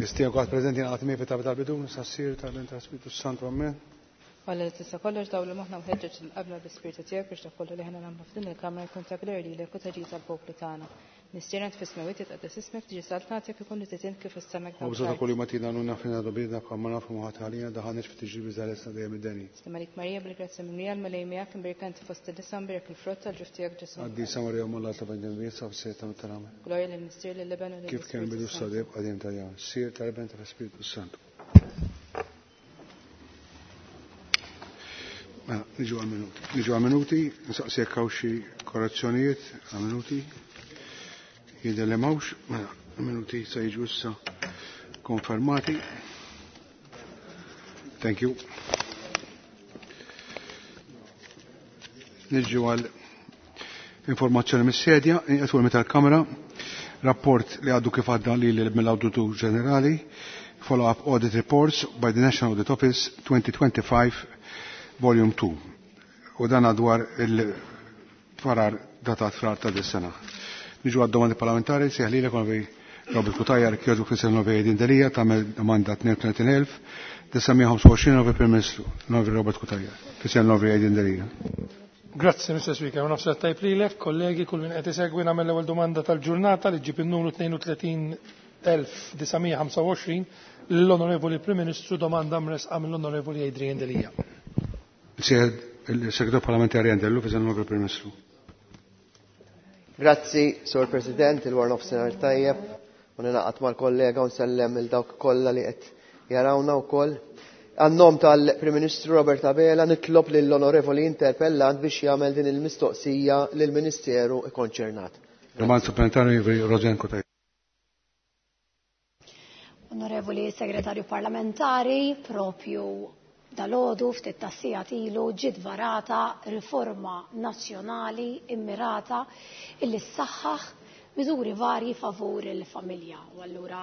Nistieden kulħadd preżenti jingħaqad miegħi fit-talba tal-bidu, sas-Sir tal-Bin tal-Spiritu Santu Amen. Alla li tista' kollox dawlu moħħna u ħeġġeġ lil qalbna bl-Ispirtu tiegħek biex dak kollu li aħna nagħmlu f'din il-kamra jkun ta' glorja lilek u ta' ġid għall-poplu tagħna. Missierna int fis-smewwiet jitqaddes ismek, tiġi saltnatek, ikun li trid int kif fis-sema hekk Ħobżna ta' fl-art. kuljum agħtina llum aħfrilna dnubietna bħalma nafu ma ħadd għalina, daħħalniex fit-tiġrib iżda ħelisna dejjem mid-deni. Sliem għalik Marija, bil-grazzja mimlija, l-Mulej miegħek, imbierka inti fost in-nisa, mbierek il-frott tal-ġuf tiegħek Ġesù. Qaddisa Marija Omm Alla itlob għalina dnubiet sa fis-siegħa ta' mewtna. Amen. Glorja lill-Missier, lill-Iben u Kif kien lill-Ispirtu bidu sa s-Santu. dejjem qadim ta' dejjem. Sir tal-Iben tal-Ispiritu Santu. Mela, niġu għal-minuti. Niġu għal-minuti, nsaqsi jekk hawn xi korrezzjonijiet għal-minuti. Jidher li m'hawnx, mela, minuti se jiġu issa konfermati. Thank you. Niġu għal informazzjoni mis-sedja, inqetwu tal-Kamra, rapport li għaddu kif għadda li mill-Awditur Ġenerali, follow-up audit reports by the National Audit Office 2025, Volume 2. U dan dwar il-farar datat frar ta' dis-sena. Niġu għad domandi parlamentari, seħli l Robert Cutajar, kjoġu Kristian Novej Adrian Delia, tagħmel domanda 32.925 Novej Prim Ministru, Novej Robert Cutajar, Kristian Novej Adrian Delia. Grazzi, Mr. Speaker. Nofs tajb lilek, kollegi, kull min qed isegwi nagħmel l-ewwel domanda tal-ġurnata li ġib in-numru 32.925 lill-Onorevoli Prim Ministru domanda mresqa mill-Onorevoli Adrian Delia. Il-Segretar Parlamentari Andellu, Fisem Novej Prim Ministru. Grazzi, Sur President, il-War Nofsinhar tajjeb, u ninaqat mal-kollega u nsellem il dawk kollha li qed jarawna wkoll. Għan-nom tal-Prim Ministru Robert Abela nitlob lill-Onorevoli interpellant biex jagħmel din il-mistoqsija lill-Ministeru ikkonċernat. Domanda supplementari Rosanne Cutajar. Onorevoli Segretarju Parlamentari, propju dalgħodu ftit tas-sigħat ilu ġiet varata riforma nazzjonali immirata illi ssaħħaħ miżuri varji favur il-familja. U allura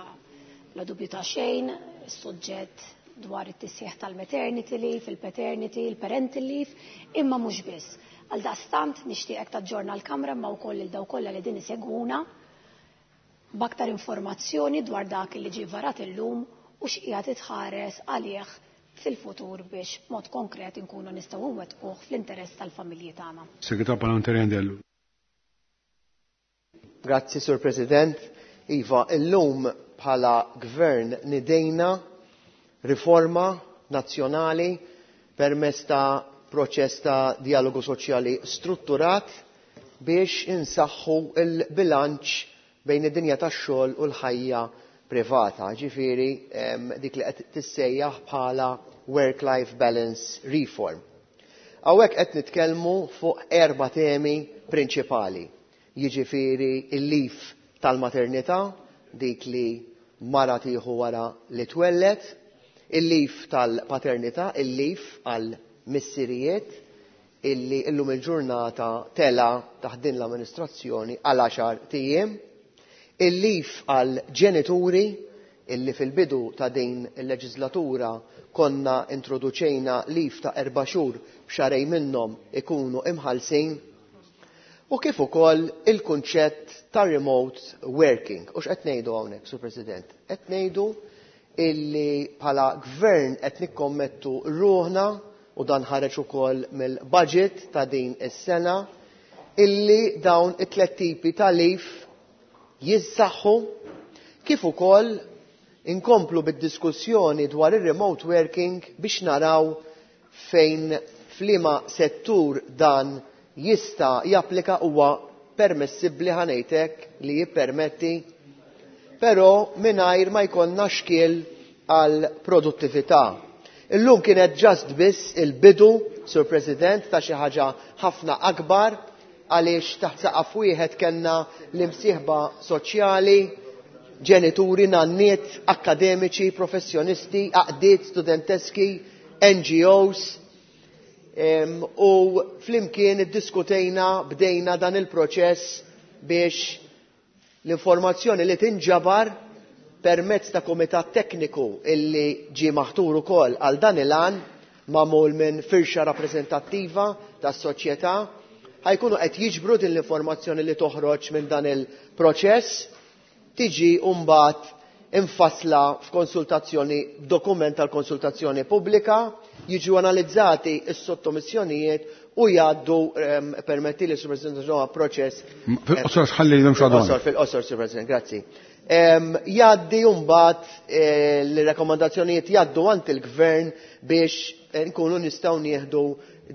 bla dubju ta' xejn, is-suġġett dwar it-tisħiħ tal-maternity leave, il-paternity, il-parental leave, imma mhux biss. Għal daqstant nixtieqek taġġorna l-Kamra imma wkoll lil dawk kollha li din isegwuna b'aktar informazzjoni dwar dak li ġie varat illum u x'qiegħed itħares għalih fil-futur biex b'mod konkret inkunu nistgħu nwettquh fl-interess tal-familji tagħna. Segretar Parlamentari Andellu. Grazzi, Sur President. Iva, illum bħala gvern nidejna riforma nazzjonali permezz ta' proċess ta' dialogu soċjali strutturat biex insaħħu il-bilanċ bejn id-dinja tax-xogħol u l-ħajja privata, ġifieri dik li qed tissejjaħ bħala work-life balance reform. Hawnhekk qed nitkellmu fuq erba' temi prinċipali. Jiġifieri il-leave tal-maternità, dik li mara tieħu wara li twellet, il-leave tal-paternità, il-leave għal missirijiet, illi illum il-ġurnata tela taħt din l-amministrazzjoni għal 10 tijiem, il-leave għal ġenituri, illi fil-bidu ta' din il-leġislatura konna introduċejna leave ta' 4 xhur b'xarej minnhom ikunu imħallsin, u kif ukoll il-kunċett ta' remote working. U x'qed ngħidu hawnhekk, Sur President? Qed ngħidu illi bħala gvern qed nikkommettu ruħna, u dan ħareġ ukoll mill-budget ta' din is-sena, illi dawn it-tliet tipi ta' leave jissaħħu, kif ukoll inkomplu bid-diskussjoni dwar ir-remote working biex naraw fejn f'liema settur dan jista' japplika huwa permessibbli ħanejtek li jippermetti, però mingħajr ma jkollna xkiel għal produttività. Illum kienet ġast biss il-bidu, Sur President, ta' xi ħaġa ħafna akbar, għaliex taħt saqaf wieħed kellna l-imsieħba soċjali, ġenituri, nanniet, akademiċi, professjonisti, għaqdiet studenteski, N G Os, u flimkien iddiskutejna, bdejna dan il-proċess biex l-informazzjoni li tinġabar permezz ta' komitat tekniku illi ġie maħtur ukoll għal dan il-għan, magħmul minn firxa rappreżentattiva tas-soċjetà, ħajkunu qed jiġbru din l-informazzjoni li toħroġ minn dan il-proċess, tiġi mbagħad imfassla f'konsultazzjoni, dokument tal-konsultazzjoni pubblika, jiġu analizzati s-sottomissjonijiet u jgħaddu, permetti li, Sur President, proċess. Fil-qosor ħalli Fil-qosor, fil-qosor, Sur President, grazzi. Jgħaddi mbagħad l-rakkomandazzjonijiet jgħaddu għand il-Gvern biex nkunu nistgħu nieħdu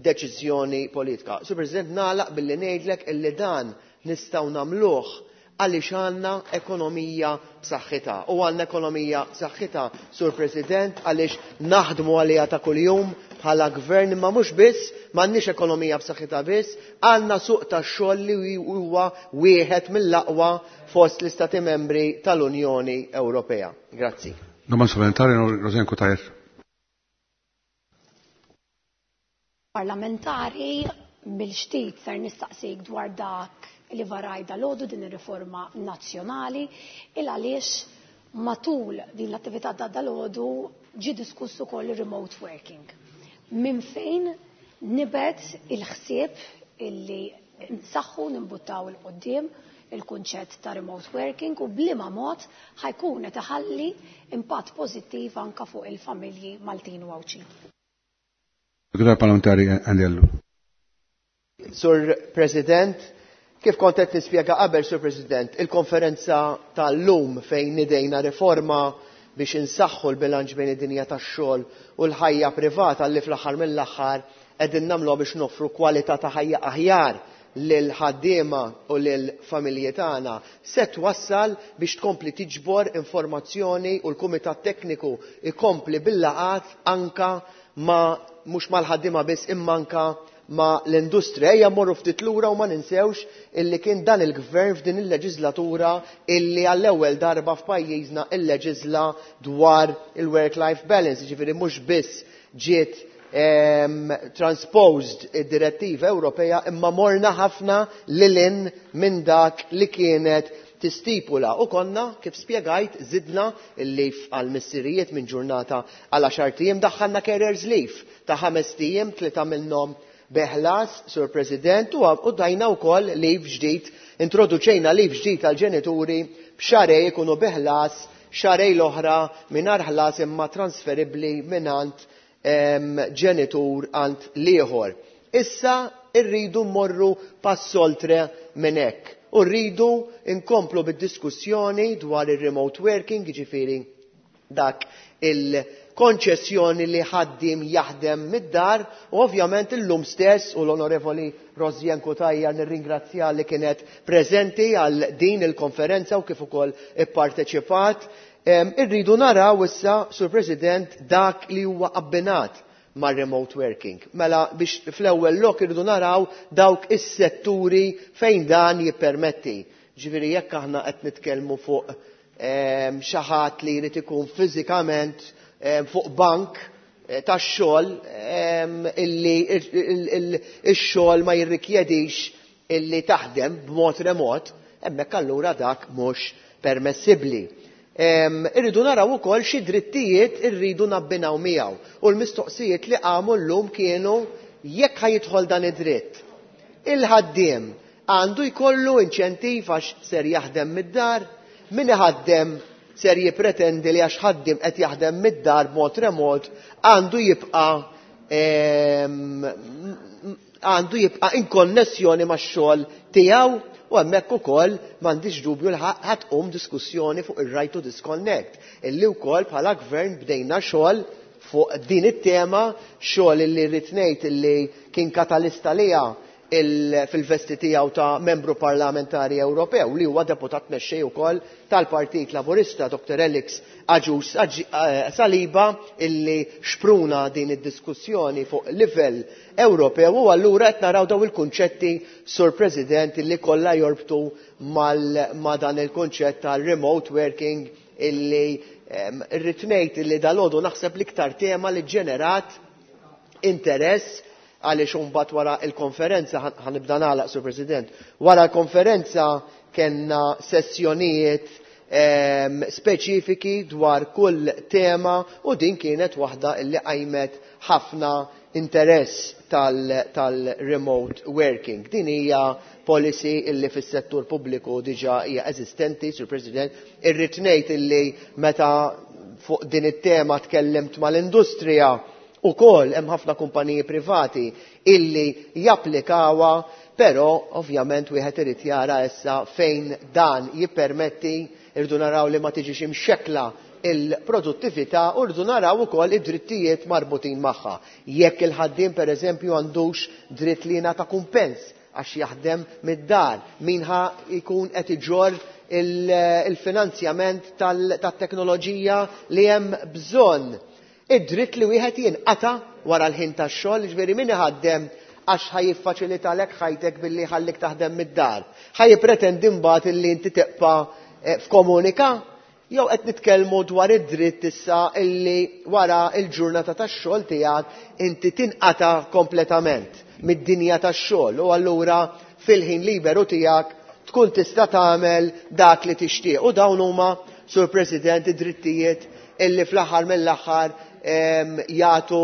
deċiżjoni politika. Sur President, nagħlaq billi ngħidlek illi dan nistgħu nagħmluh għaliex għandna ekonomija b'saħħitha. U għandna ekonomija b'saħħitha, Sur President, għaliex naħdmu għaliha ta' kuljum bħala gvern, imma mhux biss, m'għandniex ekonomija b'saħħitha biss, għandna suq tax-xogħol li huwa wieħed mill-aqwa fost l-Istati Membri tal-Unjoni Ewropea. Grazzi. Domanda supplementari, Rosianne Cutajar. Parlamentari, mill-ġdid ser nistaqsik dwar dak li varaj dal-għodu din ir-riforma nazzjonali, il għaliex matul din l-attività ta' dal-għodu ġie diskuss ukoll remote working. Minn fejn nibet il-ħsieb illi nsaħħu nimbuttaw il-qoddim il-kunċett ta' remote working u bliema mod ħajkun qed iħalli impatt pożittiv anka fuq il-familji Maltin u Għawdxin. Segretarju Parlamentari Andy Ellul. Sur President, kif kont qed nispjega qabel, Sur President, il-konferenza tal-lum fejn nidejna riforma biex insaħħu l-bilanċ bejn id-dinja tax-xogħol u l-ħajja privata li fl-aħħar mill-aħħar qegħdin nagħmluha biex noffru kwalità ta' ħajja aħjar lil ħaddiema u lil familji tagħna, se twassal biex tkompli tiġbor informazzjoni u l-Kumitat Tekniku ikompli bil-laqat anka ma mhux mal-ħaddiema biss imma anka ma l-industrija. Ejja mmorru ftit lura u ma ninsewx illi kien dan il-gvern f'din il-leġislatura illi għall-ewwel darba f'pajjiżna illeġisla dwar il-work-life balance, jiġifieri mhux biss ġiet transposed id-direttiva Ewropea imma morna ħafna lilin minn dak li kienet tistipula u konna, kif spjegajt, zidna il-leave għal missirijiet minn ġurnata għal 10 ijiem, daħħalna carers leave ta' 5 ijiem, 3 minnhom beħlas, Sur President, u dajna wkoll leave ġdid, introduċejna leave ġdid għal ġenituri b'xarej ikunu beħlas, xarej l-oħra mingħajr ħlas imma transferibbli mingħand ġenitur għand l-ieħor. Issa rridu mmorru pass oltre minn hekk. U rridu nkomplu bid-diskussjoni dwar ir-remote working, jiġifieri dak il-konċessjoni li ħaddiem jaħdem mid-dar, u ovvjament illum stess u l-Onorevoli Rosianne Cutajar nirringrazzja li kienet preżenti għal din il-konferenza u kif ukoll ipparteċipat. Irridu naraw issa, Sur President, dak li huwa abbinat ma' remote working. Mela biex fl-ewwel lok irridu naraw dawk is-setturi fejn dan jippermetti. Ġifieri jekk aħna qed nitkellmu fuq xi ħadd li jrid ikun fiżikament fuq bank tax-xogħol illi ix-xogħol ma jirrikjedix illi taħdem b'mod remot, hemmhekk allura dak mhux permessibbli. Irridu naraw ukoll xi drittijiet irridu nabbinaw miegħu. U l-mistoqsijiet li qamu llum kienu jekk ħajidħol dan id-dritt. Il-ħaddiem għandu jkollu inċentiv għax ser jaħdem mid-dar, min iħaddem ser jippretendi li għax ħaddiem qed jaħdem mid-dar b'mod remot għandu jibqa' in konnessjoni max-xogħol tiegħu. U hemmhekk ukoll m'għandix dubju li ħadd tqum diskussjoni fuq ir-right to disconnect, illi wkoll bħala gvern bdejna xogħol fuq din it-tema, xogħol illi rrid ngħid illi kien katalista liha fil-vesti tiegħu ta' membru parlamentari Ewropew li huwa deputat mexxej ukoll tal-Partit Laburista, Dr. Alex Agius Saliba, illi xpruna din id-diskussjoni fuq livell Ewropew, u allura qed naraw daw il-kunċetti, Sur President, illi kollha jorbtu ma' dan il-kunċett tal-remote working illi irrid ngħid illi dalgħodu naħseb l-iktar tema li ġenerat interess, għaliex imbagħad wara l-konferenza, ħanibda nagħlaq, Sur President, wara l-konferenza kellna sessjonijiet speċifiki dwar kull tema u din kienet waħda illi qajmet ħafna interess tal-remote working. Din hija policy illi fis-settur pubbliku diġà hija eżistenti, Sur President, irrid ngħid illi meta fuq din it-tema tkellimt mal-industrija ukoll hemm ħafna kumpaniji privati illi japplikawha, però ovvjament wieħed irid jara issa fejn dan jippermetti, irridu naraw li ma tiġix imxekkla il-produttività u rridu naraw ukoll id-drittijiet marbutin magħha. Jekk il-ħaddiem pereżempju għandux dritt li jingħata kumpens għax jaħdem mid-dar, min ħa jkun qed iġorr il-finanzjament tat-teknoloġija li hemm bżonn. Id-dritt li wieħed jinqata' wara l-ħin tax-xogħol, jiġifieri min iħaddem għax ħa jiffaċilitalek ħajtek billi jħallik taħdem mid-dar, ħa jippretendi mbagħad illi inti tibqa' f'komunika? Jew qed nitkellmu dwar id-dritt issa illi wara l-ġurnata tax-xogħol tiegħek inti tinqata' kompletament mid-dinja tax-xogħol u allura fil-ħin liberu tiegħek tkun tista' tagħmel dak li tixtieq. U dawn huma, Sur President, id-drittijiet illi fl-aħħar mill-aħħar jagħtu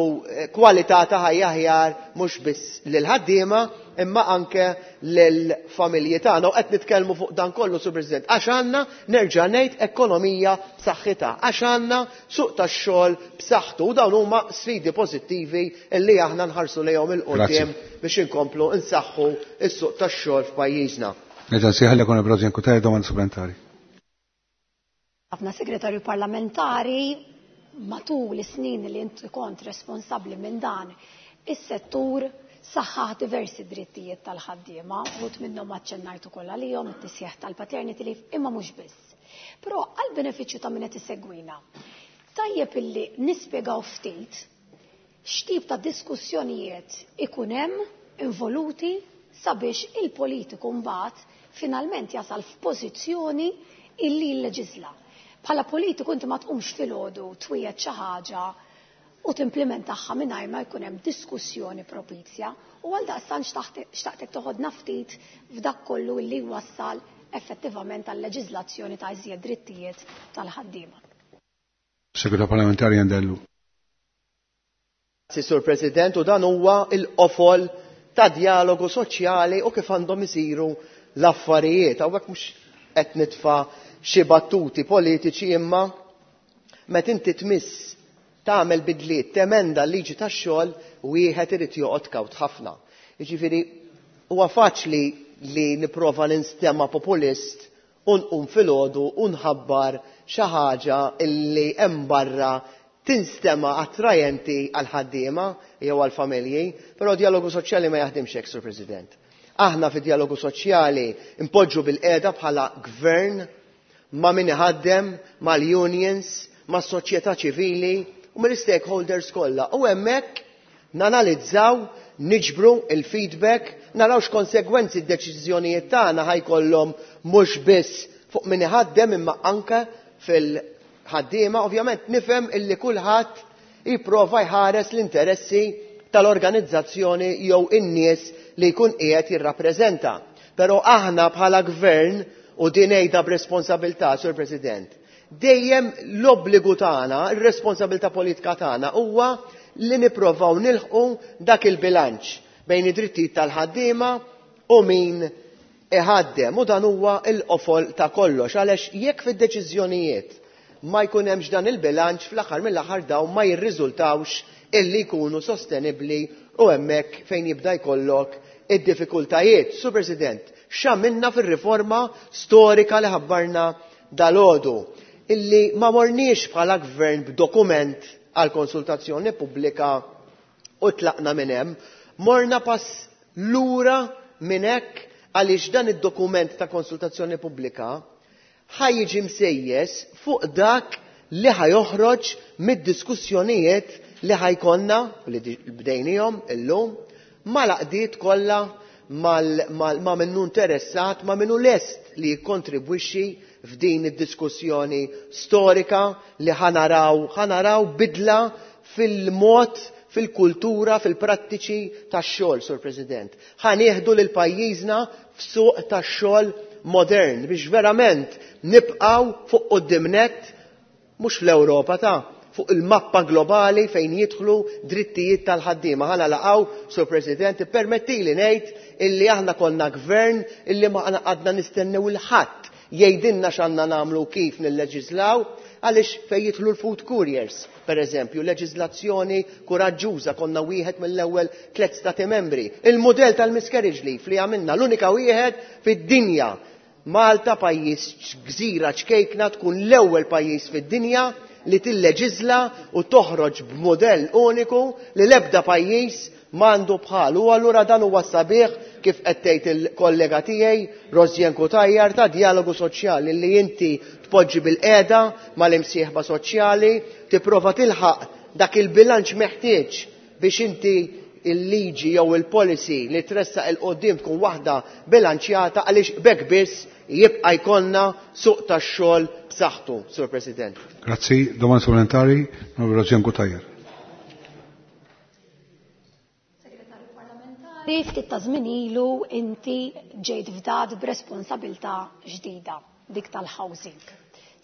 kwalità ta' ħajja aħjar mhux biss lill-ħaddiema imma anke lill-familji tagħna. U qed nitkellmu fuq dan kollu, Sur President, għax għandna, nerġa' ngħid, ekonomija b'saħħitha, għax għandna suq tax-xogħol b'saħħtu, u dawn huma sfidi pożittivi illi aħna nħarsu lejhom il quddiem biex inkomplu nsaħħu s-suq tax-xogħol f'pajjiżna. Nerġa' nsejħilek Onorevole Rosianne Cutajar, domanda supplementari. Ħafna segretarju parlamentari matul is-snin li inti kont responsabbli minn dan is-settur saħħaħ diversi drittijiet tal-ħaddiema, uħud minnhom aċċennajt ukoll għalihom, it-tisjeħ tal-paternity leave, imma mhux biss. Però għall-benefiċċju ta' min qed isegwina, tajjeb illi nispjegaw ftit x'tip ta' diskussjonijiet ikun hemm involuti sabiex il-politiku mbagħad finalment jasal f'pożizzjoni illi jilleġiżla. Bħala politiku inti ma tqumx filgħodu twiegħed xi ħaġa u timplementaħħa mingħajr ma jkun hemm diskussjoni propizja, u għaldaqstant xtaqtek toħodna ftit f'dak kollu li wassal effettivament għal leġiżlazzjoni ta' iżjed drittijiet tal-ħaddiema. Segretarju Parlamentari Andellu. Grazzi, Sur President, u dan huwa l-qofol ta' dialogu soċjali u kif għandhom isiru l-affarijiet. Hawnhekk mhux qed nitfa' xi battuti politiċi, imma meta inti tmiss tagħmel bidliet, temenda l-liġi tax-xogħol, wieħed irid joqgħod kawt ħafna. Jiġifieri huwa faċli li nipprova ninstema' populist u nqum filgħodu u nħabbar xi ħaġa illi hemm barra tinstema' attrajenti għal-ħaddiema jew għal-familji, però dialogu soċjali ma jaħdimx hekk, Sur President. Aħna fi dialogu soċjali npoġġu bil-qiegħda bħala gvern ma' min iħaddem, mal-unions, mas-soċjetà ċivili u mill-stakeholders kollha. U hemmhekk nanalizzaw, niġbru il-feedback, naraw x'konsegwenzi d-deċiżjonijiet tagħna ħajkollhom mhux biss fuq min iħaddem imma anke fil-ħaddiema. Ovvjament nifhem illi kulħadd jipprova jħares l-interessi tal-organizzazzjoni jew in-nies li jkun qiegħed jirrappreżenta. Però aħna bħala gvern, u din ngħidha b'responsabilità, Sur President, dejjem l-obbligu tagħna, ir-responsabilità politika tagħna huwa li nipprovaw nilħqu dak il-bilanċ bejn id-drittijiet tal-ħaddiema u min iħaddem, u dan huwa l-qofol ta' kollox, għaliex jekk fid-deċiżjonijiet ma jkun hemmx dan il-bilanċ, fl-aħħar mill-aħħar dawn ma jirriżultawx illi jkunu sostenibbli u hemmhekk fejn jibda jkollok id-diffikultajiet. Sur President, x'għamilna fir-riforma storika li ħabbarna dalgħodu, illi ma morniex bħala gvern b'dokument għal konsultazzjoni pubblika u tlaqna minn hemm, morna pass lura minn hekk għaliex dan id-dokument ta' konsultazzjoni pubblika ħa jiġi msejjes fuq dak li ħajoħroġ mid-diskussjonijiet li ħajkonna, li bdejnihom illum, mal-għaqdiet kollha, ma' minnu interessat, ma' minnu lest li jikkontribwixxi f'din id-diskussjoni storika li ħanaraw bidla fil-mod, fil-kultura, fil-prattiċi tax-xogħol, Sur President. Ħanieħdu lil pajjiżna f'suq tax-xogħol modern biex verament nibqgħu fuq quddiem nett mhux fl-Ewropa ta' fuq il-mappa globali fejn jidħlu drittijiet tal-ħaddiema. Ħa nagħlaq, Sur President, ippermettili ngħid illi aħna konna gvern illi ma għadna nistennew 'il ħadd jgħidilna x'għandna nagħmlu, kif nilleġislaw, għaliex fejn jidħlu l-food couriers, per eżempju, leġiżlazzjoni kuraġġuża, konna wieħed mill-ewwel tliet stati membri. Il-mudell tal-miscarriage leave li għamilna, l-unika wieħed fid-dinja. Malta, pajjiż gżira ċkejkna, tkun l-ewwel pajjiż fid-dinja li tilleġiżla u toħroġ b'mudell uniku li l-ebda pajjiż m'għandu bħalu. U allura dan huwa sabiħ, kif qed tgħid il-kollega tiegħi Rosianne Cutajar, ta' dialogu soċjali li inti tpoġġi bil-qiegħda mal-imsieħba soċjali, tipprova tilħaq dak il-bilanċ meħtieġ biex inti il-liġi jew il-policy li tressaq 'il quddiem tkun waħda bilanċjata, għaliex b'hekk biss jibqa' jkollna suq tax-xogħol b'saħħtu, Sur President. Grazzi, domanda supplementari, Onorevole Rosianne Cutajar. Segretarju Parlamentari, ftit ta' żmien ilu inti ġejt fdat b'responsabilità ġdida, dik tal-housing.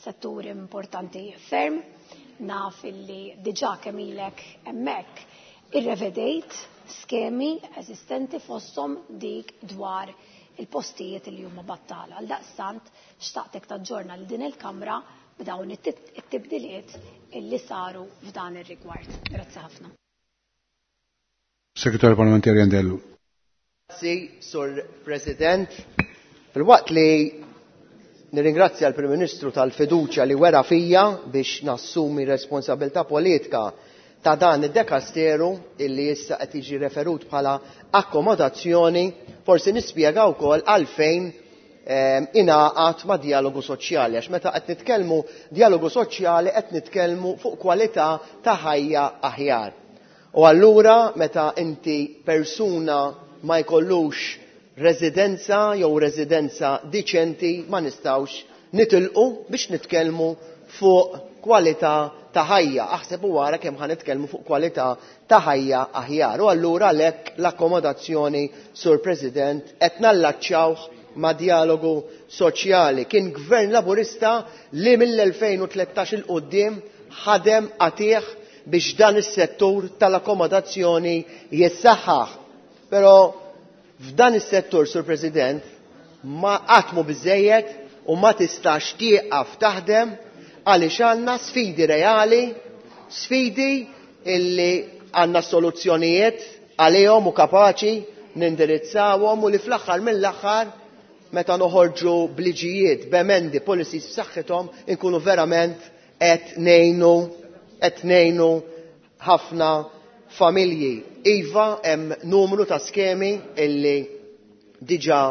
Settur importanti ferm, naf illi diġà kemm ilek hemmhekk irrevedejt skemi eżistenti, fosthom dik dwar il-postijiet li huma battala. Għal daqstant xtaqtek taġġorna lil din il-Kamra b'dawn it-tibdiliet illi saru f'dan ir-rigward. Grazzi ħafna. Segretarju Parlamentari Andy Ellul. Grazzi, Sur President. Filwaqt li nirringrazzja l-Prim Ministru tal-fiduċja li wera fija biex nassumi responsabilità politika ta' dan id-dekasteru illi issa qed jiġi referut bħala akkomodazzjoni, forsi nispjega wkoll għalfejn ingħaqad ma' dialogu soċjali, għax meta qed nitkellmu dialogu soċjali qed nitkellmu fuq kwalità ta' ħajja aħjar. U allura meta inti persuna ma jkollux residenza jew residenza diċenti, ma nistgħux nitilqu biex nitkellmu fuq kwalità ta' ħajja. Aħseb u wara kemm ħa nitkellmu fuq kwalità ta' ħajja aħjar. U allura għalhekk l-akkomodazzjoni, Sur President, qed nallaċċawh ma' dialogu soċjali. Kien gvern laburista li mill-2013 'il quddiem ħadem qatih biex dan is-settur tal-akkomodazzjoni jissaħħaħ. Però f'dan is-settur, Sur President, ma qatt mhu biżejjed u ma tistax tieqaf taħdem, għaliex għandna sfidi reali, sfidi illi għandna soluzzjonijiet għalihom u kapaċi nindirizzawhom, u li fl-aħħar mill-aħħar meta noħorġu bliġijiet, b'emendi, policies b'saħħithom, inkunu verament qed ngħinu ħafna familji. Iva, hemm numru ta' skemi illi diġà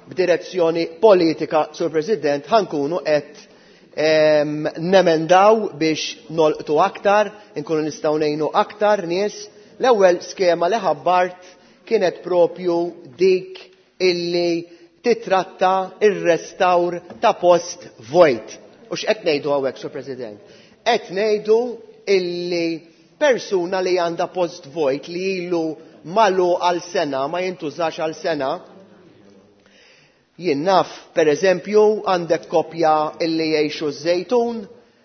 b'direzzjoni politika, Sur President, ħa nkunu qed nemendaw biex nolqtu aktar, inkunu nistgħu ngħinu aktar nies. L-ewwel skema li ħabbart kienet propju dik illi titratta ir-restawr ta' post vojt. U x'qed ngħidu hawnhekk, Sur President? Qed ngħidu illi persuna li għandha post vojt li ilu malu għal sena, ma jintużax għal sena, jien naf, per eżempju, għandek kopja illi jgħixu ż-Żejtun,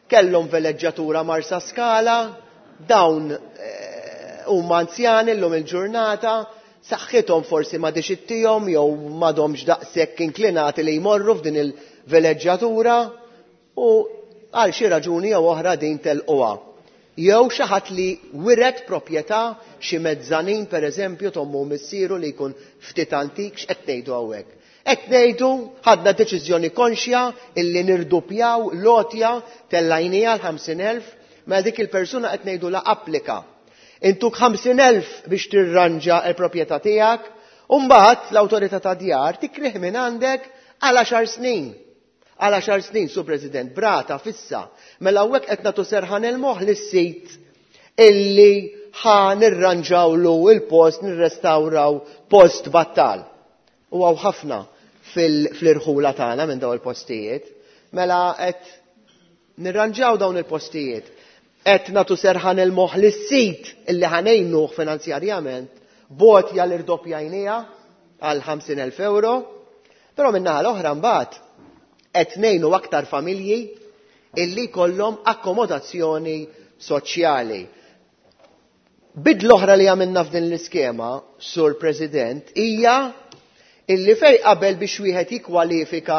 kellhom veleġġatura Marsa Skala, dawn huma anzjani llum il-ġurnata, saħħithom forsi ma dixittihom jew m'għadhomx daqshekk inklinati li jmorru f'din il-veleġġatura u għal xi raġuni jew oħra din telquha. Jew xi ħadd li wiret proprjetà, xi mezzanin per eżempju, tommu missieru li jkun ftit antik, x'qed ngħidu hawnhekk? Qed ngħidu ħadna deċiżjoni konxja illi nirdupjaw l-għotja, tellajnija l-50,000, ma dik il-persuna qed ngħidu la applika. Intuk 50,000 biex tirranġa l-proprjetà tiegħek, u mbagħad l-awtorità ta' djar tikrih minn għandek għal 10 snin. Għal 10 snin, Sur President, brata fissa. Mela hawnhekk qed nagħtu serħan il-moħħ lis-sit illi ħa nirranġawlu il-post, nirrestawraw post battal. U hawn ħafna fl-irħula tagħna minn dawn il-postijiet. Mela qed nirranġaw dawn il-postijiet. Qed nagħtu serħan il-moħħ lis-sit illi ħa ngħinuh finanzjarjament, bot jal-irdoppjajnija għal 50,000 euro. Però min-naħa l-oħra mbagħad qed ngħinu aktar familji illi jkollhom akkomodazzjoni soċjali. Bidla oħra li għamilna f'din l-iskema, Sur President, hija illi fej qabel biex wieħed jikkwalifika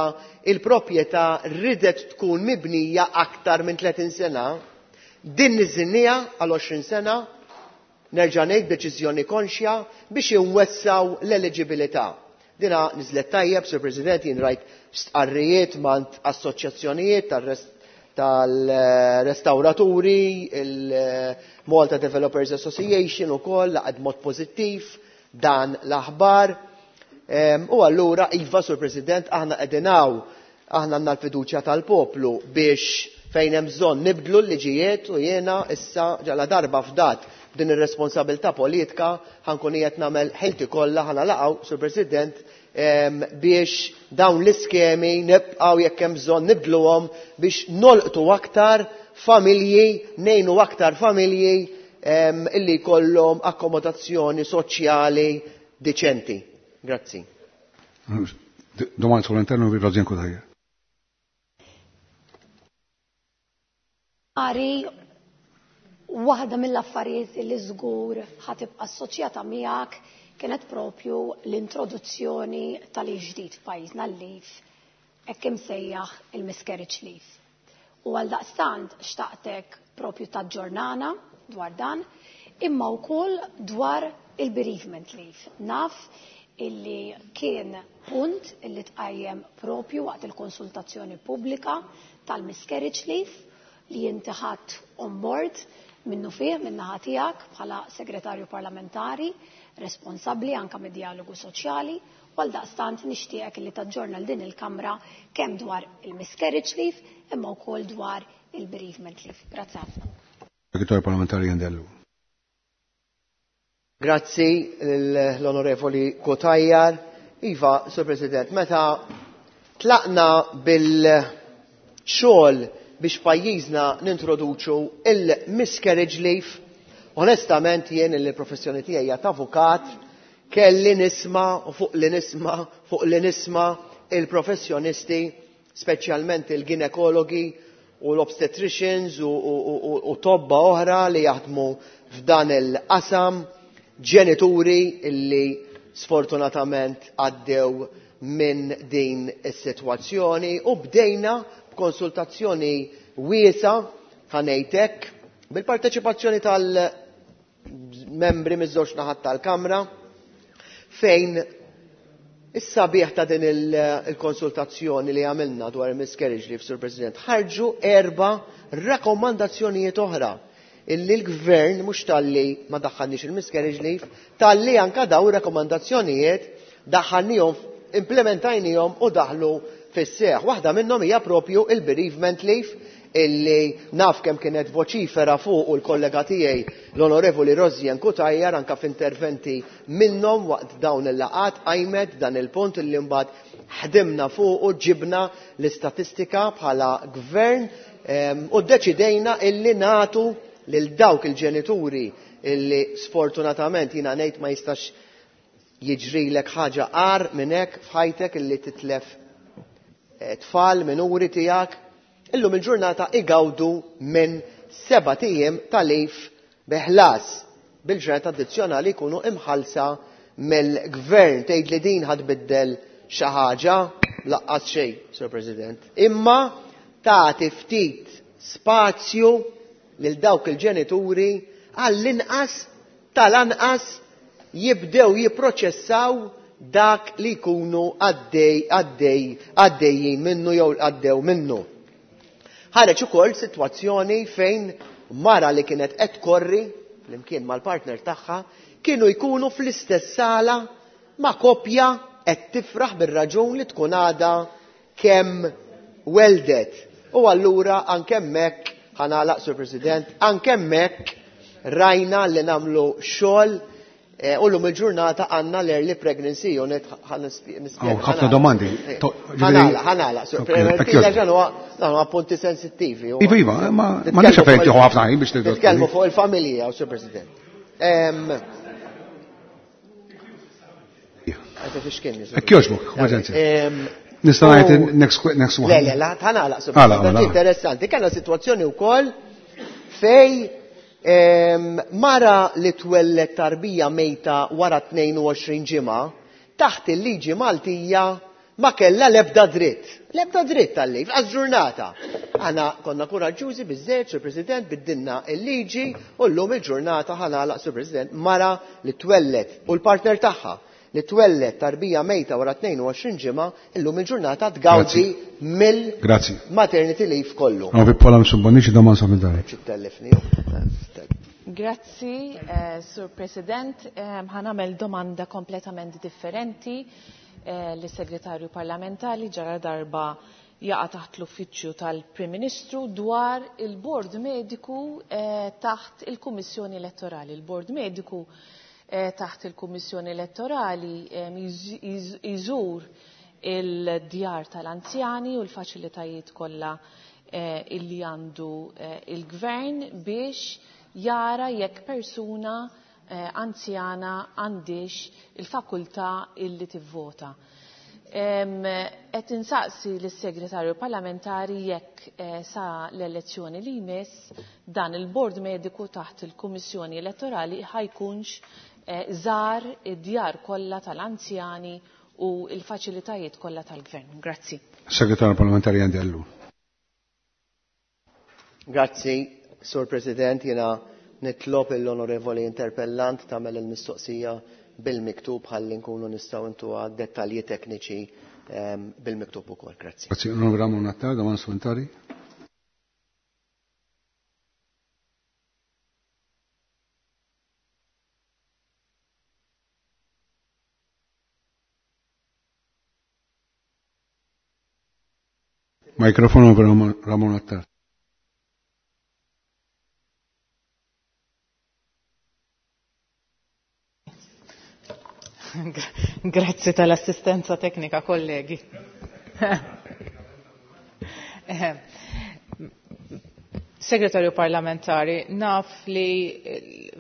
il-proprjetà ridet tkun mibnija aktar minn 30 sena, din niżinniha għal 20 sena, nerġa' ngħid deċiżjoni konxja biex inwessaw l-eliġibilità. Dina niżlet tajjeb, Sur President, jien rajt stqarrijiet mant assoċjazzjonijiet tal-restawraturi, il-Malta Developers Association ukoll laqgħet mod pożittiv dan l-aħbar. U allura, iva, Sur President, aħna qegħdin hawn, aħna għandna l-fiduċja tal-poplu biex fejn hemm bżonn nibdlu l-liġijiet u jiena issa ġala darba fdat din ir-responsabilità politika ħankun qiegħed nagħmel ħilti kollha ħa nalaqgħu, Sur President, biex dawn l-iskemi nibqgħu jekk hemm bżonn nibdluhom biex nolqtu aktar familji, ngħinu aktar familji illi jkollhom akkomodazzjoni soċjali diċenti. Grazzi. Domanda sull'interno vi Rosianne Cutajar. Ari, waħda mill-affarijiet li żgur ħatibqa' assoċjata miegħek kienet propju l-introduzzjoni tal-leave ġdid f'pajjiżna, l-leave hekk imsejjaħ il-miscarriage leave. U għal daqstant xtaqtek propju taġġornana dwar dan, imma wkoll dwar il-bereavement leave. Naf illi kien punt illi tqajjem propju waqt il-konsultazzjoni pubblika tal-miscarriage leave li inti ħadt on board minnu fih minnaħa tiegħek bħala segretarju parlamentari responsabbli anka mid-dialogu soċjali, u għal daqstant nixtieqek li taġġorna l din il-Kamra kemm dwar il-miscarriage leave imma wkoll dwar il-bereavement leave. Grazzi ħafna. Segretarju parlamentari Ian Dellu. Grazzi l-Onorevoli Cutajar. Iva, Sur President, meta tlaqna bil-xogħol biex pajjiżna nintroduċu il-miscarriage leave, onestament jien il professjoni tiegħi hija ta' avukat, kelli nisma' u fuq li nisma' fuq li nisma' il-professjonisti, speċjalment il-ginekologi u l-obstetricians u tobba oħra li jaħdmu f'dan il-qasam, ġenituri illi sfortunatament għaddew minn din is-sitwazzjoni, u bdejna b'konsultazzjoni wiesa, ħanejtek, bil-parteċipazzjoni tal-membri miż-żewġ naħat tal-Kamra, fejn is-sabiħ ta' din il-konsultazzjoni li għamilna dwar il-miscarriage leave, Sur President, ħarġu 4 rakkomandazzjonijiet oħra illi l-gvern mhux talli ma daħħalniex il-miscarriage leave, talli anka daw rakkomandazzjonijiet daħħalnihom, implementajnihom u daħlu fis-seħ. Waħda minnhom hija propju il-bereavement leave illi naf kemm kienet voċifera fuq u l-kollega tiegħi l-Onorevoli Rosianne Cutajar anka f'interventi minnhom waqt dawn il-laqat qajmet dan il-punt illi mbagħad ħdimna fuq u ġibna l-istatistika bħala gvern u ddeċidejna illi nagħtu lil dawk il-ġenituri illi sfortunatament jiena ngħid ma jistax jiġrilek ħaġa qar minn hekk f'ħajtek illi titlef tfal minuri tiegħek, illum il-ġurnata igawdu minn 7 ijiem ta' leave beħlas bil-ġurnata addizzjonali jkunu imħallsa mill-gvern. Tgħid li din ħadbiddel xi ħaġa? Laqqas xejn, Sir President. Imma tagħti ftit spazju lil dawk il-ġenituri għall-inqas tal-anqas jibdew jipproċessaw dak li jkunu għaddejjin minnu jew għaddew minnu. Ħareġ ukoll sitwazzjoni fejn mara li kienet qed tkorri flimkien mal-partner tagħha kienu jkunu fl-istess sala ma' koppja qed tifraħ bir-raġun li tkun għadha kemm weldet. U allura anke hemmhekk, ħanalaq Sur President, anke hemmhekk rajna li nagħmlu xogħol u llum il-ġurnata għandna l-early pregnancy unit, ħa nispjega. Oh, ħafna domandi. Ħanala, ħanala, Sur Ok, President, thank you. dan huwa punti sensittivi. Iva, iva, ma nix fejn tieħu ħafna ħin biex tidħol. Nitkellmu fuq il-familja, Sur President. Qed ifixkilni. Hekk jogħġbok, emerġenza. Nista' ngħid next next one. Le, le, la, ħanagħlaq, Sur President. Interessanti, kellna sitwazzjoni wkoll fej mara li twellet tarbija mejta wara 22 ġimgħa taħt il-liġi Maltija ma kellha l-ebda dritt. L-ebda dritt tal-leave, għaż ġurnata. Aħna konna kuraġġużi biżżejjed, Sur President, biddilna l-liġi u llum il-ġurnata ħa nagħlaq, Sur President, mara li twellet u l-partner tagħha li twellet tarbija mejta wara 22 ġimgħa illum il-ġurnata tgawdi mill Grazzi. maternity leave kollu. Għaw Pola Mifsud Bonnici, domanda supplementari. Ċittellifni. Grazzi, Sur President. Ħa nagħmel domanda kompletament differenti lis-Segretarju Parlamentari ġara darba jaqa' taħt l-Uffiċċju tal-Prim Ministru dwar il-Bord Mediku taħt il-Kummissjoni Elettorali. Il-Bord Mediku taħt il-Kummissjoni Elettorali jżur il-djar tal-anzjani u l-faċilitajiet kollha illi għandu il-Gvern biex jara jekk persuna anzjana għandix il-fakultà illi tivvota. Qed insaqsi lis-Segretarju Parlamentari jekk sa l-elezzjoni li jmiss dan il-Bord Mediku taħt il-Kummissjoni Elettorali ħajkunx żar id-djar kollha tal-anzjani u l-faċilitajiet kollha tal-Gvern. Grazzi. Segretarju Parlamentari Andy Ellul. Grazzi, Sur President, jiena nitlob l-onorevoli interpellant tagħmel il-mistoqsija bil-miktub ħalli nkunu nistgħu ntuha dettalji tekniċi bil-miktub ukoll. Grazzi. Grazzi, Onorevoli Ramon Attard, domanda supplementari. Mikrofonu per Ramon Attard. Grazzi tal-assistenza teknika, kollegi. Segretarju parlamentari, naf li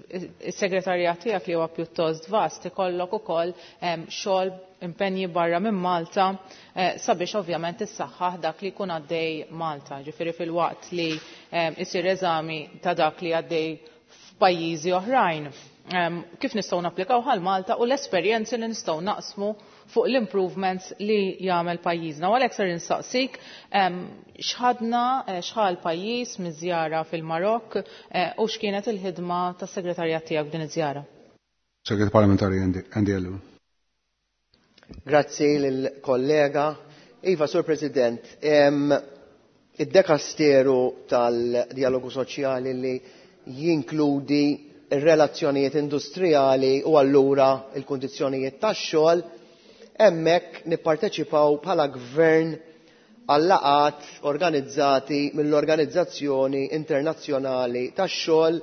il-segretarjat tiegħek li huwa pjuttost vast ikollok ukoll xogħol impenji barra minn Malta sabiex ovvjament issaħħaħ dak li jkun għaddej Malta. Ġifieri fil-waqt li isir eżami ta' dak li għaddej f'pajjiżi oħrajn. Kif nistgħu napplikaw għal Malta u l-esperjenzi li nistgħu naqsmu fuq l-improvements li jagħmel pajjiżna. U għalhekk ser insaqsik x'ħadna x'ħal pajjiż miż-żjara fil-Marokk u x'kienet il-ħidma tas-segretarjat tiegħek f'din iż-żjara. Segretarju Parlamentari Andy Ellul. Grazzi lill-kollega. Iva, Sur President, id-dekasteru tal-dialogu soċjali li jinkludi ir-relazzjonijiet industrijali u allura il-kundizzjonijiet tax-xogħol, hemmhekk nipparteċipaw bħala gvern għal-laqgħat organizzati mill-Organizzazzjoni Internazzjonali tax-Xogħol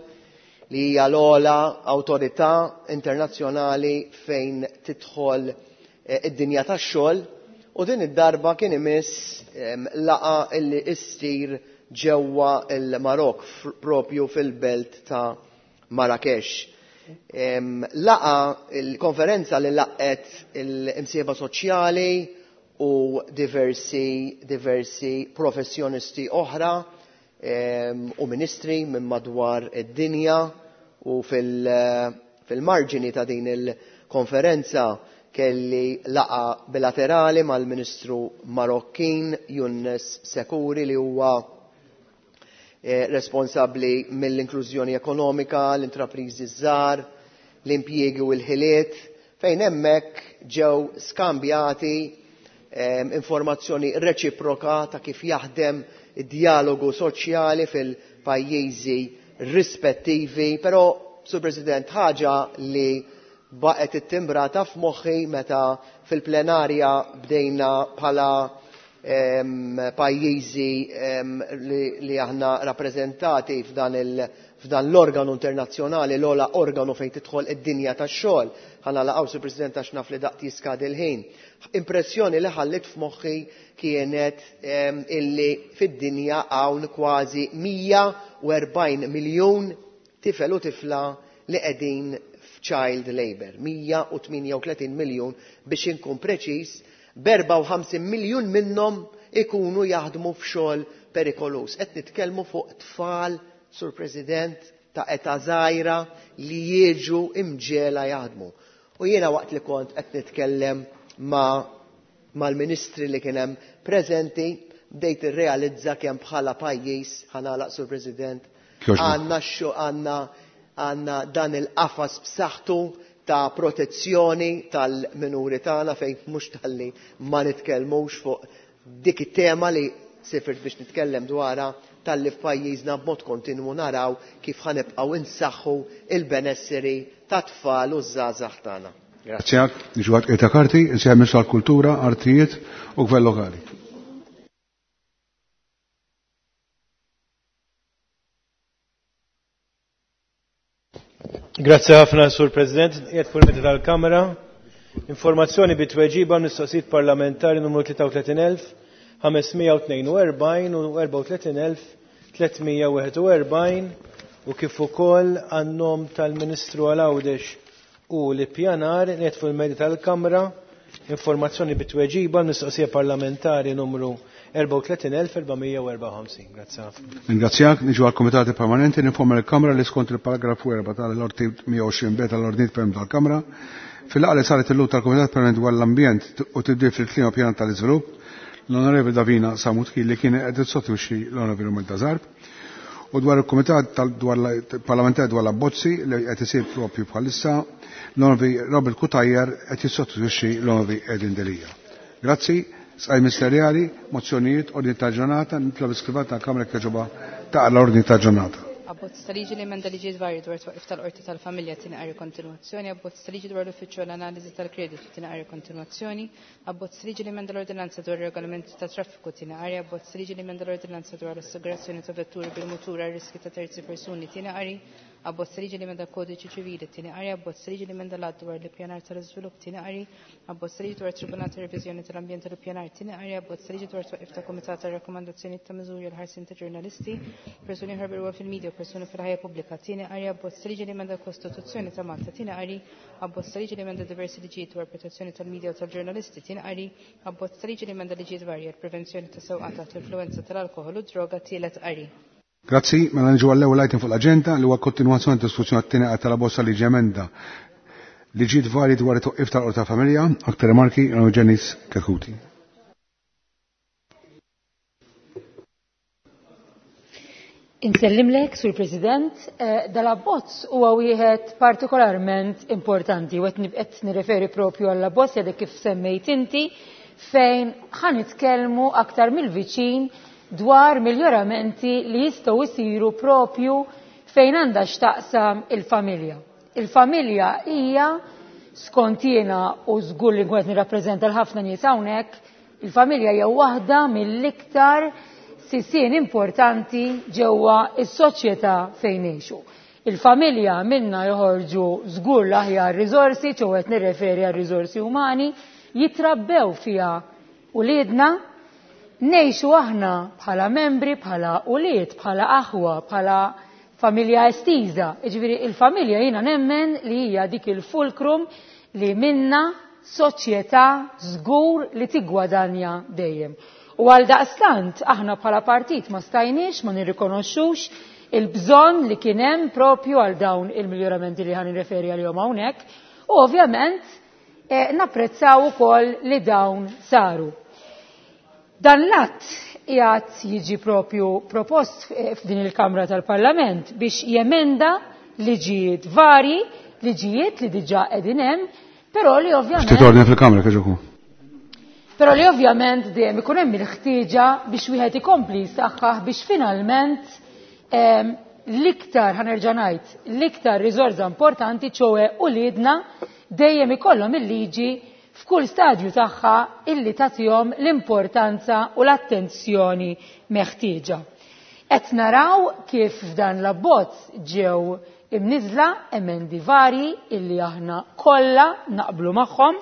li hija l-ogħla awtorità internazzjonali fejn tidħol id-dinja tax-xogħol, u din id-darba kien imiss laqgħa illi issir ġewwa l-Marokk propju fil-belt ta' Marrakesh. Laqa il-konferenza li laqgħet il-imsieba soċjali u diversi professjonisti oħra u ministri minn madwar id-dinja, u fil-marġini ta' din il-konferenza kelli laqa bilaterali mal-Ministru Marokkin Younes Sekuri li huwa responsabbli mill-inklużjoni ekonomika, l-intrapriżi żgħar, l-impjiegi u l-ħiliet, fejn hemmhekk ġew skambjati informazzjoni reċiproka ta' kif jaħdem id-dialogu soċjali fil-pajjiżi rispettivi. Però, Sur President, ħaġa li baqgħet ittimbrata f'moħħi meta fil-plenarja bdejna bħala pajjiżi li aħna rappreżentati f'dan l-organu internazzjonali, l-ogħla organu fejn tidħol id-dinja tax-xogħol. Ħa nagħlaq, Sur President, għax naf li daqt jiskadi l-ħin. Impressjoni li ħallit f'moħħi kienet illi fid-dinja hawn kważi 140 miljun tifel u tifla li qegħdin f'child labour. 138 miljun biex inkun preċiż, b'54 miljun minnhom ikunu jaħdmu f'xogħol perikoluż. Qed nitkellmu fuq tfal, Sur President, ta' età żgħira li jiġu imġiegħla jaħdmu. U jiena waqt li kont qed nitkellem ma' mal-ministri li kien hemm preżenti, bdejt irrealizza kemm bħala pajjiż, ħa nagħlaq Sur President, għandna għandna għandna dan il-qafas b'saħħtu ta' protezzjoni tal-minuri tagħna fejn mhux talli ma nitkellmux fuq dik it-tema li sifirt biex nitkellem dwarha talli f'pajjiżna b'mod kontinwu naraw kif ħa nibqgħu insaħħu il-benesseri tat-tfal u ż-żgħażagħ tagħna. Grazzi. Niġu għal ta' karti, insejjaħ Ministru għall-Kultura, Artijiet u Gvern Lokali. Grazzi ħafna, Sur President. Qiegħed fuq il-mezzi tal-Kamra. Informazzjoni bi tweġiba mistoqsijiet parlamentari numru 33,542 u 34,341 u kif ukoll għan-nom tal-Ministru għal Għawdex u l-Ippjanar qiegħed fuq il-mezzi tal-Kamra. Informazzjoni bi tweġiba mistoqsija parlamentari numru 34,454. Grazzi ħafna. Ringrazzjak, niġu għal Komitati Permanenti, ninforma l-Kamra li skont il-paragrafu 4 tal-Ordni 120 b tal-Ordni Permanenti tal-Kamra, fil-laqgħa li saret illum tal-Komitat Permanenti dwar l-Ambjent u tibdil fil-klima pjan tal-iżvilupp, l-Onorevoli Davina Samut li kien qed tissostitwixxi l-Onorevoli Romilda Zarb, u dwar il-Kumitat Parlamentari dwar l-Abbozzi li qed isir propju bħalissa, l-Onorevoli Robert Cutajar qed jissostitwixxi l-Onorevoli Edin Delia. Grazzi, sqaj ministerjali, mozzjonijiet, ordni ta' ġurnata, nitlob iskrivat tal-Kamra kieġoba ta' l-ordni ta' ġurnata. Abbozz ta' liġi li emenda liġijiet varji dwar twaqif tal-Qorti tal-Familja tieni qari kontinwazzjoni, abbozz ta' liġi dwar l-Uffiċċju għall-Analiżi tal-Kreditu tieni qari kontinwazzjoni, abbozz ta' liġi li emenda l-Ordinanza dwar ir-Regolamenti ta' Traffiku tieni qari, abbozz ta' liġi li emenda l-Ordinanza dwar l-Assigurazzjoni ta' Vetturi bil-Mutur għal riski ta' terzi persuni tieni qari, abbozz ta' liġi li emenda l-Kodiċi Ċivili tieni qari, abbozz ta' liġi li emenda l-Att dwar l-Ippjanar tal-Iżvilupp tieni qari, abbozz ta' liġi dwar Tribunal ta' Reviżjoni tal-Ambjent tal-Ippjanar tieni qari, abbozz ta' liġi dwar twaqif ta' Kumitat ta' Rakkomandazzjonijiet ta' Miżuri għal ħarsien ta' ġurnalisti, persuni oħra bil fil-medja u persuni fil-ħajja pubblika tieni qari, abbozz ta' liġi li emenda l-Kostituzzjoni ta' Malta tieni qari, abbozz ta' liġi li emenda diversi liġijiet dwar protezzjoni tal-medja u tal-ġurnalisti tieni qari, abbozz ta' liġi li emenda liġijiet varji għal prevenzjoni ta' sewqan taħt l-influwenza tal-alkoħol u droga tielet qari. Grazzi, mela niġu għall-ewwel item fuq l-aġenda li huwa kontinwazzjoni diskussjoni għat-tieni qari tal-abbozz liġi emenda liġijiet varji dwar it-twaqqif tal-Qorti tal-Familja, aktar rimarki Janice Chetcuti. Insellimlek, Sur President, dal-abbozz huwa wieħed partikolarment importanti u qed nirreferi propju għall-abbozz jadek kif semmejt inti fejn ħanitkellmu aktar mill-viċin dwar miglioramenti li jistgħu jsiru propju fejn għandha x'taqsam il-familja. Il-familja hija skont jiena u żgur li nkun qed nirrappreżenta l-ħafna nies hawnhekk, il-familja hija waħda mill-iktar sisien importanti ġewwa is-soċjetà fejn ngħixu. Il-familja minna joħorġu żgur l-aħjar riżorsi, ċew qed nirreferi għal riżorsi umani, jitrabbew fiha uliedna, ngħixu aħna bħala membri, bħala ulied, bħala aħwa, bħala familja estiża. Jiġifieri il-familja jiena nemmen li hija dik il-fulkrum li minna soċjetà żgur li tiggwadanja dejjem. U għal daqstant aħna bħala partit ma stajniex ma nirrikonoxxux il-bżonn li kien hemm propju għal dawn il-miglioramenti li ħan nirreferi għalihom hawnhekk u ovvjament napprezzaw ukoll li dawn saru. Dan l-att qiegħed jiġi propju propost f'din il-Kamra tal-Parlament biex jemenda liġijiet varji, liġijiet li diġà qegħdin hemm, però li ovvjament Ftit ordni fil-Kamra kieġoku. Però li ovvjament dejjem ikun hemm il-ħtieġa biex wieħed ikompli jsaħħaħ biex finalment l-iktar ħanerġa' ngħid, l-iktar riżorsa importanti ċoe uliedna dejjem ikollhom il-liġi f'kull stadju tagħha illi tagħtihom l-importanza u l-attenzjoni meħtieġa. Qed naraw kif f'dan l-abbozz ġew imniżla emendi varji illi aħna kollha naqblu magħhom.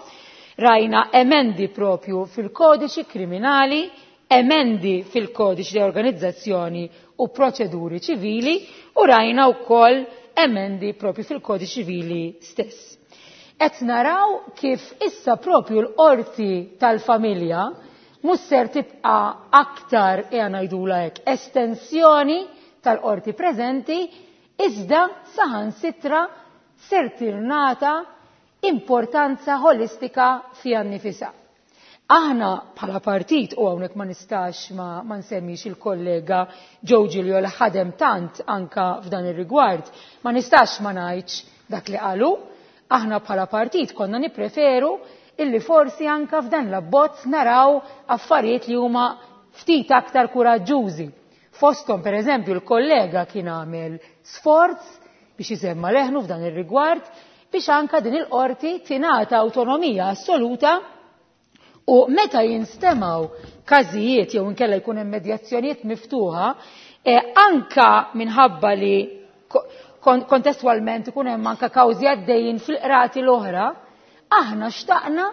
Rajna emendi propju fil-kodiċi kriminali, emendi fil-kodiċi di organizzazzjoni u proċeduri ċivili u rajna wkoll emendi propju fil-kodiċi ċivili stess. Qed naraw kif issa propju l-qorti tal-familja mhux ser tibqa' aktar ejja ngħidulha hekk estensjoni tal-qorti preżenti, iżda saħansitra ser tingħata importanza ħolistika fiha nnifisha. Aħna bħala partit, u hawnhekk ma nistax ma, ma nsemmix il-kollega Joe Giglio li ħadem tant anka f'dan ir-rigward, ma nistax ma ngħidx dak li qalu, aħna bħala partit konna nippreferu illi forsi anka f'dan l-abbozz naraw affarijiet li huma ftit aktar kuraġġużi. Fosthom per eżempju l-kollega kien għamel sforz biex isemma leħnu f'dan ir-rigward biex anka din il-qorti tingħata awtonomija assoluta u meta jinstemaw każijiet jew inkella jkun hemm medjazzjonijiet miftuħa, anka minħabba li kontestwalment ikun hemm anka kawżi għaddejjin fil-qrati l-oħra, aħna xtaqna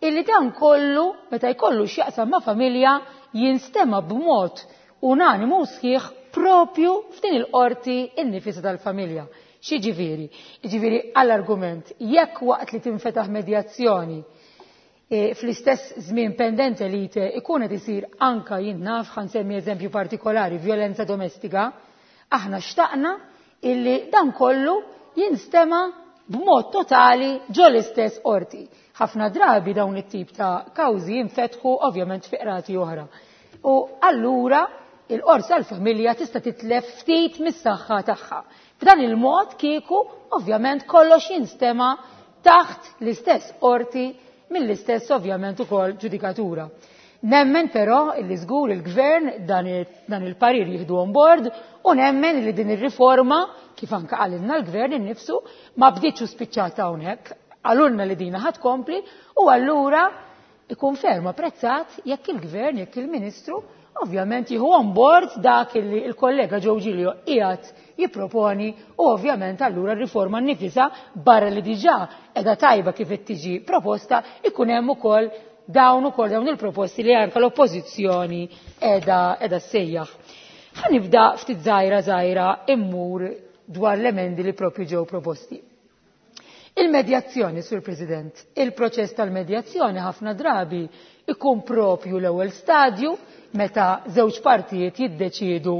illi dan kollu meta jkollu x'jaqsam ma' familja jinstema' b'mod unanimu sħiħ propju f'din il-qorti innifisa tal-familja. X'jiġifieri? Jiġifieri għall-argument, jekk waqt li tinfetaħ medjazzjoni fl-istess żmien pendente lite ikun qed isir anka jien naf, ħa nsemmi eżempju partikolari, violenza domestika, aħna xtaqna illi dan kollu jinstema' b'mod totali ġo l-istess qorti. Ħafna drabi dawn it-tip ta' kawżi jinfetħu ovvjament fi qrati oħra. U allura il-qorti tal-familja tista' titlef ftit mis-saħħa tagħha. B'dan il-mod kieku ovvjament kollox jinstema' taħt l-istess qorti mill-istess ovvjament ukoll ġudikatura. Nemmen però illi żgur il-gvern dan il-parir jieħdu on board u nemmen li din ir-riforma, kif anke qalilna l-gvern innifsu, ma bdietx u spiċċata hawnhekk, qalulna li dina ħadd kompli u allura ikun ferm apprezzat jekk il-gvern, jekk il-ministru ovvjament jieħu on board dak li il-kollega Joe Giglio qiegħed jipproponi u ovvjament allura r-riforma nnifisha barra li diġà qiegħda tajba kif qed tiġi proposta ikun hemm ukoll dawn ukoll dawn il-proposti li anke l-oppożizzjoni qiegħda ssejjaħ. Ħa nibda ftit żgħira żgħira immur dwar l-emendi li propju ġew proposti. Il-medjazzjoni, Sur President, il-proċess tal-medjazzjoni ħafna drabi ikun propju l-ewwel stadju meta żewġ partijiet jiddeċiedu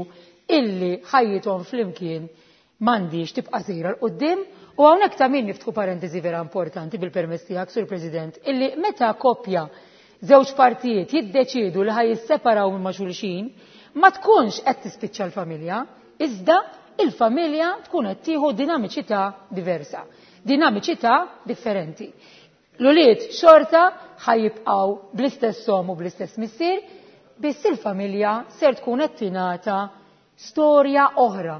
illi ħajjithom flimkien m'għandix tibqa' sejra 'l quddiem. U hawnhekk ta' min niftħu parentesi vera importanti bil-permess tiegħek, Sur President, illi meta koppja żewġ partijiet jiddeċiedu li ħaj jisseparaw minn ma' xulxin, ma tkunx qed tispiċċa l-familja, iżda il-familja tkun qed tieħu dinamiċità diversa, dinamiċità differenti. L-ulied xorta ħajjibqgħu bl-istess omm u bl-istess missier, biss il-familja ser tkun qed tingħata storja oħra.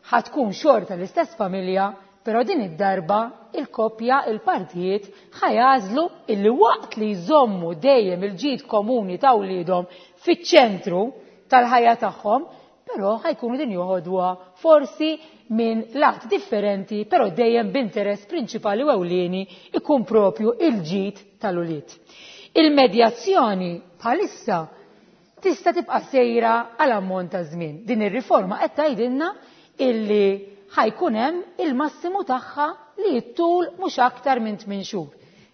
Ħa tkun xorta l-istess familja, però din id-darba il-koppja, il-partijiet ħajażlu illi waqt li jżommu dejjem il-ġid komuni ta' wliedhom fiċ-ċentru tal-ħajja tagħhom, però ħajkunu din joħodwa forsi minn lat differenti, però dejjem b'interess prinċipali u ewlieni ikun propju il-ġid tal-ulied. Il-medjazzjoni bħalissa tista' tibqa' sejra għal ammont ta' żmien. Din ir-riforma qed tgħidilna illi ħajkun hemm il-massimu tagħha li jittul mhux aktar minn 8 xhur.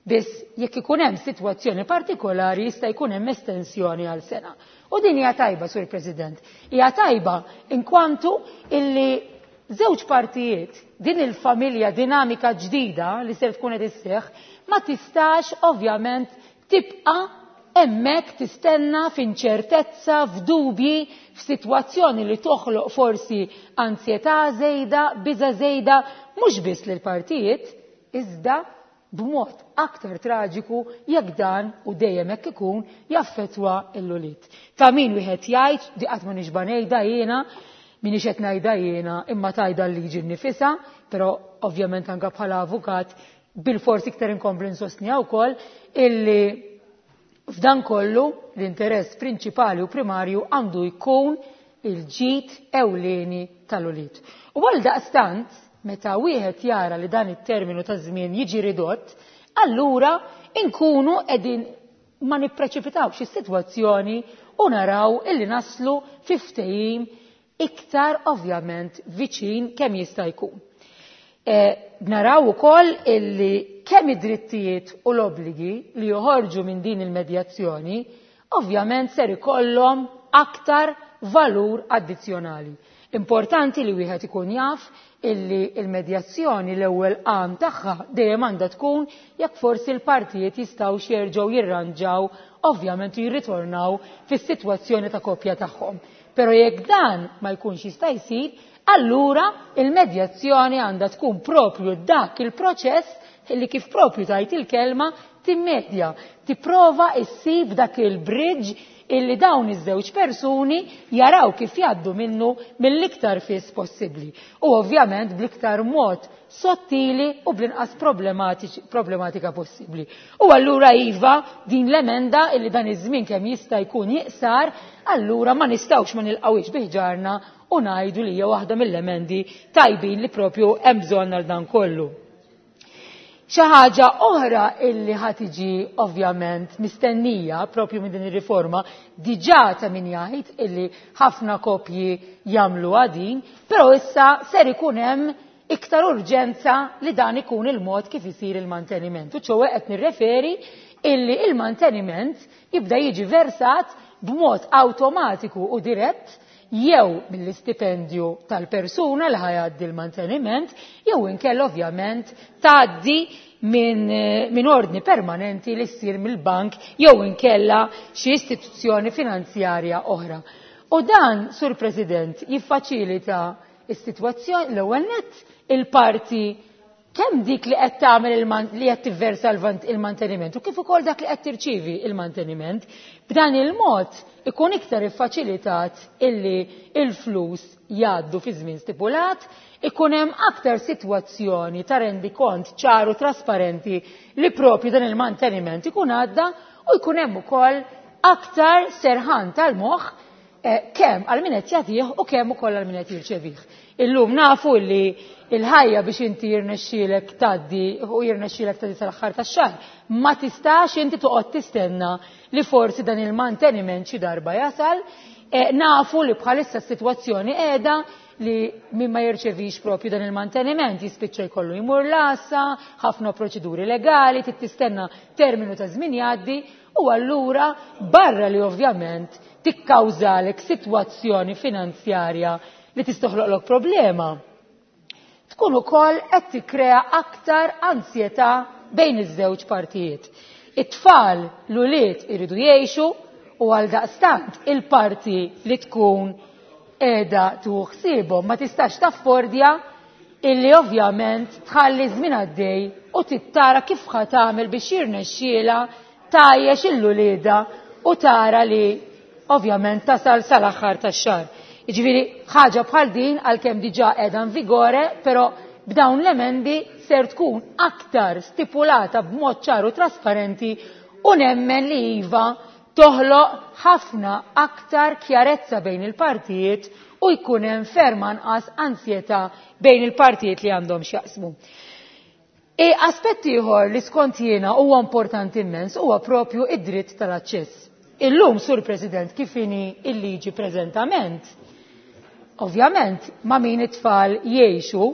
Biss jekk ikun hemm sitwazzjoni partikolari jista' jkun hemm estensjoni għal sena. U din hija tajba, Sur President. Hija tajba inkwantu illi żewġ partijiet din il-familja dinamika ġdida li ser tkun qed isseħħ ma tistax ovvjament tibqa' hemmhekk tistenna f'inċertezza, f'dubji, f'sitwazzjoni li toħloq forsi ansjetà żejda, biża' żejda, mhux biss lill-partijiet, iżda b'mod aktar traġiku jekk dan u dejjem hekk ikun jaffettwa l-ulied. Ta' min wieħed jgħid, di qatt ma nixba' ngħidha jiena, minix qed ngħidha jiena, imma tajda l-liġi nnifisha, però ovvjament anke bħala avukat bil-forsi iktar inkompli nsostniha wkoll illi f'dan kollu l-interess prinċipali u primarju għandu jkun il-ġid ewlieni tal-ulied. U għal daqstant, meta wieħed jara li dan it-terminu ta' żmien jiġi ridott, allura inkunu qegħdin ma nippreċipitawx is-sitwazzjoni u naraw illi naslu fi ftehim iktar ovvjament viċin kemm jista' jkun. Naraw ukoll illi kemm id-drittijiet u l-obbligi li joħorġu minn din il-medjazzjoni ovvjament ser ikollhom aktar valur addizzjonali. Importanti li wieħed ikun jaf illi il-medjazzjoni l-ewwel għan tagħha dejjem għandha tkun jekk forsi l-partijiet jistgħu jerġgħu jirranġaw ovvjament u jirritornaw fis-sitwazzjoni ta' koppja tagħhom. Però jekk dan ma jkunx jista' jsir, allura il-medjazzjoni għandha tkun propju dak il-proċess li kif propju tajt il-kelma timmedja, tipprova issib dak il-bridge illi dawn iż-żewġ persuni jaraw kif jgħaddu minnu mill-iktar fis possibbli. U ovvjament bl-iktar mod sottili u bl-inqas problematika possibbli. U allura iva din l-emenda illi dan iż-żmien kemm jista' jkun jiqsar, allura ma nistgħux ma nilqawix biħġarna u ngħidu li hija waħda mill-emendi tajbin li propju hemm bżonn għal dan kollu. Xi ħaġa oħra illi ħa tiġi ovvjament mistennija propju minn din ir-riforma, diġà ta' min jgħid illi ħafna koppji jagħmlu din, però issa ser ikun hemm iktar urġenza li dan ikun il-mod kif isir il-manteniment. U ċowe qed nirreferi illi il-manteniment jibda jiġi versat b'mod awtomatiku u dirett jew mill-istipendju tal-persuna li ħajaddi l-manteniment, jew inkella ovvjament tgħaddi minn ordni permanenti li ssir mill-bank jew inkella xi istituzzjoni finanzjarja oħra. U dan, Sur President, jiffaċilita s-sitwazzjoni l-ewwel nett il-parti kemm dik li qed tagħmel li qed tivversa il-manteniment u kif ukoll dak li qed tirċievi il-manteniment. B'dan il-mod ikun iktar iffaċilitat illi il-flus jgħaddu fi żmien stipulat, ikun hemm aktar sitwazzjoni ta' rendikont ċaru trasparenti li propju dan il-manteniment ikun għadda u jkun hemm ukoll aktar serħan tal-moħħ kemm għal min qed jagħtih u kemm ukoll għal min qed jirċevih. Illum nafu li il-ħajja biex inti jirnexxielek tgħaddi u jirnexxielek tgħaddi sal-aħħar tax-xahar, ma tistax inti toqgħod tistenna li forsi dan il-manteniment xi darba jasal. Nafu li bħalissa s-sitwazzjoni qiegħda li min ma jirċevix propju dan il-manteniment jispiċċa jkollu jmur l-għassa, ħafna proċeduri legali, trid tistenna terminu ta' żmien jgħaddi u allura barra li ovvjament tikkawżalek sitwazzjoni finanzjarja li tistoħloqlok problema. Tkun ukoll qed tikkrea aktar ansjetà bejn iż-żewġ partijiet. It-tfal l-ulied iridu jgħixu u għal daqstant il-parti li tkun qiegħda tieħu ħsiebhom ma tistax taffordja illi ovvjament tħalli żmien għaddej u tittara kif ħa tagħmel biex jirnexxielha tgħajjex il-ulieda u tara li ovvjament tasal sal-aħħar tax-xahar. Jiġifieri ħaġa bħal din għalkemm diġà qiegħda in vigore, però b'dawn l-emendi ser tkun aktar stipulata b'mod ċar u trasparenti u nemmen li iva toħloq ħafna aktar kjarezza bejn il-partijiet u jkun hemm ferm anqas ansjetà bejn il-partijiet li għandhom x'jaqsmu. E aspett ieħor li skont jiena huwa importanti immens huwa propju id-dritt tal-aċċess. Illum, Sur President, kif inhi il-liġi preżentament, ovvjament ma' min it-tfal jgħixu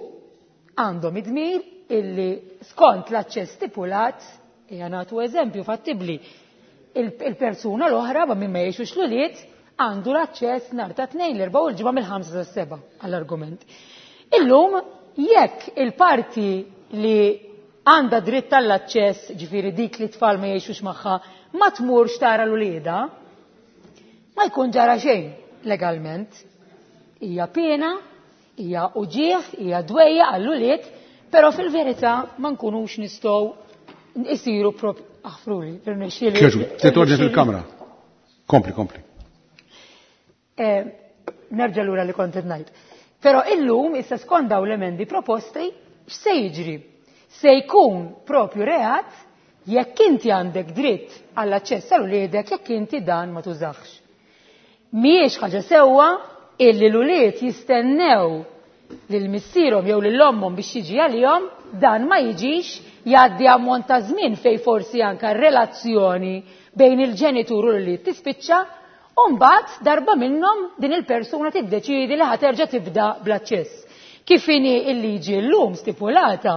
għandhom id-dmir illi skont l-aċċess stipulat, hija nagħtu eżempju fattibbli, il-persuna l-oħra ma' min ma jgħixux l-ulied għandu l-aċċess nhar ta' tnejn l-erbgħa u l-ġimgħa mill-5 sas-7 għall-argument. Illum jekk il-parti li għandha dritt tal-aċċess, ġifieri dik li tfal ma jgħixux magħha, ma tmurx tara l-ulieda, ma jkun ġara xejn legalment. Hija pena, hija uġieħ, hija dwejja għall-ulied, però fil-verità ma nkunux nistgħu isiru prop aħfruli, irnexxieli. Kieġu, titorġi fil-kamra. Kompli, kompli. Nerġa' lura li kont qed ngħid. Però illum issa skont dawn l-emendi proposti, x'se jiġri? Se jkun propju reat jekk inti għandek dritt għall-aċċess għal uliedek jekk inti dan ma tużax. Mhijiex ħaġa sewwa illi l-ulied jistennew lil missierhom jew lil ommhom biex jiġi għalihom, dan ma jiġix, jgħaddi ammont ta' żmien fej forsi anke relazzjoni bejn il-ġenitur u l-ulied tispiċċa, u mbagħad darba minnhom din il-persuna tiddeċiedi li ħa terġa' tibda bl-aċċess. Kif inhi l-liġi llum stipulata,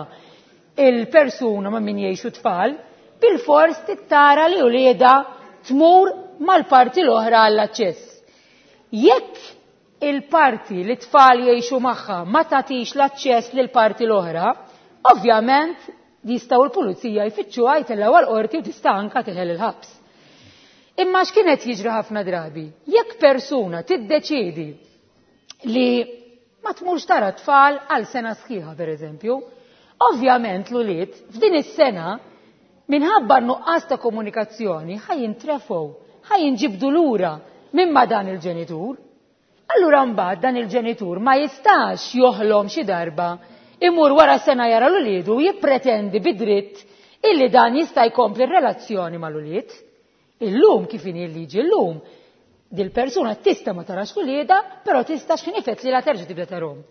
il-persuna ma' min jgħixu tfal, bilfors trid tara li uliedha tmur mal-parti l-oħra għall-aċċess. Jekk il-parti li tfal jgħixu magħha ma tagħtix l-aċċess lil parti l-oħra, ovvjament jistgħu l-pulizija jfittxuha, jtellgħu għal-qorti u tista' anka teħel il-ħabs. Imma x'kienet jiġri ħafna drabi? Jekk persuna tiddeċiedi li ma tmurx tara tfal għal sena sħiħa, per eżempju, ovvjament l-ulied f'din is-sena, minħabba nuqqas ta' komunikazzjoni, ħa jintrefgħu, ħa jinġibdu lura minn ma' dan il-ġenitur. Allura mbagħad dan il-ġenitur ma jistax joħlom xi darba imur wara sena jara l-uliedu u jippretendi bidritt illi dan jista' jkompli r-relazzjoni mal-ulied. Illum, kif inhi l-liġi llum, dil-persuna tista' ma tarax uliedha, però tista' x'ħin ifett li la terġa' tibda tarhom.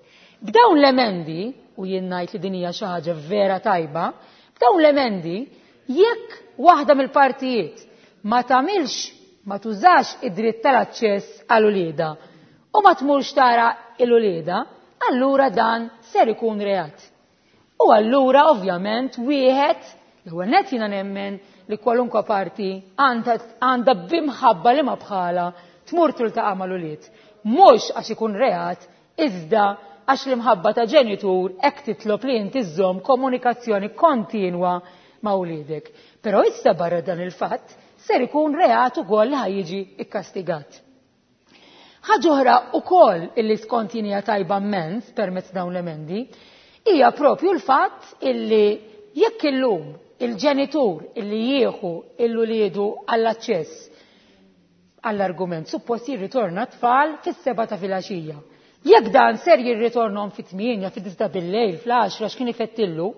B'dawn l-emendi, u jien ngħid li din hija xi ħaġa vera tajba, b'dawn l-emendi, jekk waħda mill-partijiet ma tagħmilx, ma tużax id-dritt tal-aċċess għal uliedha u ma tmurx tara il-uliedha, allura dan ser ikun reat. U allura ovvjament wieħed, l-ewwel nett jiena nemmen li kwalunkwe parti għandha b'imħabba li ma bħala tmur tiltaqa' mal-ulied. Mhux għax ikun reat, iżda għax l-imħabba ta' ġenitur hekk titlob li inti żżomm komunikazzjoni kontinwa ma' uliedek. Però issa barra dan il-fatt ser ikun reat ukoll li ħa jiġi ikkastigat. Ħaġa oħra ukoll illi skont jien hija tajba immens permezz dawn l-emendi hija propju l-fatt illi jekk illum il-ġenitur illi jieħu l-uliedu għall-aċċess, għall-argument, suppost jirritorna tfal fis-7 ta' filgħaxija. Jekk dan ser jirritornhom fit-8, fid-9 bil-lejl, fl-10, x'kien ifettillu,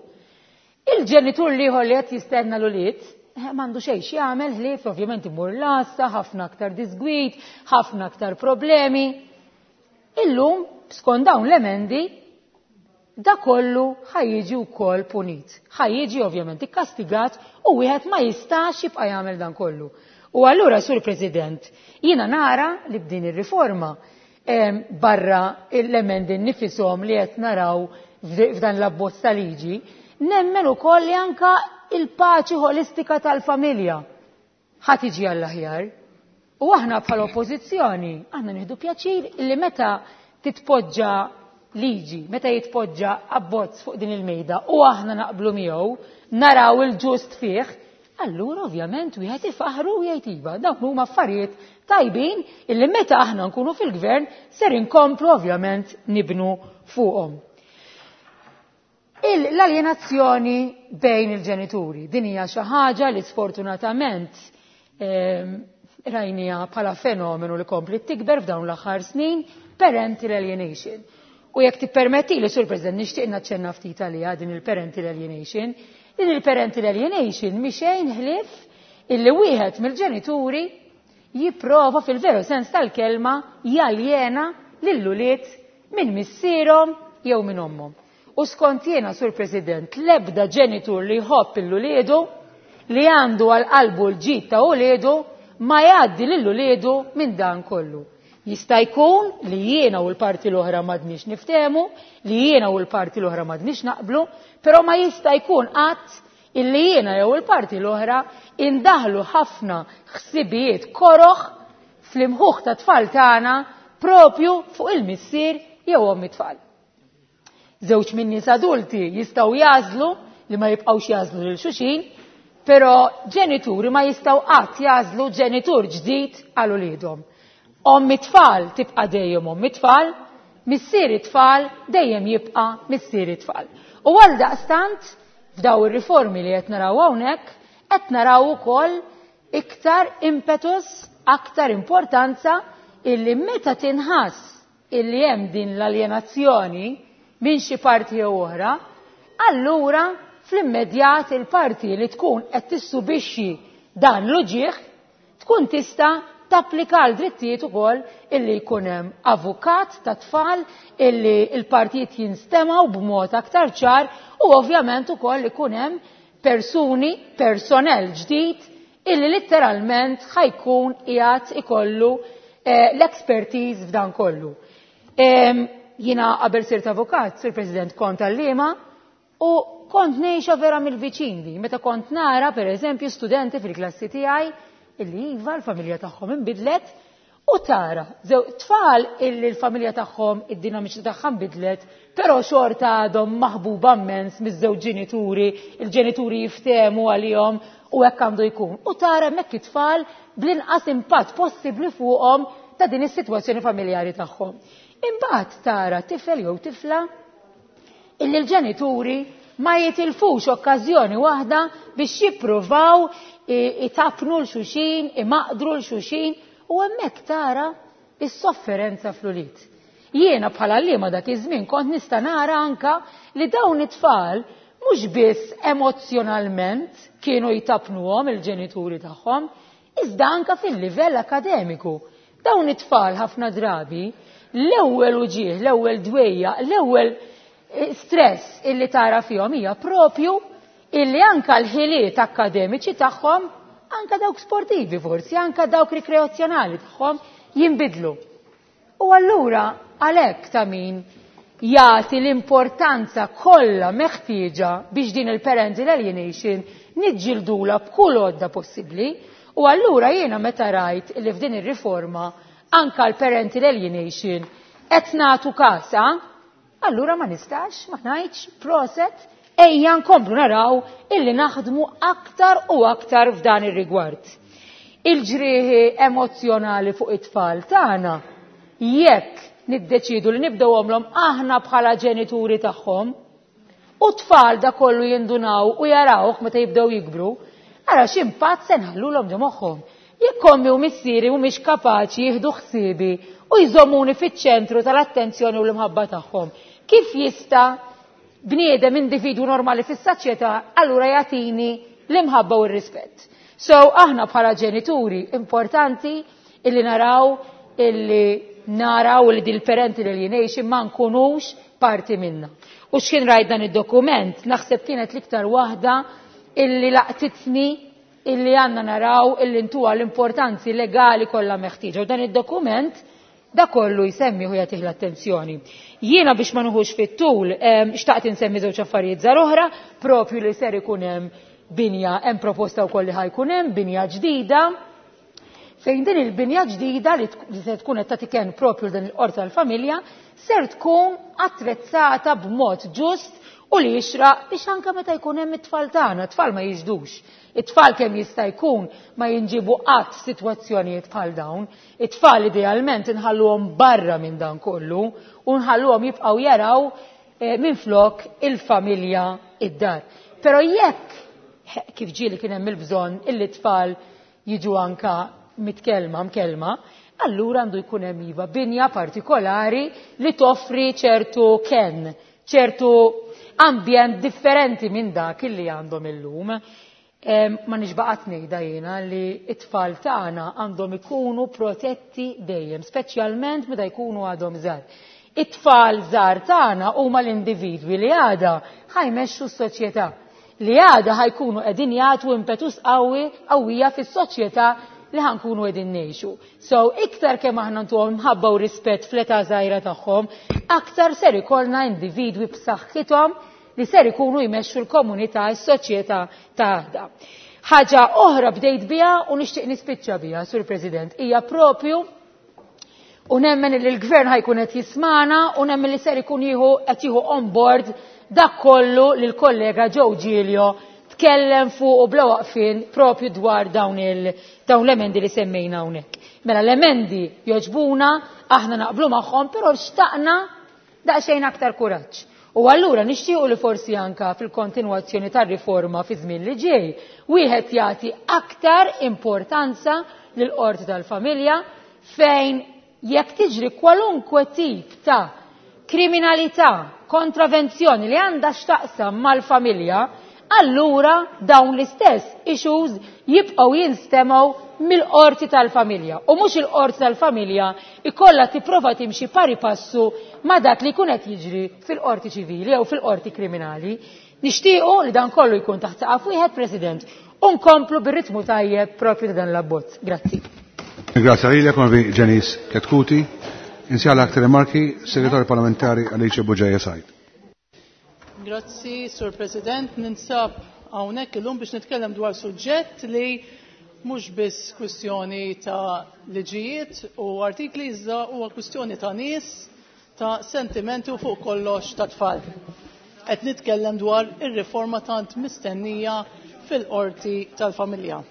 il-ġenitur l-ieħor li qed jistenna l-ulied m'għandu xejn x'jagħmel ħlief ovvjament imur l-għassa, ħafna aktar disgwid, ħafna aktar problemi. Illum, skont dawn l-emendi, da kollu ħa jiġi wkoll punit. Ħa jiġi ovvjament ikkastigat u wieħed ma jistax jibqa' jagħmel dan kollu. U allura, Sur President, jiena nara li b'din ir-riforma, barra l-emendi nnifisom li qed naraw f'dan l-abbozz ta' liġi, nemmen ukoll li anka il-paċi ħolistika tal-familja ħa tiġi għall-aħjar. U aħna bħala oppożizzjoni, aħna nieħdu pjaċir li meta titpoġġa liġi, meta jitpoġġa abbozz fuq din il-mejda u aħna naqblu miegħu, naraw il-ġust fih, allura ovvjament wieħed ifaħru u jgħid iva, dawk huma affarijiet tajbin illi meta aħna nkunu fil-gvern ser inkomplu ovvjament nibnu fuqhom. L-aljenazzjoni bejn il-ġenituri, din hija xi ħaġa li sfortunatament rajnija bħala fenomenu li kompli tikber f'dawn l-aħħar snin, parental alienation. U jekk tippermetti li, Sur President, nixtieq naċċenna ftit għaliha din il-parental alienation. Din il-parental alienation mhi xejn ħlief illi wieħed mill-ġenituri jipprova fil-veru sens tal-kelma jaljena lill-ulied minn missierhom jew minn ommhom. U skont jiena, Sur President, l-ebda ġenitur li jħobb l-uliedu, li għandu għal qalbu l-ġid ta' uliedu, ma jgħaddi lil uliedu minn dan kollu. Jista' jkun li jiena u l-parti l-oħra m'għadniex niftehmu, li jiena u l-parti l-oħra m'għadniex naqblu, però ma jista' jkun qatt illi jiena jew il-parti l-oħra indaħlu ħafna ħsibijiet koroħ fl-imħuħ ta' tfal tagħna propju fuq il-missier jew omm it-tfal. Żewġ minn nies adulti jistgħu jagħżlu li ma jibqgħux jagħżlu lil xulxin, però ġenituri ma jistgħu qatt jagħżlu ġenitur ġdid għal uliedhom. Omm it-tfal tibqa' dejjem omm it-tfal, missier it-tfal dejjem jibqa' missier it-tfal. U għal daqstant, f'daw ir-riformi li qed naraw hawnhekk, qed naraw ukoll iktar impetus, aktar importanza illi meta tinħass illi hemm din l-aljenazzjoni minn xi parti jew oħra, allura fl-immedjat il-parti li tkun qed tissubixxi dan l-uġieħ tkun tista' tapplika l drittijiet ukoll illi jkun hemm avukat ta' tfal, illi l-partijiet jinstemgħu b'mod aktar ċar u ovvjament ukoll ikun hemm persuni, personnel ġdid illi letteralment ħa jkun qiegħed ikollu l-expertise f'dan kollu. Jiena qabel sirt avukat, Sur President, kont għalliema u kont ngħixha vera mill-viċin di. Meta kont nara, per eżempju, studenti fil-klassi tiegħi illi iva l-familja tagħhom inbidlet u tara zew tfal illi l-familja tagħhom id-dinamiċi tagħha nbidlet, però xorta għadhom maħbuba immens miż-żewġ ġenituri, il-ġenituri jiftehmu għalihom u hekk għandu jkun. U tara hemmhekk it-tfal bl-inqas impatt possibbli fuqhom ta' din is-sitwazzjoni familjari tagħhom. Imbagħad tara tifel jew tifla illi l-ġenituri ma jitilfux okkażjoni waħda biex jippruvaw itapnu l-xuxin, imaqdru l-xuxin, u hemmhekk tara is-sofferenza fl-ulied. Jiena bħala għalliema dak iż-żmien kont nista' nara anka li dawn it-tfal mhux biss emozzjonalment kienu jtapnuhom il-ġenituri tagħhom, iżda anka fil-livell akademiku. Dawn it-tfal ħafna drabi l-ewwel uġigħ, l-ewwel dwejja, l-ewwel stress illi tara fihom hija propju illi anka l-ħiliet akkademiċi tagħhom, anka dawk sportivi forsi, anka dawk rikreazzjonali tagħhom jinbidlu. U allura għalhekk ta' min jagħti l-importanza kollha meħtieġa biex din il-parental alienation niġġildula b'kull għodda possibbli. U allura jiena meta rajt li f'din ir-riforma anka l-parental alienation qed nagħtu kasa, allura ma nistax ma ngħidx proset, ejja nkomplu naraw illi naħdmu aktar u aktar f'dan ir-rigward. Il-ġrieħi emozzjonali fuq it-tfal tagħna, jekk niddeċidu li nibdew għomlhom aħna bħala ġenituri tagħhom, u tfal da kollu jindunaw u jarawh meta jibdew jikbru, ara x'impatt se nħallulhom ġo moħħhom. Jekk ommi u missieri mhumiex kapaċi jieħdu ħsiebi u jżommuni fiċ-ċentru tal-attenzjoni u l-imħabba tagħhom, kif jista' bniedem individwu normali fis-soċjetà allura jagħtini l-imħabba u r-rispett? So aħna bħala ġenituri importanti illi naraw illi naraw li dil parental alienation ma nkunux parti minna. U x'kien rajt dan id-dokument, naħseb kienet l-iktar waħda illi laqtitni illi għandna naraw illi ntuha l-importanzi legali kollha meħtieġa. U dan id-dokument da kollu jsemmi u jagħtih l-attenzjoni. Jiena biex ma nuħux fit-tul, xtaqt insemmi żewġ affarijiet żgħar oħra, propju li ser ikun hemm binja, hemm proposta wkoll li ħajkun hemm binja ġdida, fejn din il-binja ġdida li se tkun qed tagħti kenn propju dan il-qorti tal-familja ser tkun attrezzata b'mod ġust u li jixraq biex anke meta jkun hemm it-tfal tagħna, it-tfal ma jiġdux. It-tfal kemm jista' jkun ma jinġibu qatt f'sitwazzjonijiet bħal dawn. It-tfal idealment inħalluhom barra minn dan kollu u nħalluhom jibqgħu jaraw minflok il-familja id-dar. Però jekk kif ġieli kien hemm il-bżonn illi t-tfal jiġu anka mitkellma mkellma, allura għandu jkun hemm iva binja partikolari li toffri ċertu ken, ċertu ambjent differenti minn dak illi għandhom illum. Ma nixbaqat ngħidha jiena li t-tfal tagħna għandhom ikunu protetti dejjem, speċjalment meta jkunu għadhom żgħar. It-tfal żgħar tagħna huma l-individwi li għada ħajmexxu s-soċjetà, li għada ħajkunu qegħdin jagħtu impetus qawwi qawwija fis-soċjetà li ħankunu qegħdin ngħixu. So iktar kemm aħna ntuhom mħabba u rispett fl-età żgħira tagħhom, aktar ser ikollna individwi b'saħħithom li ser ikunu jmexxu l-komunità, s-soċjetà ta' għada. Ħaġa oħra bdejt biha u nixtieq nispiċċa biha, Sur President, hija propju u nemmen li l-gvern ħajkun qed jismana u nemmen li ser ikun jieħu qed jieħu on board dak kollu li l-kollega Joe Giglio tkellem fuq u bla waqfien propju dwar dawn l-emendi li semmejna hawnhekk. Mela l-emendi joġbuna, aħna naqblu magħhom, però xtaqna daqsxejn aktar kuraġġ. U allura nixtiequ li forsi anka fil-kontinwazzjoni tar-riforma fi żmien li ġej, wieħed jagħti aktar importanza lil qorti tal-familja fejn jekk tiġri kwalunkwe tip ta' kriminalità, kontravenzjoni li għandha x'taqsam mal-familja, allura dawn l-istess issues jibqgħu jinstemgħu mill-qorti tal-familja. U mhux il-qorti tal-familja ikollha tipprova timxi pari passu ma' dak li jkun qed jiġri fil-qorti ċivili jew fil-qorti kriminali. Nixtiequ li dan kollu jkun taħt saqaf wieħed, President, u nkomplu bir-ritmu tajjeb propju ta' dan l-abbozz. Grazzi. Grazie lilek, Onorevoli Janice Chetcuti. Insjala aktar rimarki, Segretarju Parlamentari Alice Bugeja Said. Grazzi, Sur President. Ninsab hawnhekk illum biex nitkellem dwar suġġett li mhux biss kwistjoni ta' liġijiet u artikli iżda huwa kwistjoni ta' nies, ta' sentimenti u fuq kollox ta' tfal. Qed nitkellem dwar ir-riforma tant mistennija fil-qorti tal-familja.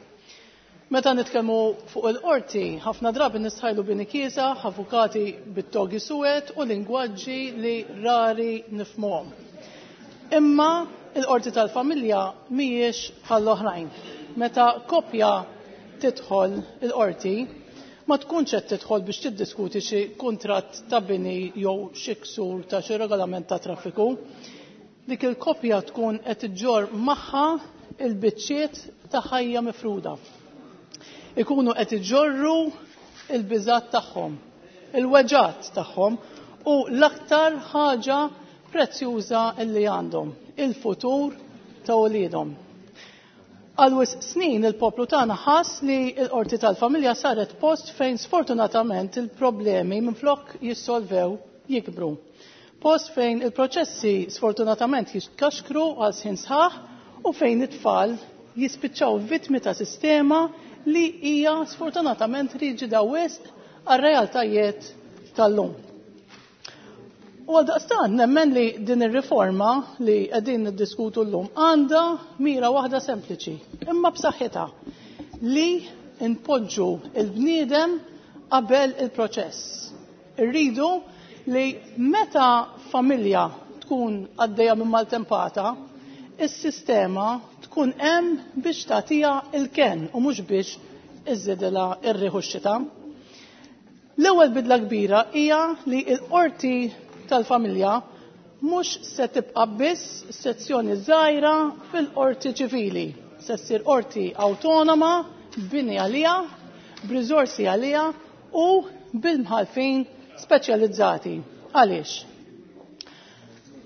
Meta nitkellmu fuq il-qorti, ħafna drabi nistħajlu bini kiesaħ, avukati bit-togi suwed u lingwaġġi li rari nifhmuhom. Imma il-qorti tal-familja mhijiex bħall-oħrajn. Meta koppja tidħol il-qorti, ma tkunx qed tidħol biex tiddiskuti xi kuntratt ta' bini jew xi ksur ta' xi regolament ta' traffiku. Dik il-koppja tkun qed iġġorr magħha il-biċċiet ta' ħajja mifruda. Ikunu qed iġorru il-biżat tagħhom, il-weġgħat tagħhom u l-aktar ħaġa prezzjuża li għandhom, il-futur ta' uliedhom. Għal wisq snin il-poplu tagħna ħass li l-qorti tal-familja saret post fejn sfortunatament il-problemi minflok jissolvew jikbru. Post fejn il-proċessi sfortunatament jitkaxkru għal snin sħaħ u fejn it-tfal jispiċċaw vittmi ta' sistema li hija sfortunatament riġida wisq għar-realtajiet tal-lum. U għaldaqstant nemmen li din ir-riforma li qegħdin niddiskutu llum għandha mira waħda sempliċi, imma b'saħħitha, li npoġġu il-bniedem qabel il-proċess. Irridu li meta familja tkun għaddejja minn maltempata, is-sistema tkun hemm biex tagħtiha il-kenn u mhux biex iżżidilha r-riħ u x-xita. L-ewwel bidla kbira hija li l-qorti tal-familja mhux se tibqa' biss sezzjoni żgħira fil-qorti ċivili. Se ssir qorti awtonoma, b'bini għaliha, b'riżorsi għaliha u bil-mħallfin speċjalizzati. Għaliex?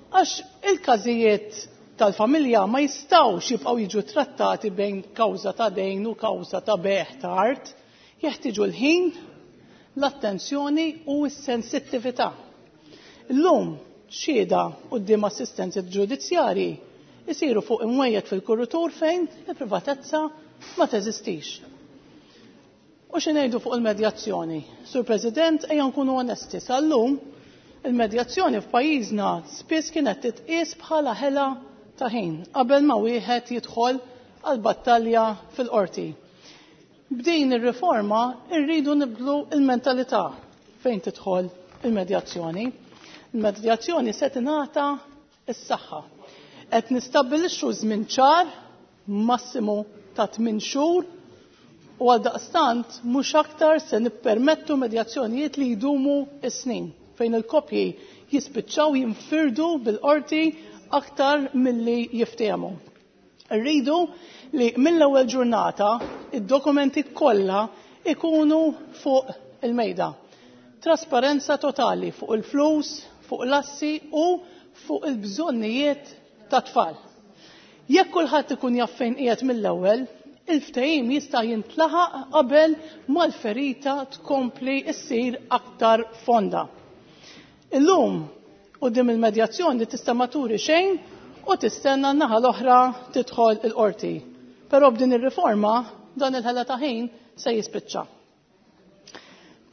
Għax il-każijiet tal-familja ma jistgħux jibqgħu jiġu trattati bejn kawża ta' dejn u kawża ta' bejgħ ta' art. Jeħtieġu l-ħin, l-attenzjoni u s-sensittività. Illum xhieda quddiem assistenti ġudizzjarji jsiru fuq imwejjed fil-kuritur fejn il-privatezza ma teżistix. U xi ngħidu fuq il-medjazzjoni? Sur President, ejja nkunu onesti, sal-lum il-medjazzjoni f'pajjiżna spiss kienet titqies bħala ħela ta' ħin qabel ma wieħed jidħol għal battalja fil-qorti. B'din ir-riforma rridu nibdlu l-mentalità fejn tidħol il-medjazzjoni. Il-medjazzjoni se tingħata s-saħħa. Qed nistabbilixxu żmien ċar massimu ta' 8 xhur u għaldaqstant mhux aktar se nippermettu medjazzjonijiet li jdumu s-snin fejn il-koppji jispiċċaw jinfirdu bil-qorti aktar milli jiftehmu. Rridu li mill-ewwel ġurnata id-dokumenti kollha ikunu fuq il-mejda. Trasparenza totali fuq il-flus, fuq l-assi u fuq il-bżonnijiet ta' tfal. Jekk kulħadd ikun jaf fejn qiegħed mill-ewwel, il-ftehim jista' jintlaħaq qabel mal-ferita tkompli ssir aktar fonda. Illum quddiem il-medjazzjoni tista' ma turi xejn u tistenna n-naħa l-oħra tidħol il-qorti. Però b'din ir-riforma dan il-ħela ta' ħin se jispiċċa.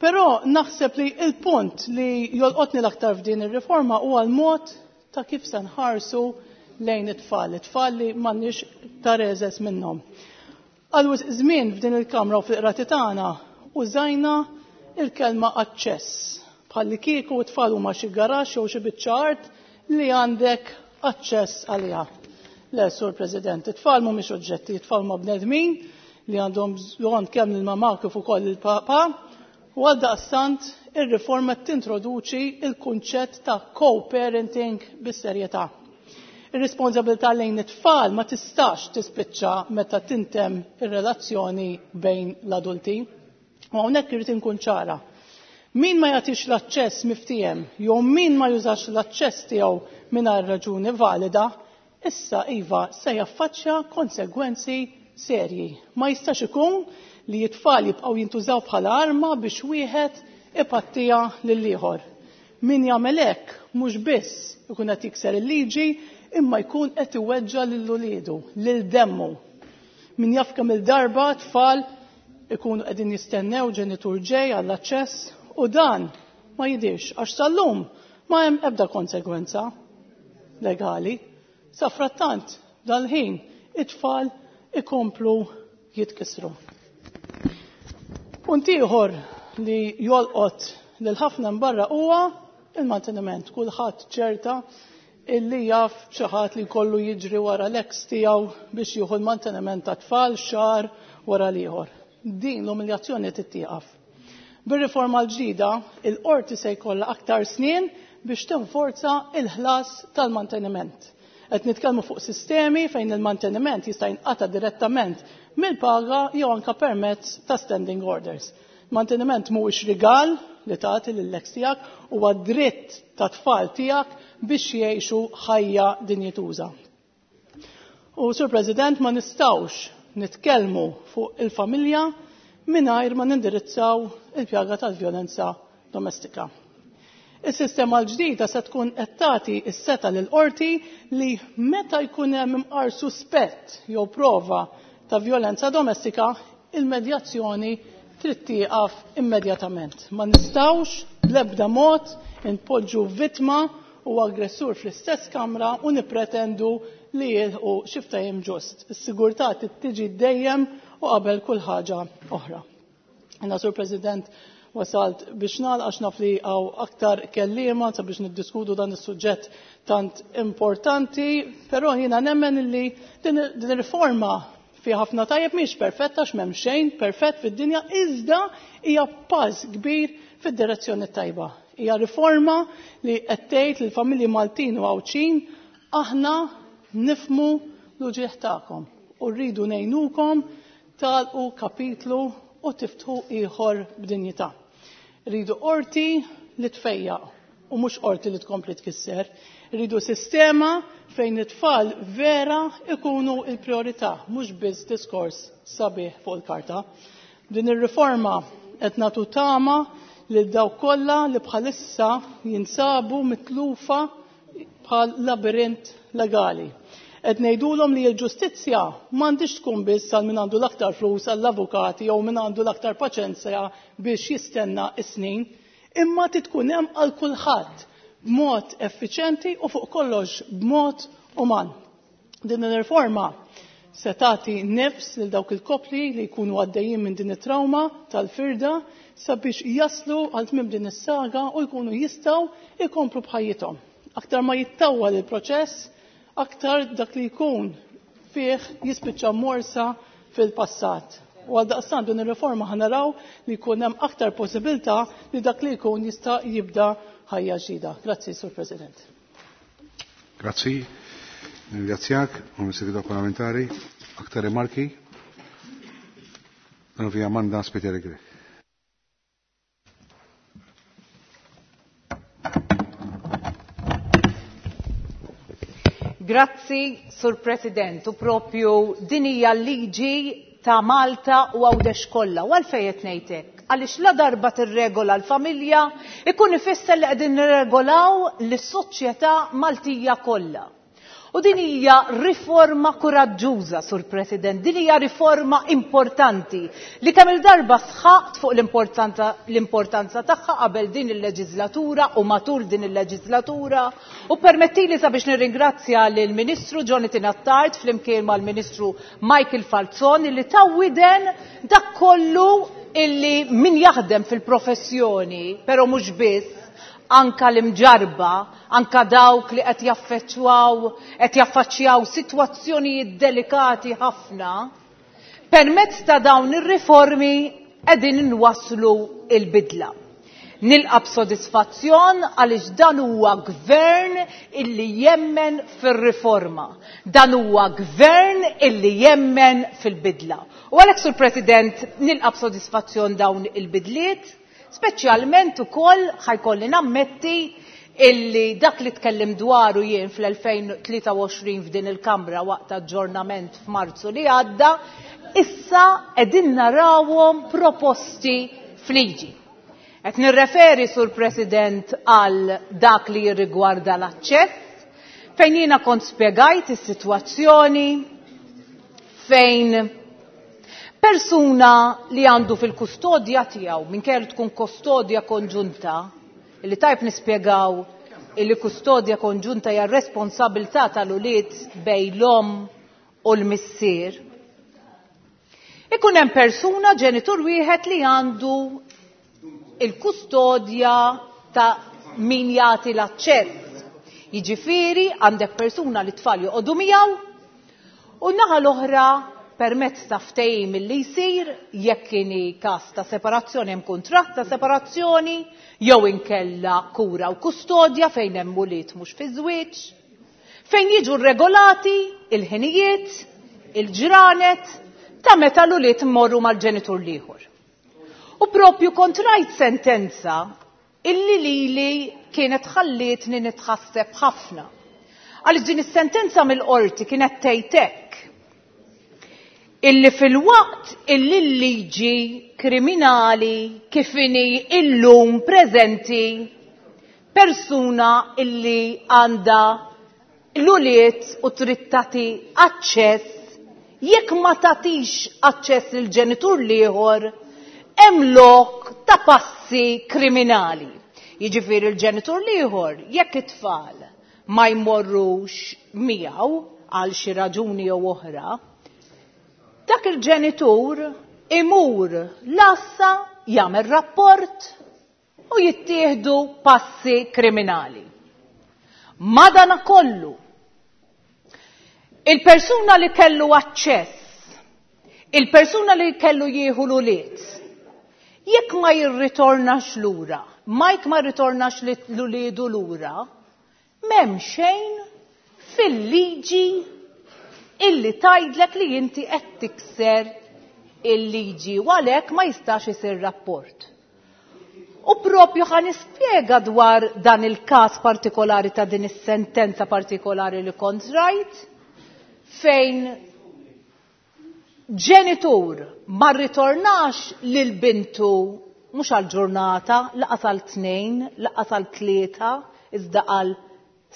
Però naħseb li il-punt li jolqotni l-aktar f'din ir-riforma huwa l-mod ta' kif se nħarsu lejn it-tfal, it-tfal li m'għandniex ta' reżes minnhom. Għal wisq żmien f'din il-Kamra u fil-qrati tagħna użajna il-kelma aċċess, bħalli kieku t-tfal huma xi garaxx jew xi biċċa art li għandek aċċess għaliha. Le, Sur President, it-tfal mhumiex oġġetti, it-tfal huma bnedmin li għandhom bżonn kemm lill-mamà kif ukoll lill-papà, u għaldaqstant ir-riforma tintroduċi il-kunċett ta' co-parenting bis-serjetà. Ir-responsabilità lejn it-tfal ma tistax tispiċċa meta tintemm ir-relazzjoni bejn l-adulti. U hawnhekk irid inkun ċara. Min ma jagħtix l-aċċess miftiehem jew min ma jużax l-aċċess tiegħu mingħajr raġuni valida, issa iva se jaffaċċja konsegwenzi serji. Ma jistax ikun li t-tfal jibqgħu jintużaw bħala arma biex wieħed ipattiha lill-ieħor. Min jagħmel hekk mhux biss ikun qed jikser il-liġi imma jkun qed iweġġa' lil uliedu, lil demmu. Min jaf kemm il-darba tfal ikunu qegħdin jistennew ġenitur ġej għall-aċċess u dan ma jidirx għax sal-lum ma hemm ebda konsegwenza legali. Safrattant dal-ħin it-tfal ikomplu jitkissru. Punt ieħor li jolqot lil ħafna barra huwa il-manteniment. Kulħadd ċerta illi jaf xi ħadd li jkollu jiġri wara l-ex tiegħu biex jieħu l-manteniment ta' tfal xahar wara l-ieħor. Din l-umiljazzjoni tittieqaf. Bir-riforma l-ġdida, il-qorti se jkollha aktar snin biex tinforza il-ħlas tal-manteniment. Qed nitkellmu fuq sistemi fejn il-manteniment jista' jinqata' direttament mill-paga jew anke permezz ta' standing orders. Manteniment mhuwiex rigal li tagħti lill-ex tiegħek, huwa dritt ta' tfal tiegħek biex jgħixu ħajja dinjituża. U Sur President, ma nistgħux nitkellmu fuq il-familja mingħajr ma nindirizzaw il-pjaga tal-vjolenza domestika. Is-sistema l-ġdida se tkun qed tagħti s-seta' lill-qorti li meta jkun hemm imqar suspett jew prova ta' vjolenza domestika, il-medjazzjoni trid tieqaf immedjatament. Ma nistgħux bl-ebda mod inpoġġu vittma u aggressur fl-istess kamra u nippretendu li jilħqu xi ftehim ġust. Is-sigurtà trid tiġi dejjem u qabel kull ħaġa oħra. Jiena, Sur President, wasalt biex nagħlaq għax naf li hawn aktar kelliema sabiex niddiskutu dan is-suġġett tant importanti, però jiena nemmen li din ir-riforma fi ħafna tajjeb mhix perfetta għax m'hemm xejn perfett fid-dinja, iżda hija pass kbir fid-direzzjoni tajba. Hija riforma li qed tgħid lill-familji Maltin u Għawdxin aħna nifhmu l-uġigħ tagħkom u rridu ngħinukom tagħlqu kapitlu u tiftħu ieħor b'dinjità. Rridu qorti li tfejjaq u mhux qorti li tkompli tkisser. Rridu sistema fejn it-tfal vera ikunu il-priorità, mhux biss diskors sabiħ fuq il-karta. Din ir-riforma qed nagħtu tama lil dawk kollha li bħalissa jinsabu mitlufa bħal labirint legali. Qed ngħidulhom li l-ġustizzja m'għandix tkun biss għal min għandu l-aktar flus għall-avukati jew min għandu l-aktar paċenzja biex jistenna s-snin, imma tkun hemm għal kulħadd b'mod effiċjenti u fuq kollox b'mod uman. Din ir-riforma se tagħti nifs lil dawk il-koppli li jkunu għaddejjin minn din it-trauma tal-firda sabiex jaslu għal tmiem din is-saga u jkunu jistgħu jkomplu b'ħajjithom. Aktar ma jittawwal il-proċess, aktar dak li jkun fih jispiċċa morsa fil-passat. U għal daqstant din ir-riforma ħa naraw li jkun hemm aktar possibilità li dak li jkun jista' jibda ħajja ġdida. Grazzi, Sur President. Grazzi. Ringrazzjak, u Segretarju Parlamentari. Aktar rimarki? Dan via Amanda Spiteri Grech. Grazzi, Sur President, u propju din hija l-liġi ta' Malta u Għawdex kollha. U għalfejn qed ngħid hekk? Għaliex la darba tirregola l-familja, ikun ifisser li qegħdin nirregolaw lis-soċjetà Maltija kollha. U din hija riforma kuraġġuża, Sur President, din hija riforma importanti li kemm il-darba sħaqt fuq l-importanza tagħha qabel din il-leġislatura u matul din il-leġislatura. U permettili sabiex nirringrazzja lill-Ministru Jonathan Attard flimkien mal-Ministru Michael Falzon li tawwiden dak kollu illi min jaħdem fil-professjoni, però mhux biss, anka l-imġarba, anka dawk li qed jaffettwaw, qed jaffaċċjaw sitwazzjonijiet delikati ħafna, permezz ta' dawn ir-riformi qegħdin inwasslu il-bidla. Nilqa' b'sodisfazzjon għaliex dan huwa gvern illi jemmen fir-riforma. Dan huwa gvern illi jemmen fil-bidla. U għalhekk, Sur President, nilqa' b'sodisfazzjon dawn il-bidliet, speċjalment ukoll ħajkolli nammetti illi dak li tkellim dwaru jien fl-2023 f'din il-Kamra waqt aġġornament f'Marzu li għadda, issa qegħdin narawhom proposti f'liġi. Qed nirreferi, Sur President, għal dak li jirrigwarda l-aċċess, fejn jiena kont spjegajt is-sitwazzjoni fejn persuna li għandu fil-kustodja tiegħu, minkejja li tkun kustodja konġunta, li tajb nispjegaw illi kustodja konġunta hija responsabilità tal-ulied bejn l-omm u l-missier. Ikun hemm persuna ġenitur wieħed li għandu il-kustodja ta' min jagħti l-aċċess. Jiġifieri għandek persuna li tfal joqogħdu miegħu u naħa l-oħra permezz ta' ftehim li jsir jekk kieni każ ta' separazzjoni hemm kuntratt ta' separazzjoni jew inkella kura u kustodja fejn hemm ulied mhux fi żwieġ, fejn jiġu regolati il-ħinijiet, il-ġranet ta' meta l-ulied mmorru mal-ġenitur l-ieħor. U propju kont rajt sentenza illi lili kienet ħallietni nitħasseb ħafna. Għaliex din is-sentenza mill-qorti kienet tgħid hekk illi fil-waqt illi l-liġi kriminali kif inhi illum preżenti persuna illi għandha l-ulied u trid tagħti aċċess, jekk ma tagħtix aċċess lil ġenitur l-ieħor, hemm lok ta' passi kriminali. Jiġifieri l-ġenitur l-ieħor jekk it-tfal ma jmorrux miegħu għal xi raġuni jew oħra, dak il-ġenitur imur l-għassa jagħmel rapport u jittieħdu passi kriminali. Madanakollu, il-persuna li kellu aċċess, il-persuna li kellu jieħu l-ulied, jekk ma jirritornax lura, ma jekk ma jirritornax l-uliedu lura, m'hemm xejn fil-liġi illi tgħidlek li inti qed tikser il-liġi u għalhekk ma jistax isir rapport. U propju ħa nispjega dwar dan il-każ partikolari ta' din is-sentenza partikolari li kont rajt, fejn ġenitur ma rritornax lil bintu mhux għal ġurnata, laqas għal 2, laqas għal 3, iżda għal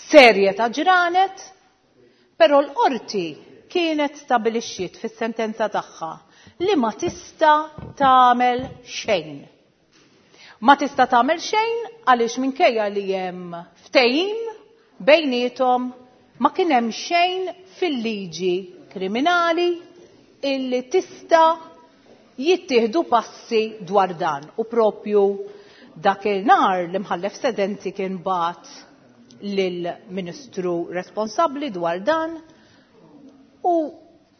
serje ta' ġranet, però l-qorti kienet stabilixxiet fis-sentenza tagħha li ma tista' tagħmel xejn. Ma tista' tagħmel xejn għaliex minkejja li hemm ftehim bejniethom ma kien hemm xejn fil-liġi kriminali illi tista' jittieħdu passi dwar dan. U propju dakinhar l-imħallef sedenti kien bat lill-Ministru responsabbli dwar dan u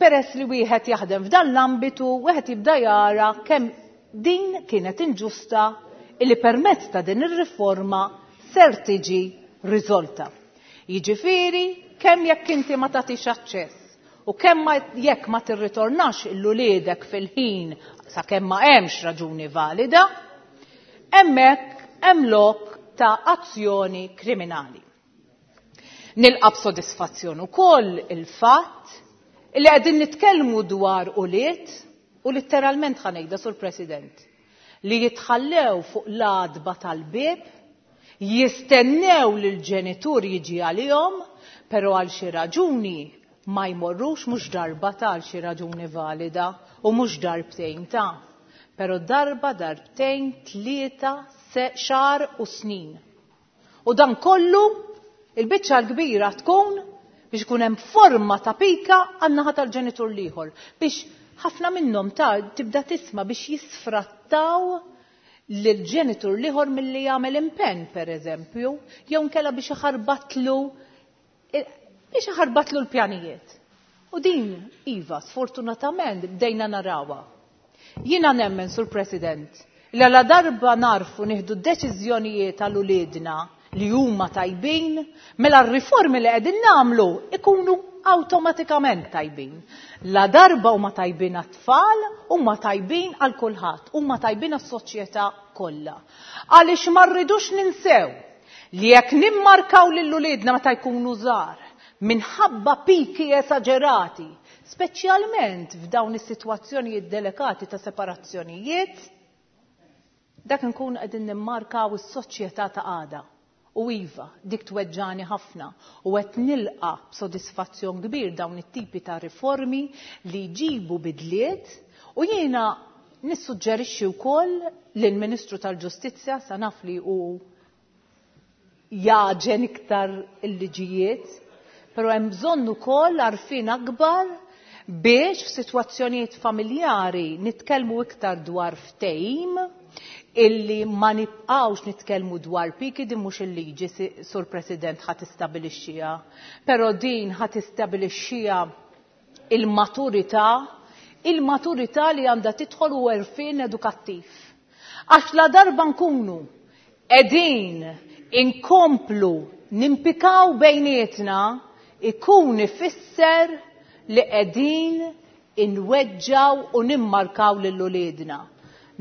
peress li wieħed jaħdem f'dan l-ambitu, wieħed jibda jara kemm din kienet inġusta illi permezz ta' din ir-riforma ser tiġi riżolta. Jiġifieri kemm jekk inti ma tagħtix aċċess u kemm jekk ma tirritornax l-uliedek fil-ħin sakemm ma hemmx raġuni valida, hemmhekk hemm lok ta' azzjoni kriminali. Nilqa' b'sodisfazzjon ukoll il-fatt li qegħdin nitkellmu dwar ulied u letteralment ħa ngħidha, Sur President, li jitħallew fuq l-għatba tal-bieb, jistennew li l-ġenitur jiġi għalihom, però għal xi raġuni ma jmorrux, mhux darba ta' għal xi raġuni valida u mhux darbtejn ta', però darba, darbtejn, 3, xahar u snin. U dan kollu il-biċċa l-kbira tkun biex ikun hemm forma ta' pika għan-naħa tal-ġenitur l-ieħor, biex ħafna minnhom ta' tibda tisma' biex jisfrattaw lill-ġenitur l-ieħor milli jagħmel impenn, pereżempju, jew inkella biex iħarbatlu l-pjanijiet. U din, iva, sfortunatament bdejna narawha. Jiena nemmen, Sur President, li għala darba narfu nieħdu deċiżjonijiet għal uliedna li huma tajbin, mela r-riformi li qegħdin nagħmlu ikunu awtomatikament tajbin. La darba huma tajbin għat-tfal, huma tajbin għal kulħadd, huma tajbin għas-soċjetà kollha. Għaliex ma rridux ninsew li jekk nimmarkaw lil uliedna meta jkunu żgħar minħabba piki esaġerati, speċjalment f'dawn is-sitwazzjonijiet delikati ta' separazzjonijiet, Dak nkun qegħdin nimmarkaw is-soċjetà ta' għada. U iva, dik tweġġani ħafna u qed nilqa' b'sodisfazzjon kbir dawn it-tipi ta' riformi li jġibu bidliet u jiena nissuġġerixxi wkoll lill-Ministru tal-Ġustizzja sa naf li hu jagħġen iktar il-liġijiet, però hemm bżonn ukoll għarfien akbar biex f'sitwazzjonijiet familjari nitkellmu iktar dwar ftehim illi ma nibqgħux nitkellmu dwar piki, din mhux il-liġi, Sur President, ħa tistabilixxiha, però din ħa tistabilixxiha il-maturità, il-maturità li għandha tidħol u għerfien edukattiv. Għax la darba nkunu qegħdin inkomplu nimpikaw bejnietna, ikun ifisser li qegħdin inweġġaw u nimmarkaw lil uliedna.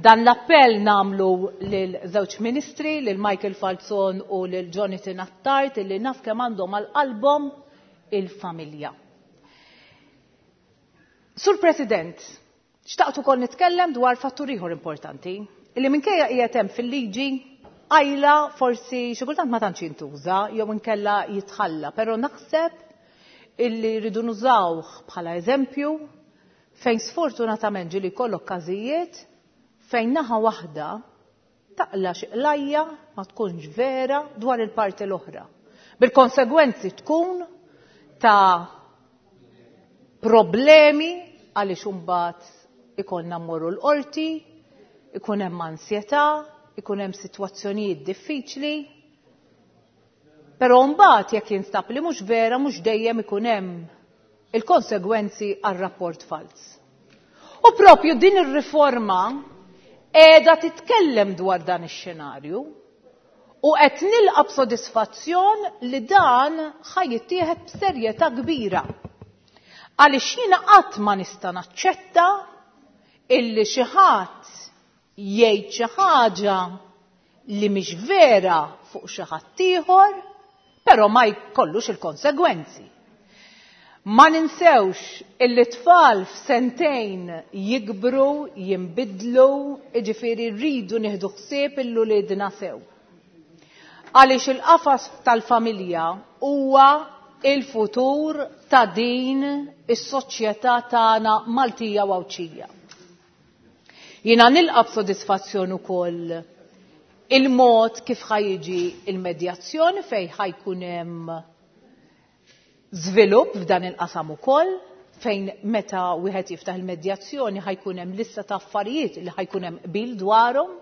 Dan l-appell nagħmlu lil żewġ ministri, lil Michael Falzon u lil Jonathan Attard, illi naf kemm għandhom għal qalbhom il-familja. Sur President, xtaqt ukoll nitkellem dwar fattur ieħor importanti, illi minkejja qiegħed hemm fil-liġi qajla forsi xi kultant ma tantx jintuża jew inkella jitħalla, però naħseb illi rridu nużawh bħala eżempju fejn sfortunatament ġieli jkollok każijiet fejn naħa waħda taqla' xi qlajja ma tkunx vera dwar il-parti l-oħra. Bil-konsegwenzi tkun ta' problemi għaliex imbagħad ikollna mmorru l-qorti, ikun hemm ansjetà, ikun hemm sitwazzjonijiet diffiċli. Però mbagħad jekk jinstab li mhux vera mhux dejjem ikun hemm il-konsegwenzi għar-rapport fals. U propju din ir-riforma qiegħda titkellem dwar dan ix-xenarju u qed nilqa' b'sodisfazzjon li dan ħa jittieħed b'serjetà kbira. Għaliex jiena qatt ma nista' naċċetta illi xi ħadd jgħid xi ħaġa li mhix vera fuq xi ħadd ieħor, però ma jkollux il-konsegwenzi. Ma ninsewx illi tfal f'sentejn jikbru, jinbidlu, jiġifieri rridu nieħdu ħsieb il-uliedna sew. Għaliex il-qafas tal-familja huwa il-futur ta' din is-soċjetà tagħna Maltija u Għawdxija. Jiena nilqa' b'sodisfazzjon ukoll il-mod kif ħajġi il-medjazzjoni fejn ħajkun hemm żvilupp f'dan il-qasam ukoll, fejn meta wieħed jiftaħ il-medjazzjoni ħajkun hemm lista ta' affarijiet li ħajkun hemm qbil dwarhom.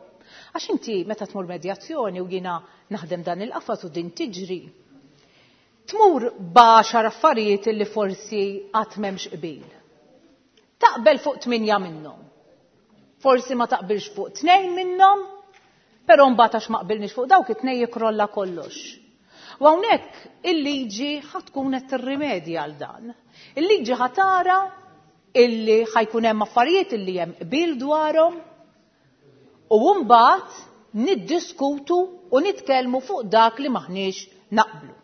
Għax inti meta tmur medjazzjoni u jiena naħdem dan il-qafas u din tiġri, tmur b'għaxar affarijiet li forsi qatt m'hemmx qbil. Taqbel fuq 8 minnhom. Forsi ma taqbilx fuq 2 minnhom, però mbagħad għax ma qbilniex fuq dawk it-tnejn jikrolla kollox. U hawnhekk il-liġi ħa tkun qed tirrimedja għal dan. Il-liġi ħa tara illi ħajkun hemm affarijiet illi hemm qbil dwarhom u mbagħad niddiskutu u nitkellmu fuq dak li maħniex naqblu.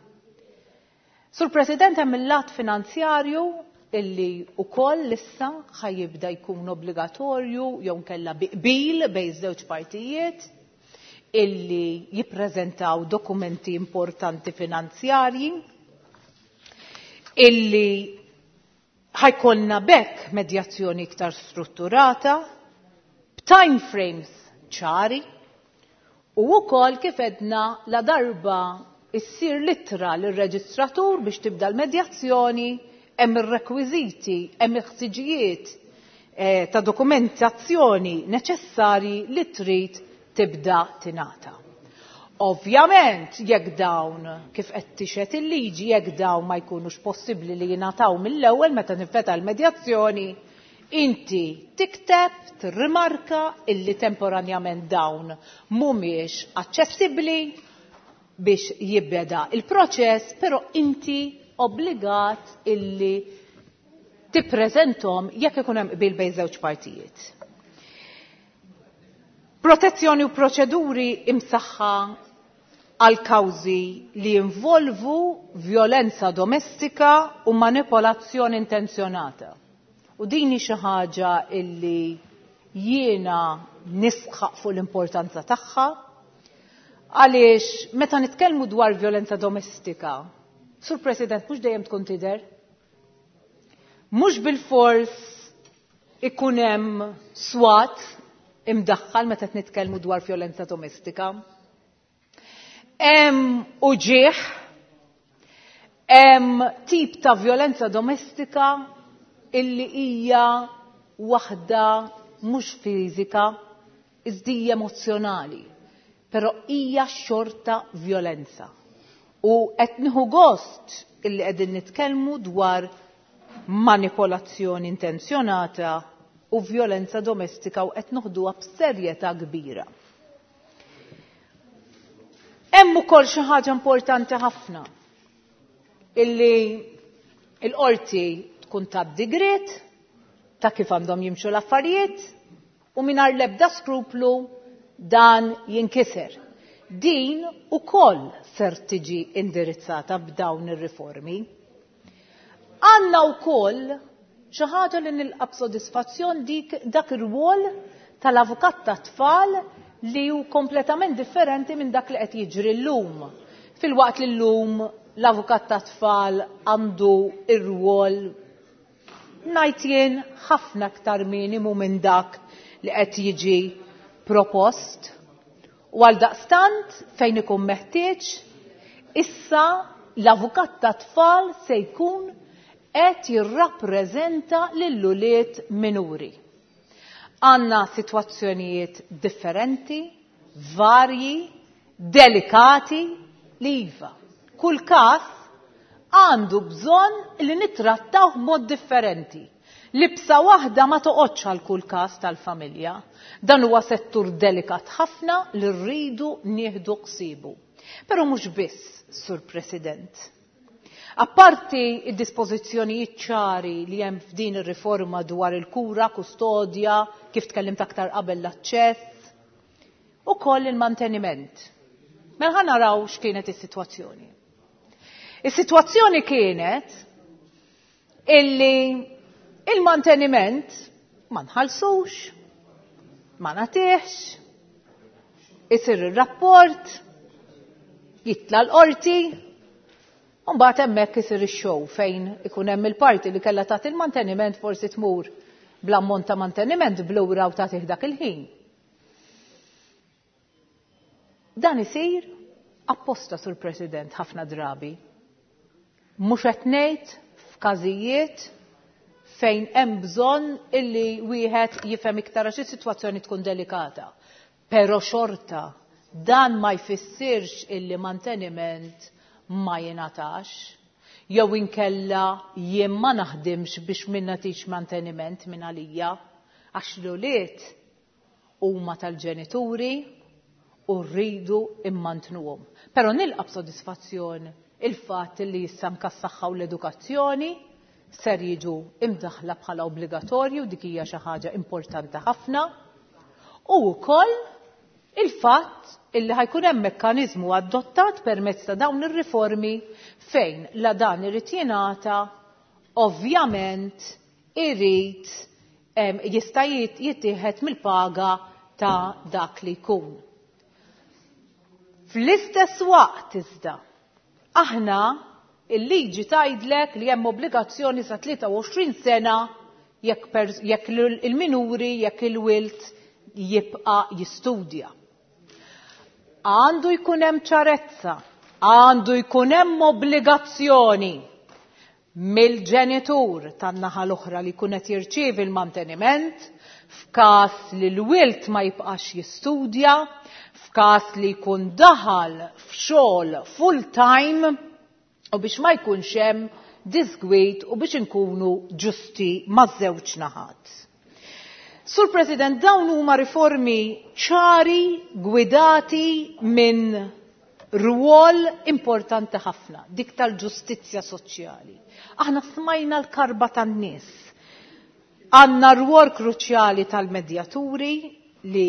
Sur President, hemm il-lat finanzjarju illi ukoll issa ħajibda jkun obbligatorju jew nkella bi qbil bejn żewġ partijiet illi jippreżentaw dokumenti importanti finanzjarji illi ħajkollna bekk medjazzjoni iktar strutturata b'time frames ċari u wkoll kif edna la darba issir littra lir-reġistratur biex tibda l-medjazzjoni, hemm ir-rekwiżiti, hemm il-ħtiġijiet ta' dokumentazzjoni neċessarji li trid tibda tingħata. Ovvjament, jekk dawn, kif qed tixhed il-liġi, jekk dawn ma jkunux possibbli li jingħataw mill-ewwel meta tinfetaħ il-medjazzjoni, inti tikteb, tirrimarka illi temporanjament dawn mhumiex aċċessibbli biex jibbeda il-proċess, però inti obbligat illi tippreżentom jekk ikun hemm qbil bejn żewġ partijiet. Protezzjoni u proċeduri imsaħħa għal kawżi li jinvolvu violenza domestika u manipolazzjoni intenzjonata. U din hi xi ħaġa illi jiena nisħaq fuq l-importanza tagħha għaliex meta nitkellmu dwar vjolenza domestika, Sur President, mhux dejjem tkun tidher. Mhux bilfors ikun hemm swat imdaħħal meta nitkellmu dwar vjolenza domestika. Hemm uġigħ, hemm tip ta' vjolenza domestika illi hija waħda mhux fiżika, iżda hija emozzjonali, però hija xorta vjolenza. U qed nieħu gost illi qegħdin nitkellmu dwar manipolazzjoni intenzjonata u vjolenza domestika u qed noħduha b'serjetà kbira. Hemm ukoll xi ħaġa importanti ħafna illi l-qorti tkun tat digriet ta' kif għandhom jimxu l-affarijiet u mingħajr l-ebda skruplu dan jinkiser. Din ukoll ser tiġi indirizzata b'dawn ir-riformi. Għandna wkoll xi ħaġa li nilqa' b'sodisfazzjon dik dak ir-rwol tal-avukat tat-tfal li hu kompletament differenti minn dak li qed jiġri llum. Filwaqt li llum l-avukat tat-tfal għandu ir-rwol ngħid jien ħafna aktar minimu minn dak li qed jiġi propost. U għal daqstant fejn ikun meħtieġ, issa l-avukat tat-tfal se jkun qed jirrappreżenta lill-ulied minuri. Għandna sitwazzjonijiet differenti, varji, delikati li iva. Kull każ għandu bżonn li nittrattawh b'mod differenti. Libsa waħda ma toqgħodx għal kull każ tal-familja. Dan huwa settur delikat ħafna li rridu nieħdu ħsiebu. Però mhux biss, Sur President. Apparti id-dispożizzjonijiet ċari li hemm f'din ir-riforma dwar il-kura, kustodja, kif tkellimt aktar qabel l-aċċess, ukoll il-manteniment. Mela ħa naraw x'kienet is-sitwazzjoni. Is-sitwazzjoni kienet illi il-manteniment ma nħallsux, ma nagħtihx, isir ir-rapport, jitla' l-qorti, u mbagħad hemmhekk isir ix-show fejn ikun hemm il-parti li kellha tagħti il-manteniment forsi tmur bl-ammont ta' manteniment blura u tagħtih dak il-ħin. Dan isir apposta, Sur President, ħafna drabi. Mhux qed ngħid f'każijiet fejn hemm bżonn illi wieħed jifhem iktar għax is-sitwazzjoni tkun delikata. Però xorta dan ma jfissirx illi manteniment ma jingħatax jew inkella jien ma naħdimx biex min nagħtix manteniment minn għalija għax l-ulied huma tal-ġenituri u rridu immantnuhom. Però nilqa' b'sodisfazzjon il-fatt li issa anke s-saħħa u l-edukazzjoni ser jiġu imdaħħla bħala obbligatorju, dik hija xi ħaġa importanti ħafna. U wkoll il-fatt illi ħajkun hemm mekkaniżmu adottat permezz ta' dawn ir-riformi fejn la dan irid jingħata ovvjament irid jista' jittieħed mill-paga ta' dak li jkun. Fl-istess waqt iżda, aħna il-liġi tgħidlek li hemm obbligazzjoni sa 23 sena jekk il-minuri, jekk il-wilt jibqa' jistudja. Għandu jkun hemm ċarezza, għandu jkun hemm obbligazzjoni mill-ġenitur tan-naħa l-oħra li jkun qed jirċievi l-manteniment f'każ li l-wilt ma jibqax jistudja, f'każ li jkun daħal f'xogħol full-time u biex ma jkunx hemm disgwid u biex inkunu ġusti maż-żewġ naħat. Sur President, dawn huma riformi ċari, gwidati minn rwol importanti ħafna, dik tal-ġustizzja soċjali. Aħna smajna l-karba tan-nies. Għandna rwol kruċjali tal-medjaturi li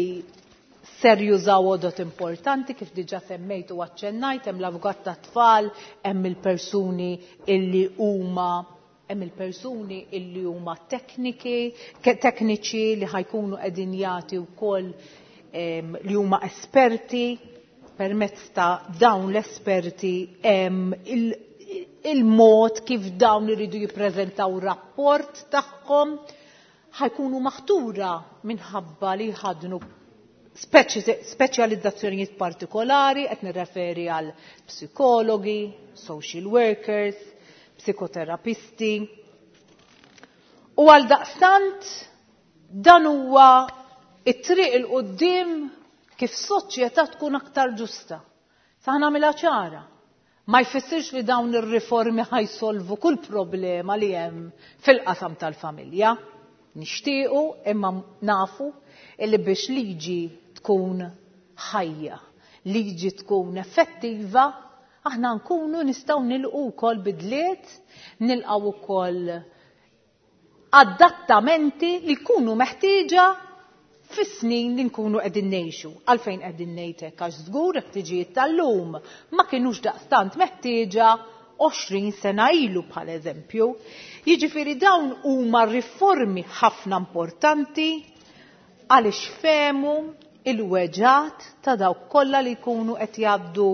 ser jużaw għodot importanti kif diġa semmejt u aċċennajt, hemm l-avukat tat-tfal, hemm il-persuni illi huma Hemm il-persuni illi huma tekniki, tekniċi li ħajkunu qegħdin jagħti wkoll li huma esperti. Permezz ta' dawn l-esperti hemm il-mod kif dawn iridu jippreżentaw rapport tagħhom, ħajkunu maħtura minħabba li jħadnu speċjalizzazzjonijiet partikolari, qed nirreferi għal psikologi, social workers, psikoterapisti. U għal daqstant dan huwa it-triq il quddiem kif soċjetà tkun aktar ġusta. Sa nagħmilha ċara. Ma jfissirx li dawn ir-riformi ħajsolvu kull problema li hemm fil-qasam tal-familja. Nixtiequ imma nafu illi biex liġi tkun ħajja, liġi tkun effettiva, aħna nkunu nistgħu nilqu wkoll bidliet, nilqgħu wkoll adattamenti li jkunu meħtieġa fis-snin li nkunu qegħdin ngħixu. Għalfejn qegħdin ngħid hekk? Għax żgur ħtiġijiet tal-lum ma kinux daqstant meħtieġa 20 sena ilu bħal eżempju. Jiġifieri dawn huma riformi ħafna importanti għaliex fehmu il-weġgħat ta' dawk kollha li jkunu qed jgħaddu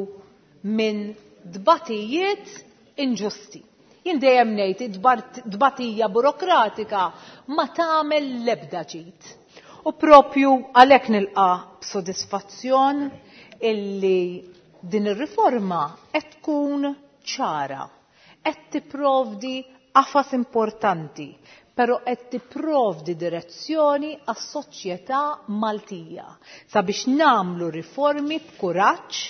minn dbatijiet inġusti. Jien dejjem ngħid dbatija burokratika ma tagħmel l-ebda ġid. U propju għalhekk nilqa' b'sodisfazzjon illi din ir-riforma qed tkun ċara, qed tipprovdi qafas importanti, però qed tipprovdi direzzjoni għas-soċjetà Maltija sabiex nagħmlu riformi b'kuraġġ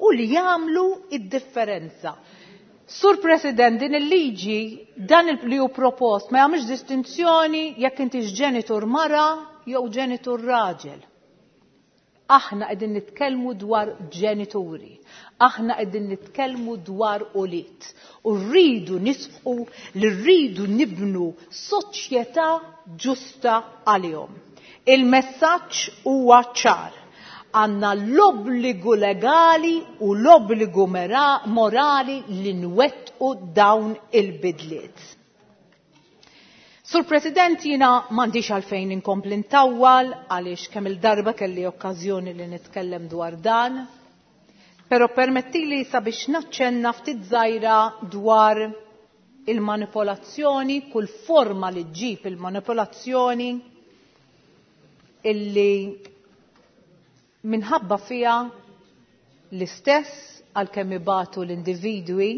u li jagħmlu id-differenza. Sur President, din il-liġi, dan li hu propost, ma jagħmilx distinzjoni jekk intix ġenitur mara jew ġenitur raġel. Aħna qegħdin nitkellmu dwar ġenituri, aħna qegħdin nitkellmu dwar ulied. U rridu nisħu li rridu nibnu soċjetà ġusta għalihom. Il-messaġġ huwa ċar. Għandna l-obbligu legali u l-obbligu morali li nwettqu dawn il-bidliet. Sur President, jina m'għandix għalfejn inkompli ntawwal għaliex kemm il-darba kelli okkażjoni li nitkellem dwar dan, però permettili sabiex naċċenna ftit żgħira dwar il-manipolazzjoni, kull forma li ġġib il-manipolazzjoni illi minħabba fija l-istess għalkemm ibatu l-individwi,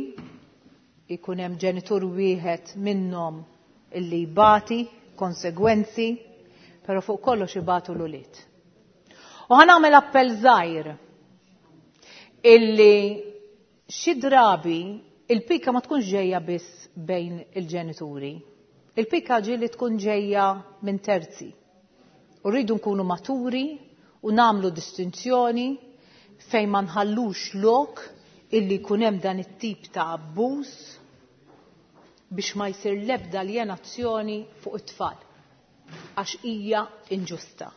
ikun hemm ġenitur wieħed minnhom illi jbati konsegwenzi, però fuq kollox ibatu l-ulied. U ħa nagħmel appell żgħir illi xi drabi il-pika ma tkunx ġejja biss bejn il-ġenituri. Il-pika ġieli tkun ġejja minn terzi. U rridu nkunu maturi u nagħmlu distinzjoni fejn ma nħallux lok illi jkun hemm dan it-tip ta' abbuż biex ma jsir l-ebda aljenazzjoni fuq it-tfal, għax hija inġusta.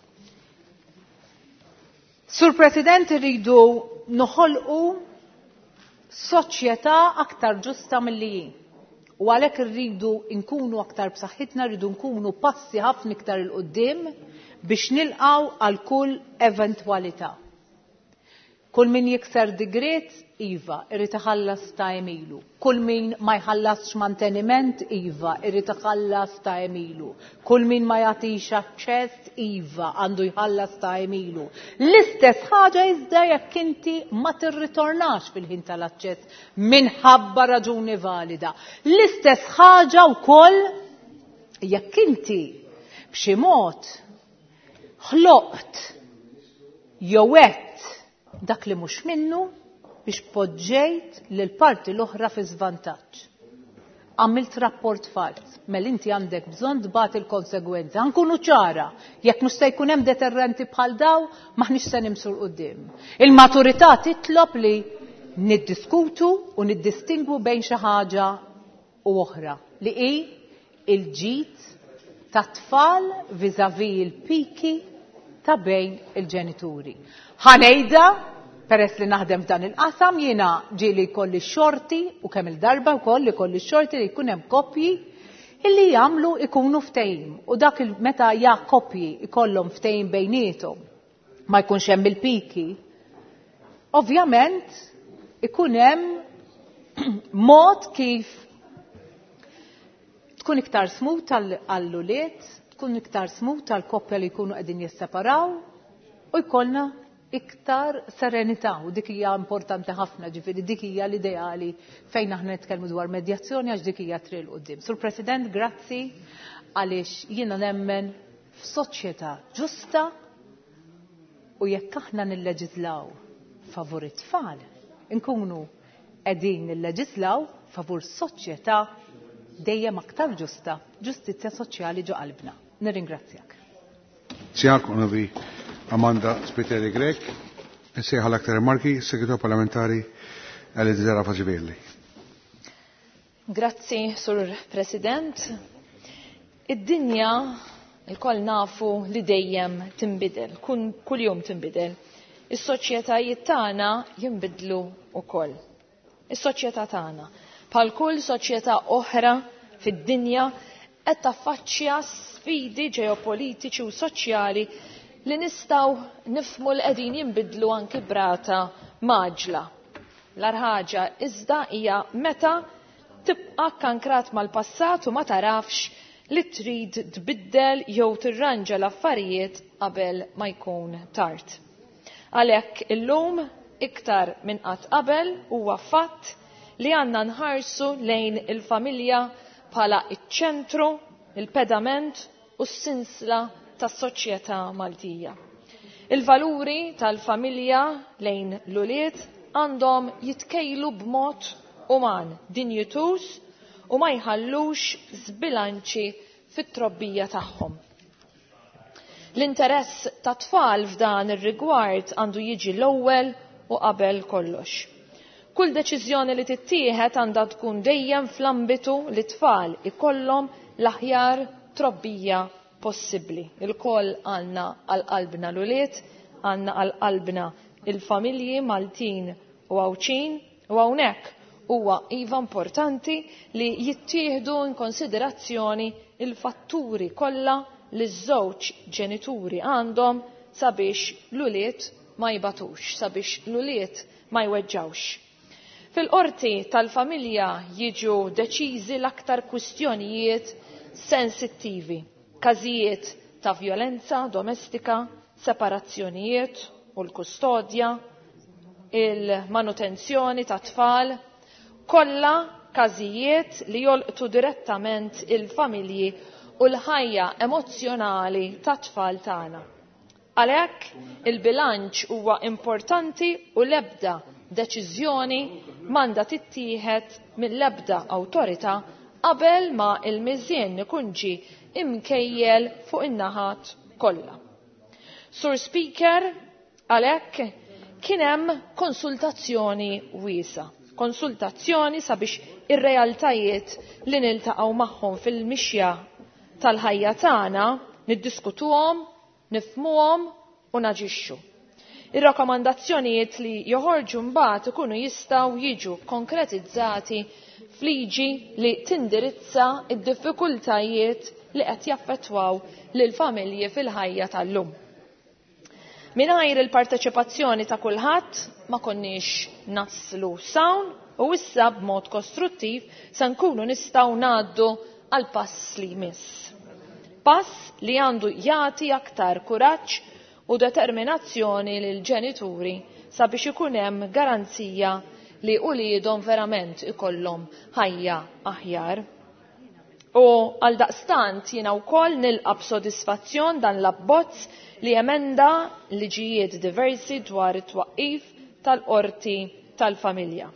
Sur President, irridu noħolqu soċjetà aktar ġusta milli hi. U għalhekk irridu nkunu aktar b'saħħitna, rridu nkunu passi ħafna iktar 'il quddiem biex nilqgħu għal kull eventwalità. Kull min jikser digriet, iva, irid iħallas ta' emilu. Kull min ma jħallasx manteniment, iva, irid iħallas ta' emilu. Kull min ma jagħtix aċċess, iva, għandu jħallas ta' emilu. L-istess ħaġa iżda jekk inti ma tirritornax fil-ħin tal-aċċess minħabba raġuni valida. L-istess ħaġa wkoll jekk inti b'xi mod ħloqt jew għedt dak li mhux minnu biex poġġejt lil parti l-oħra fi żvantaġġ. Għamilt rapport fals, mela inti għandek bżonn tbati l-konsegwenza. Nkunu ċara, jekk mhux se jkun hemm deterrenti bħal daw, m'aħniex se nimxu 'l quddiem. Il-maturità titlob li niddiskutu u niddistingwu bejn xi ħaġa u oħra li hi il-ġid tat-tfal vis-à-vis il-piki ta' bejn il-ġenituri. Ħanejda, peress li naħdem f'dan il-qasam, jiena ġieli jkolli xorti u kemm il-darba wkoll li kolli xorti li jkun hemm koppji illi jagħmlu ikunu ftehim u dak meta ja koppji ikollhom ftehim bejniethom ma jkunx hemm il-piki. Ovvjament ikun hemm mod kif tkun iktar smooth għall-ulied, tkun iktar smooth għall-koppja li jkunu qegħdin jisseparaw u jkollna iktar serenità u dik hija importanti ħafna, ġifieri dik hija l-ideali fejn aħna nitkellmu dwar medjazzjoni għax dik hija triq 'l quddiem. Sur President, grazzi għaliex jiena nemmen f'soċjetà ġusta u jekk aħna nilleġislaw favur it-tfal, inkunu qegħdin nilleġislaw favur soċjetà dejjem aktar ġusta, ġustizzja soċjali ġo qalbna. Nirringrazzjak. Sjaak Onorevoli Amanda Spiteri Grech, Nsejħa l-aktar rimarki, Segretarju Parlamentari Elizera Faġivelli. Grazzi, Sur President. Id-dinja il-koll nafu li dejjem tinbidel, kull jum tinbidel. Is-soċjetajiet tagħna jinbidlu wkoll. Is-soċjetà tagħna, bħal kull soċjetà oħra fid-dinja, qed taffaċċja sfidi ġeopolitiċi u soċjali li nistgħu nifhmu li qegħdin jinbidlu anki b'rata mgħaġġla. L-ħaġa iżda hija meta tibqa' kankrat mal-passat u ma tarafx li trid tbiddel jew tirranġa l-affarijiet qabel ma jkun tard. Għalhekk illum iktar minn qatt qabel huwa fatt li għandna nħarsu lejn il-familja bħala iċ-ċentru, il-pedament u s-sinsla tas-soċjetà Maltija. Il-valuri tal-familja lejn l-ulied għandhom jitkejlu b'mod uman, dinjituż u ma jħallux żbilanċi fit-trobbija tagħhom. L-interess ta' tfal f'dan ir-rigward għandu jiġi l-ewwel u qabel kollox. Kull deċiżjoni li tittieħed għandha tkun dejjem fl-ambitu li tfal ikollhom l-aħjar trobbija possibbli. Il-koll għandna għal qalbna l-ulied, għandna għal qalbna il-familji Maltin u Għawdxin u hawnhekk huwa iva importanti li jittieħdu in konsiderazzjoni il-fatturi kollha li ż-żewġ ġenituri għandhom sabiex l-ulied ma jbatux, sabiex l-ulied ma jweġġawx. Fil-qorti tal-familja jiġu deċiżi l-aktar kwistjonijiet sensittivi, każijiet ta' vjolenza domestika, separazzjonijiet u l-kustodja, il-manutenzjoni ta' tfal, kollha każijiet li jolqtu direttament il-familji u l-ħajja emozzjonali tat-tfal tagħna. Għalhekk il-bilanċ huwa importanti u l-ebda deċiżjoni m'għandha tittieħed mill-ebda awtorità qabel ma il-miżien ikun ġie imkejjel fuq in-naħat kollha. Sur Speaker, għalhekk kien hemm konsultazzjoni wiesa', konsultazzjoni sabiex ir-realtajiet li niltaqgħu magħhom fil-mixja tal-ħajja tagħna niddiskutuhom, nifhmuhom u naġixxu. Ir-rakkomandazzjonijiet li joħorġu mbagħad ikunu jistgħu jiġu konkretizzati f'liġi li tindirizza d-diffikultajiet li qed jaffettwaw lil familji fil-ħajja tal-lum. Mingħajr il-parteċipazzjoni ta' kulħadd ma konniex naslu s'hawn u issa b'mod kostruttiv se nkunu nistgħu ngħaddu għal pass li jmiss. Pass li għandu jagħti aktar kuraġġ u determinazzjoni lil ġenituri sabiex ikun hemm garanzija li uliedhom verament ikollhom ħajja aħjar. U għal daqstant jiena wkoll nilqa' b'sodisfazzjon dan l-abbozz li emenda liġijiet diversi dwar it-twaqqif tal-qorti tal-familja.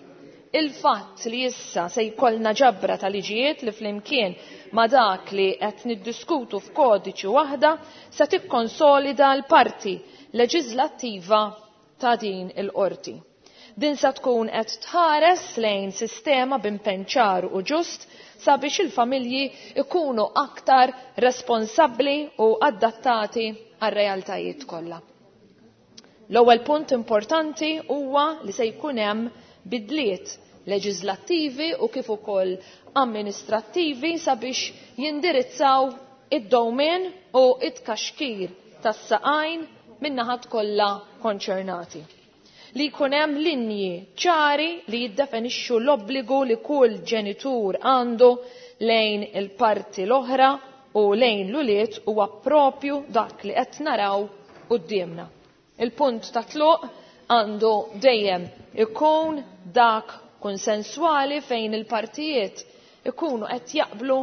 Il-fatt li issa se jkollna ġabra ta' liġijiet li flimkien ma' dak li qed niddiskutu f'kodiċi waħda se tikkonsolida l-parti leġislattiva ta' din il-qorti. Din se tkun qed tħares lejn sistema b'impenn ċar u ġust sabiex il-familji ikunu aktar responsabbli u adattati għar-realtajiet kollha. L-ewwel punt importanti huwa li se jkun hemm bidliet leġislattivi u kif ukoll amministrattivi sabiex jindirizzaw id-dowmin u it-kaxkir tas-saqajn min-naħat kollha konċernati. Li jkun hemm linji ċari li jiddefinixxu l-obbligu li kull ġenitur għandu lejn il-parti l-oħra u lejn l-ulied huwa propju dak li qed naraw quddiemna. Il-punt ta' tluq għandu dejjem ikun dak konsenswali fejn il-partijiet ikunu qed jaqblu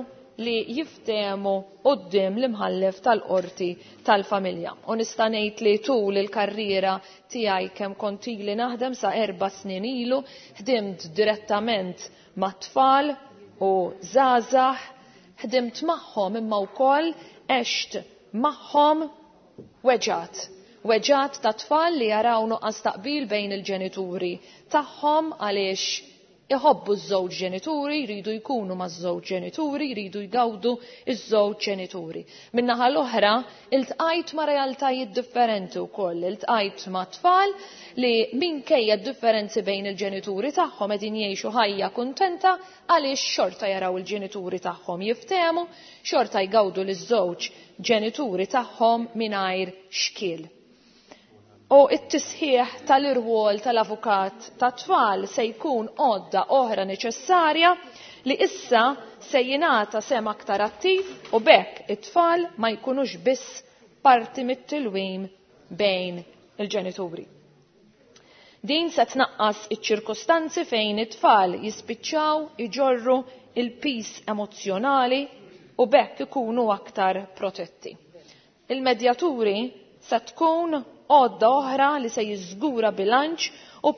li jiftehmu quddiem l-imħallef tal-qorti tal-familja. U nista' ngħid li tul il-karriera tiegħi kemm kont ili naħdem sa 4 snin ilu, ħdimt direttament mat-tfal u żgħażagħ, ħdimt magħhom imma wkoll għext magħhom weġgħat. Weġgħat ta' tfal li jaraw nuqqas taqbil bejn il-ġenituri tagħhom għaliex iħobbu ż-żewġ ġenituri, jridu jkunu maż-żewġ ġenituri, jridu jgawdu ż-żewġ ġenituri. Min-naħa l-oħra, iltqajt ma' realtajiet differenti wkoll, iltqajt ma' tfal li minkejja d-differenzi bejn il-ġenituri tagħhom qegħdin jgħixu ħajja kuntenta għaliex xorta jaraw il-ġenituri tagħhom jiftehmu, xorta jgawdu liż-żewġ ġenituri tagħhom mingħajr xkiel. U t-tisħiħ tal-irwol tal-avukat tat-tfal se jkun għodda oħra neċessarja li issa se jingħata sehem aktar attiv u b'hekk it-tfal ma jkunux biss parti mit-tilwim bejn il-ġenituri. Din se tnaqqas iċ-ċirkostanzi fejn it-tfal jispiċċaw iġorru il-pis emozzjonali u b'hekk ikunu aktar protetti. Il-medjaturi se tkun għodda oħra li se jiżgura bilanċ u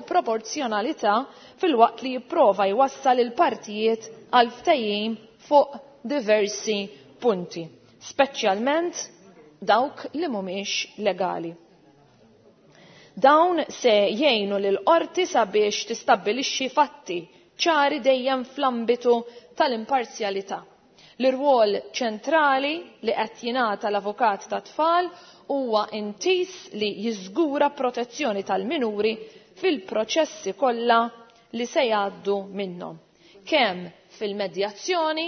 proporzjonalità filwaqt li jipprova jwassal il-partijiet għal ftehim fuq diversi punti, speċjalment dawk li mhumiex legali. Dawn se jgħinu lil qorti sabiex tistabbilixxi fatti ċari dejjem fl-ambitu tal-imparzjalità. L-irwol ċentrali li qed jingħata l-avukat tat-tfal huwa intis li jiżgura protezzjoni tal-minuri fil-proċessi kollha li se jgħaddu minnhom, kemm fil-medjazzjoni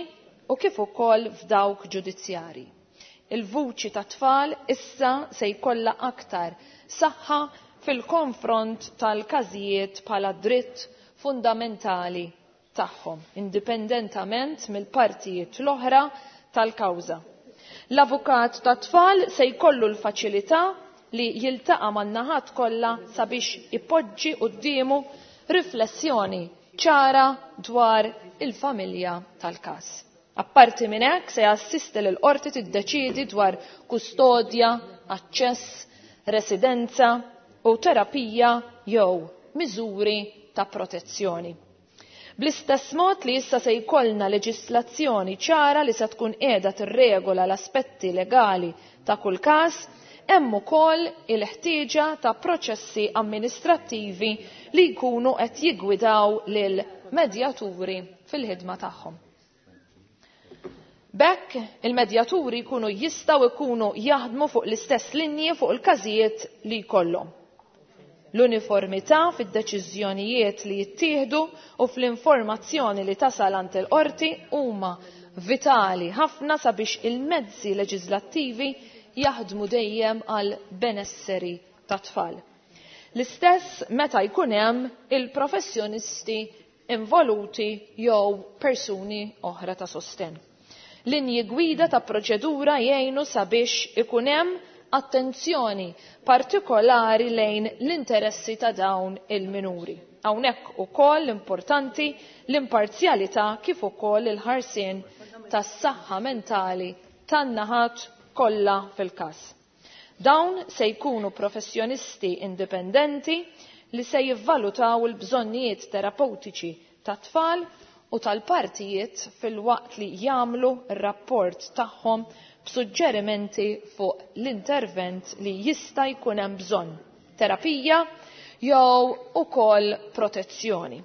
u kif ukoll f'dawk ġudizzjarji. Il-vuċi tat-tfal issa se jkollha aktar saħħa fil-konfront tal-każijiet bħala dritt fundamentali tagħhom, indipendentament mill-partijiet l-oħra tal-kawża. L-avukat tat-tfal se jkollu l-faċilità li jiltaqa' man-naħat kollha sabiex ipoġġi quddiemu riflessjoni ċara dwar il-familja tal-każ. Apparti minn hekk se jassisti lil qorti tiddeċiedi dwar kustodja, aċċess, residenza u terapija jew miżuri ta' protezzjoni. Bl-istess mod li issa se jkollna leġislazzjoni ċara li se tkun qiegħda tirregola l-aspetti legali ta' kull każ, hemm ukoll il-ħtieġa ta' proċessi amministrattivi li jkunu qed jiggwidaw lil medjaturi fil-ħidma tagħhom. B'hekk il-medjaturi jkunu jistgħu jkunu jaħdmu fuq l-istess linji fuq il-każijiet li jkollhom. L-uniformità fid-deċiżjonijiet li jittieħdu u fl-informazzjoni li tasal għand il-qorti huma vitali ħafna sabiex il-mezzi leġislattivi jaħdmu dejjem għal benesseri tat-tfal. L-istess meta jkun hemm il-professjonisti involuti jew persuni oħra ta' sostenn. Linji gwida ta' proċedura jgħinu sabiex ikun hemm attenzjoni partikolari lejn l-interessi ta' dawn il-minuri. Hawnhekk ukoll importanti l-imparzjalità kif ukoll il-ħarsien tas-saħħa mentali tan-naħat kollha fil-każ. Dawn se jkunu professjonisti indipendenti li se jivvalutaw il-bżonnijiet terapeutiċi tat-tfal u tal-partijiet filwaqt li jagħmlu r-rapport tagħhom b'suġġerimenti fuq l-intervent li jista' jkun hemm bżonn, terapija jew ukoll protezzjoni.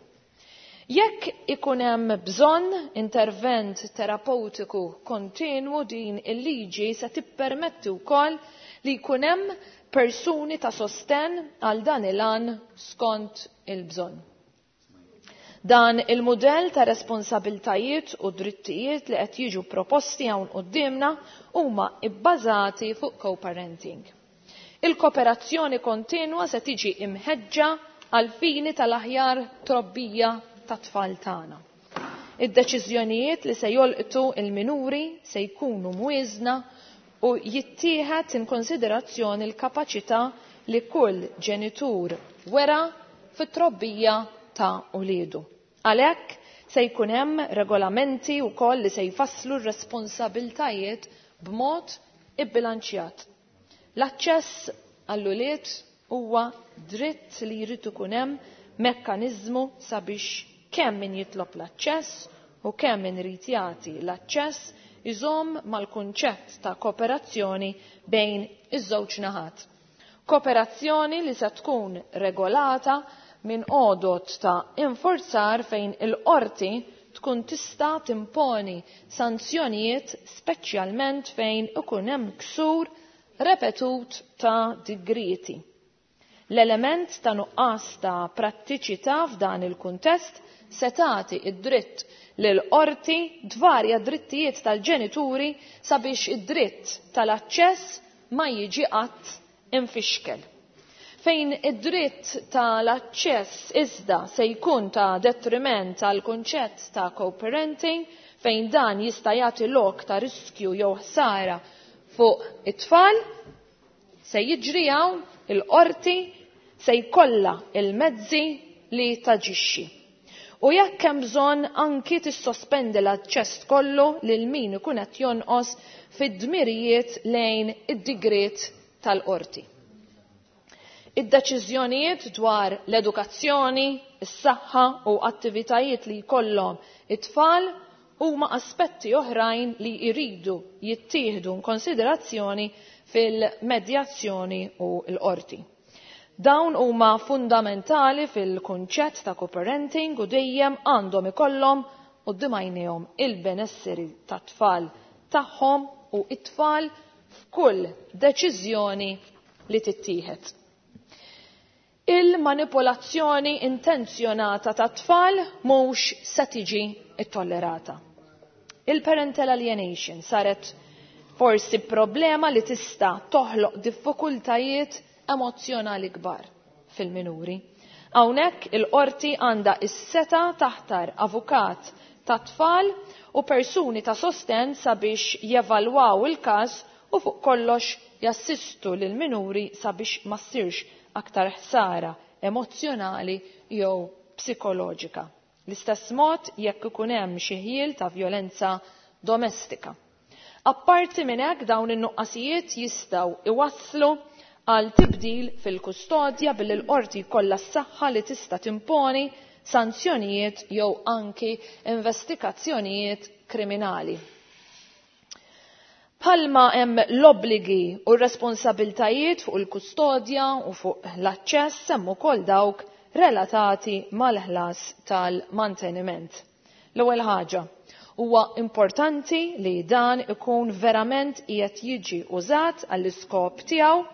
Jekk ikun hemm bżonn intervent terapeutiku kontinwu, din il-liġi se tippermetti wkoll li jkun hemm persuni ta' sostenn għal dan il-għan skont il-bżonn. Dan il-mudell ta' responsabiltajiet u drittijiet li qed jiġu proposti hawn quddiemna huma bbażati fuq co-parenting. Il-kooperazzjoni kontinwa se tiġi imħeġġa għal fini tal-aħjar trobbija tat-tfal tagħna. Id-deċiżjonijiet li se jolqtu il-minuri se jkunu mwieżna u jittieħed in konsiderazzjoni l-kapaċità li kull ġenitur wera fit-trobbija ta' uliedu. Għalhekk se jkun hemm regolamenti wkoll li se jfasslu r-responsabiltajiet b'mod ibbilanċjat. L-aċċess għall-ulied huwa dritt li jrid ikun hemm mekkaniżmu sabiex kemm min jitlob l-aċċess u kemm min irid jagħti l-aċċess iżomm mal-kunċett ta' kooperazzjoni bejn iż-żewġ naħat. Kooperazzjoni li se tkun regolata minn għodot ta' infurzar fejn il-qorti tkun tista' timponi sanzjonijiet speċjalment fejn ikun hemm ksur repetut ta' digrieti. L-element ta' nuqqas ta' prattiċità f'dan il-kuntest se tagħti id-dritt lil qorti dvarja drittijiet tal-ġenituri sabiex id-dritt tal-aċċess ma jiġi qatt infixkel. Fejn id-dritt tal-aċċess iżda se jkun ta' detriment għal kunċett ta' co-parenting, fejn dan jista' jagħti lok ta' riskju jew ħsara fuq it-tfal, se jiġri hawn il-qorti se jkollha il-mezzi li taġixxi. U jekk hemm bżonn anki tissospendi l-aċċess kollu lil min ikun qed jonqos fid-dmirijiet lejn id-digriet tal-qorti. Id-deċiżjonijiet dwar l-edukazzjoni, is-saħħa u attivitajiet li jkollhom it-tfal huma aspetti oħrajn li jridu jittieħdu konsiderazzjoni fil-medjazzjoni u l-qorti. Dawn huma fundamentali fil-kunċett ta' co-parenting u dejjem għandhom ikollhom quddiem għajnejhom il-benesseri tat-tfal tagħhom u it-tfal f'kull deċiżjoni li tittieħed. Il-manipolazzjoni intenzjonata ta' tfal mhux se tiġi ttollerata. Il-parental alienation saret forsi problema li tista' toħloq diffikultajiet emozzjonali kbar fil-minuri. Hawnhekk il-qorti għandha is-seta taħtar avukat ta' tfal u persuni ta' sosten sabiex jevalwaw il-każ u fuq kollox jassistu lil minuri sabiex ma ssirx aktar ħsara emozzjonali jew psikoloġika. L-istess mod jekk ikun hemm xi ħjiel ta' vjolenza domestika. Apparti minn hekk dawn in-nuqqasijiet jistgħu iwasslu għal tibdil fil-kustodja billi l-qorti jkollha s-saħħa li tista' timponi sanzjonijiet jew anki investigazzjonijiet kriminali. Palma hemm l-obbligi u r-responsabiltajiet fuq il-kustodja u fuq l-aċċess hemm ukoll dawk relatati mal-ħlas tal-manteniment. L-ewwel ħaġa, huwa importanti li dan ikun verament qiegħed jiġi użat għall-iskop tiegħu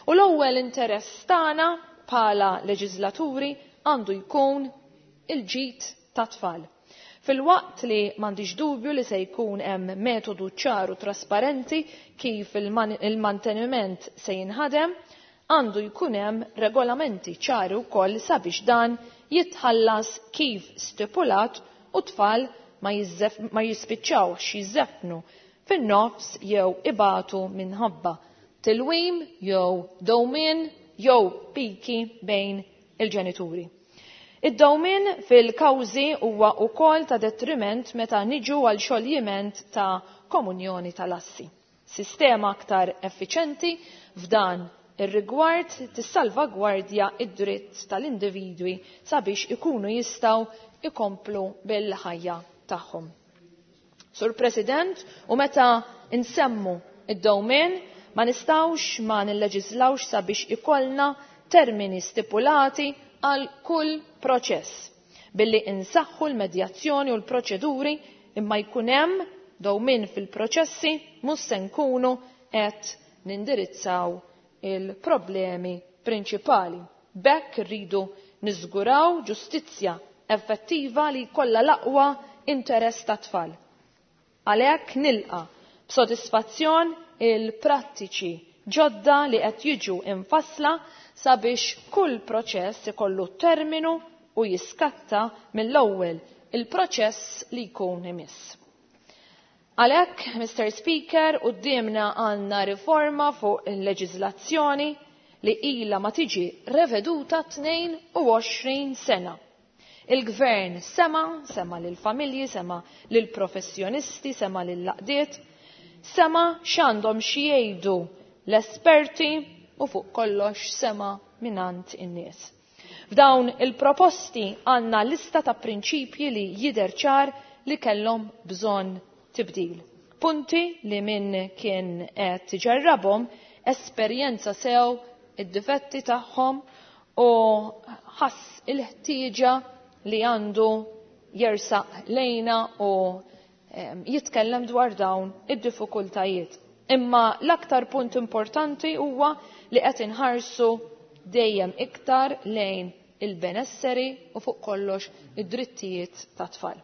u l-ewwel interess tagħna bħala leġislaturi għandu jkun il-ġid tat-tfal. Filwaqt li m'għandix dubju li se jkun hemm metodu ċar u trasparenti kif il-manteniment se jinħadem, għandu jkun hemm regolamenti ċari wkoll sabiex dan jitħallas kif stipulat u tfal ma jispiċċawx jiżefnu fin-nofs jew ibatu minħabba tilwim jew dewmien jew piki bejn il-ġenituri. Id-dewmien fil-kawżi huwa wkoll ta' detriment meta niġu għal xoljiment ta' komunjoni tal-assi. Sistema aktar effiċenti f'dan ir-rigward tissalvagwardja id-dritt tal-individwi sabiex ikunu jistgħu ikomplu bil-ħajja tagħhom. Sur President, u meta nsemmu id-dewmien ma nistgħux ma nilleġislawx sabiex ikollna termini stipulati għal kull proċess billi insaħħu l-medjazzjoni u l-proċeduri imma jkun hemm dewmien fil-proċessi mhux se nkunu qed nindirizzaw il-problemi prinċipali. B'hekk irridu niżguraw ġustizzja effettiva li jkollha l-aqwa interess tat-tfal. Għalhekk nilqa' b'sodisfazzjon il-prattiċi ġodda li qed jiġu imfassla sabiex kull proċess ikollu terminu u jiskatta mill-ewwel il-proċess li jkun imiss. Għalhekk, Mr. Speaker, quddiemna għandna riforma fuq il-leġiżlazzjoni li ilha ma tiġi reveduta 22 sena. Il-gvern sema, sema lill-familji, sema lill-professjonisti, sema lill-laqdiet, sema x'għandhom xi jgħidu l-esperti u fuq kollox sema minant in-nies. F'dawn il-proposti għandna lista ta' prinċipji li jidher ċar li kellhom bżonn tibdil. Punti li min kien qed ġarrabhom esperjenza sew id-difetti tagħhom u ħass il-ħtieġa li għandu jersaq lejna u jitkellem dwar dawn id-diffikultajiet. Imma l-aktar punt importanti huwa li qed inħarsu dejjem iktar lejn il-benesseri u fuq kollox id-drittijiet tat-tfal.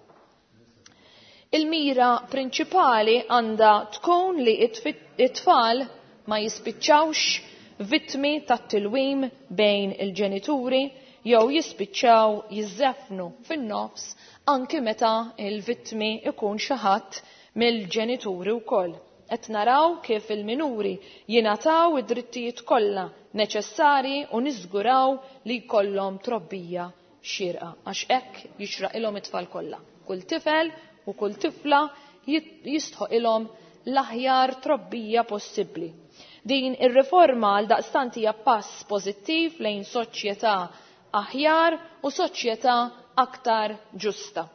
Il-mira prinċipali għandha tkun li it-tfal ma jispiċċawx vittmi tat-tilwim bejn il-ġenituri jew jispiċċaw jiżżefnu fin-nofs anki meta il-vittmi ikun xi ħadd mill-ġenituri wkoll. Qed naraw kif il-minuri jingħataw id-drittijiet kollha neċessarji u niżguraw li jkollhom trobbija xierqa għax hekk jixraqilhom it-tfal kollha. Kull tifel u kull tifla jistħoqilhom l-aħjar trobbija possibbli. Din ir-riforma għal daqstant hija pass pożittiv lejn soċjetà aħjar u soċjetà aktar ġusta.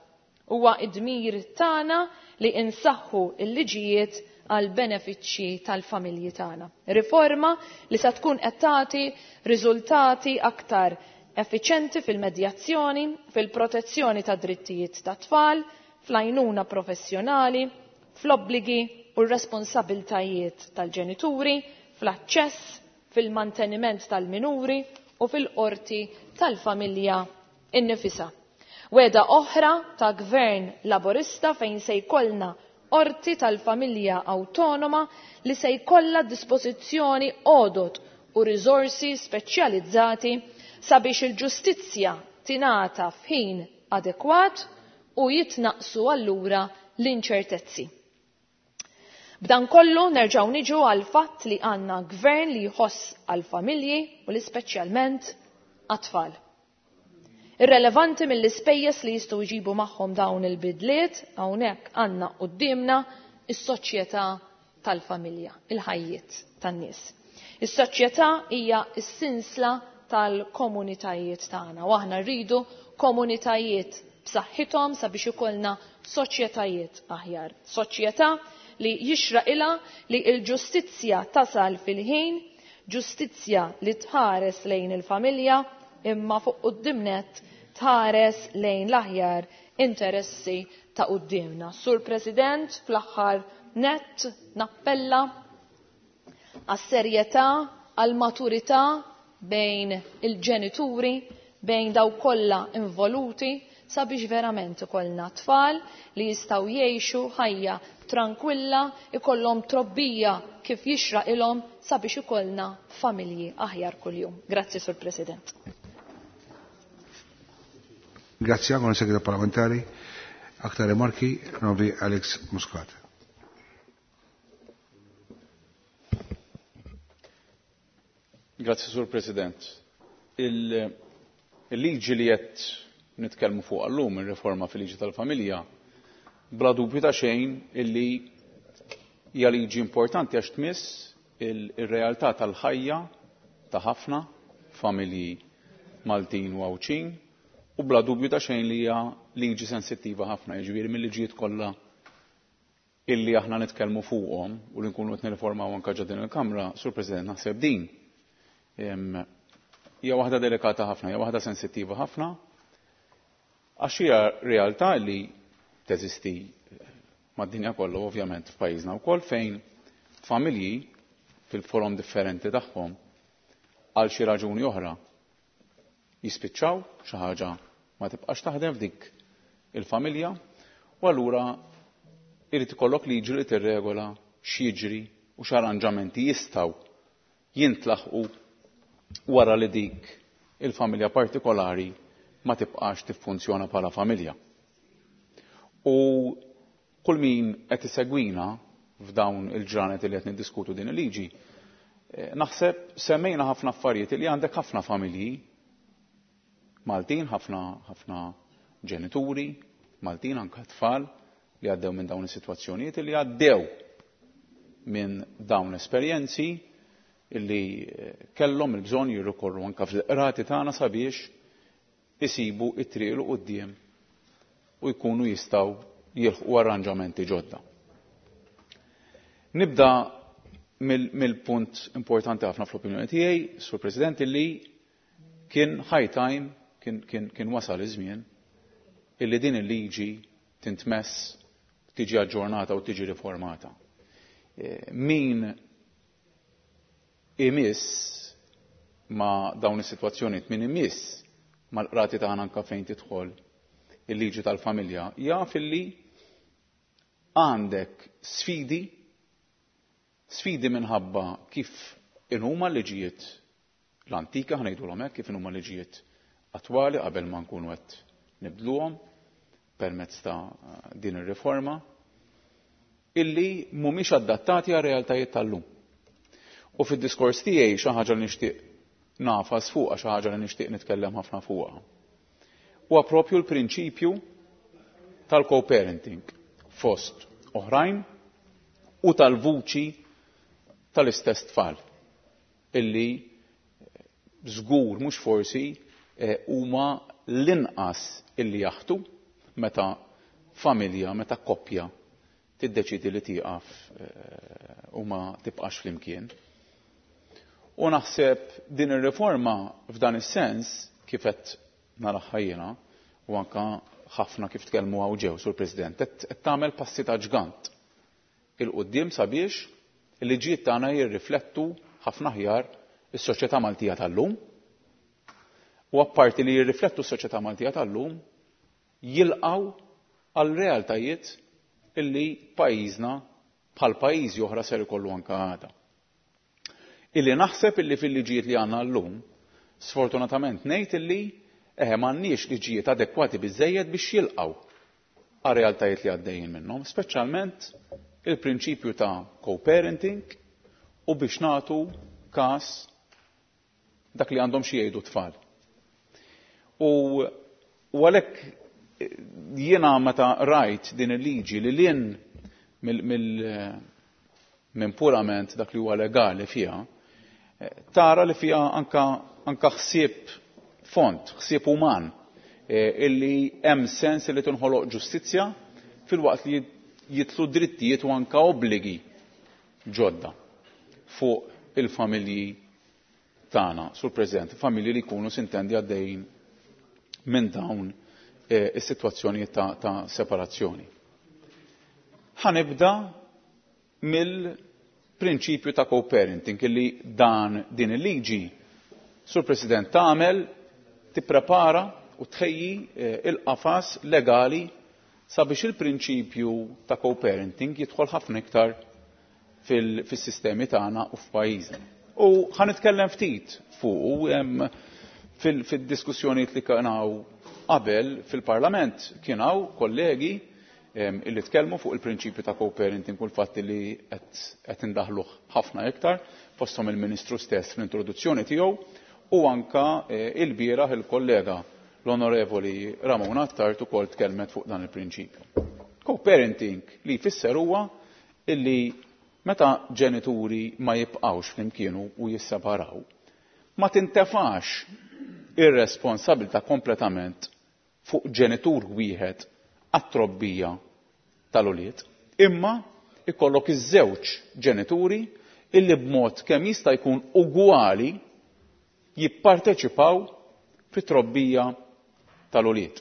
Huwa id-dmir tagħna li insaħħu l-liġijiet għal benefiċċji tal-familji tagħna. Riforma li se tkun qed tagħti riżultati aktar effiċenti fil-medjazzjoni, fil-protezzjoni ta' drittijiet ta' tfal, fl-għajnuna professjonali, fl-obbligi u r-responsabiltajiet tal-ġenituri, fl-aċċess, fil-manteniment tal-minuri u fil-qorti tal-familja innifisha. Weda oħra ta' gvern laburista fejn se jkollna qorti tal-familja awtonoma li se jkollha dispożizzjoni għodot u riżorsi speċjalizzati sabiex il-ġustizzja tingħata f'ħin adekwat u jitnaqsu allura l-inċertezzi. B'dan kollu nerġgħu niġu għal fatt li għandna gvern li jħoss għal familji u li speċjalment għat-tfal. Irrelevanti mill-ispejjeż li jistgħu jġibu magħhom dawn il-bidliet, hawnhekk għandna quddiemna is-soċjetà tal-familja, il-ħajjiet tan-nies. Is-soċjetà hija s-sinsla tal-komunitajiet tagħna u aħna rridu komunitajiet b'saħħithom sabiex ikollna soċjetajiet aħjar. Soċjetà li jixraqilha li l-ġustizzja tasal fil-ħin, ġustizzja li tħares lejn il-familja imma fuq quddiem nett tħares lejn l-aħjar interessi ta' quddiemna. Sur President, fl-aħħar nett nappella għas-serjetà, għall-maturità bejn il-ġenituri, bejn daw kollha involuti sabiex verament ikollna tfal li jistgħu jgħixu ħajja tranquilla, ikollhom trobbija kif jixraqilhom sabiex ikollna familji aħjar kuljum. Grazzi, Sur President. Grazie, għon segretarju parlamentari. Aktar remarki, Novi Alex Muscat. Grazie, Sur President. Il-liġi li qed nitkellmu fuq għallum, ir-riforma fil-liġi tal-familja, bla dubju ta' xejn illi hija liġi importanti għax tmiss il-realtà tal-ħajja ta' ħafna familji Maltin u Għawdxin u bla dubju ta' xejn li hija liġi sensittiva ħafna, jiġifieri mill-liġijiet kollha illi aħna nitkellmu fuqhom u li nkunu qed nirriformaw anke ġo din il-Kamra, Sur President, naħseb din hija waħda delikata ħafna, hija waħda sensittiva ħafna, għax hija realtà li teżisti mad-dinja kollha ovvjament f'pajjiżna wkoll fejn familji fil-forom differenti tagħhom għal xi raġuni oħra jispiċċaw xi ħaġa ma tibqax taħdem f'dik il-familja u allura irid ikollok liġi li tirregola x'jiġri u x'arranġamenti jistgħu jintlaħqu wara li dik il-familja partikolari ma tibqax tiffunzjona bħala familja. U kull min qed isegwina f'dawn il-ġranet li qed niddiskutu din il-liġi, naħseb semmejna ħafna affarijiet li għandek ħafna familji Maltin, ħafna ħafna ġenituri Maltin, anke tfal li għaddew minn dawn is-sitwazzjonijiet, li għaddew minn dawn l-esperjenzi illi kellhom il-bżonn jirrikorru anke fil-qrati tagħna sabiex isibu it-triq 'l quddiem u jkunu jistgħu jilħqu arranġamenti ġodda. Nibda mill-punt importanti ħafna fl-opinjoni tiegħi, Sur President, illi kien high time, kien wasal iż-żmien illi din il-liġi tintmess, tiġi aġġornata u tiġi riformata. Min imiss ma' dawn is-sitwazzjonijiet, min imiss mal-qrati tagħna anke fejn tidħol il-liġi tal-familja, jaf illi għandek sfidi, sfidi minħabba kif inhuma l-liġijiet l-antika, ħa ngħidulhom hekk, kif inhuma l-liġijiet attwali qabel ma nkunu qed nibdluhom permezz ta' din ir-riforma, illi mhumiex adattati għar realtajiet tal-lum. U fid-diskors tiegħi xi ħaġa li nixtieq nafas fuqha, xi ħaġa li nixtieq nitkellem ħafna fuqha, huwa propju l-prinċipju tal-co-parenting fost oħrajn u tal-vuċi tal-istess tfal illi żgur mhux forsi huma l-inqas illi jaħtu meta familja, meta koppja tiddeċidi li tieqaf u ma tibqax flimkien. U naħseb din ir-riforma f'dan is-sens kif qed naraha jiena u anka ħafna kif tkellmu hawn ġew, Sur President, qed tagħmel passi ta' ġgant il-quddiem sabiex il-liġijiet tagħna jirriflettu ħafna aħjar is-soċjetà Maltija tal-lum. U apparti li jirriflettu s-soċjetà Maltija tal-lum, jilqgħu għal realtajiet illi pajjiżna bħal pajjiżi oħra ser ikollu anke għada. Illi naħseb illi fil-liġijiet li għandna llum, sfortunatament ngħid illi m'għandniex liġijiet adekwati biżżejjed biex jilqgħu għal realtajiet li għaddejjin minnhom, speċjalment il-prinċipju ta' co-parenting u biex nagħtu każ dak li għandhom xi jgħidu tfal. U għalhekk jiena meta rajt din il-liġi li lin minn purament dak li huwa legali fiha, tara li fiha anka ħsieb fond, ħsieb uman, illi hemm sens li tinħoloq ġustizzja filwaqt li jitlu drittijiet u anka obbligi ġodda fuq il-familji tagħna, Sur President, familji li jkunu sintendi għaddejjin minn dawn is-sitwazzjonijiet ta' separazzjoni. Ħanibda mill-prinċipju ta' co-parenting illi dan din il-liġi, Sur President, tagħmel tipprepara u tħejji il-qafas legali sabiex il-prinċipju ta' co-parenting jidħol ħafna iktar fis-sistemi tagħna u f'pajjiżna. U ħa nitkellem ftit fuq fil-diskussjonijiet li kien hawn qabel fil-Parlament, kien hawn kollegi illi tkellmu fuq il-prinċipju ta' co-parenting u l-fatt li qed indaħluh ħafna iktar, fosthom il-Ministru stess fl-introduzzjoni tiegħu u anka il-bieraħ il-kollega l-Onorevoli Ramona Attard ukoll tkellmet fuq dan il-prinċipju. Co-parenting li jfisser huwa illi meta ġenituri ma jibqgħux flimkien u jisseparaw, ma tintefax ir-responsabilità kompletament fuq ġenitur wieħed għat-trobbija tal-ulied, imma ikollok iż-żewġ ġenituri illi b'mod kemm jista' jkun ugwali jipparteċipaw fit-trobbija tal-ulied.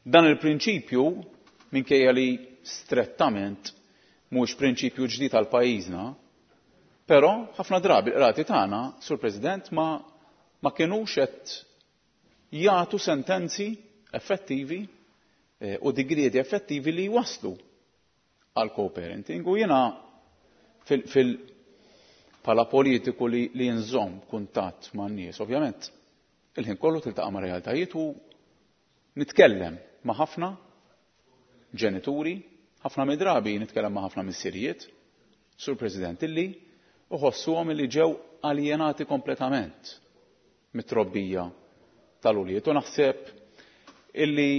Dan il-prinċipju, minkejja li strettament mhux prinċipju ġdid għal pajjiżna, però ħafna drabi l-qrati tagħna, Sur President, ma kinux qed jagħtu sentenzi effettivi u digrieti effettivi li jwasslu għal co-parenting. U jiena fil bħala politiku li nżomm kuntatt man-nies, ovvjament il-ħin kollu tiltaqa' ma' realtajiet u nitkellem ma' ħafna ġenituri, ħafna mid-drabi nitkellem ma' ħafna missirijiet, Sur President, illi uħossuhom illi ġew aljenati kompletament mit-trobbija tal-ulied. U naħseb illi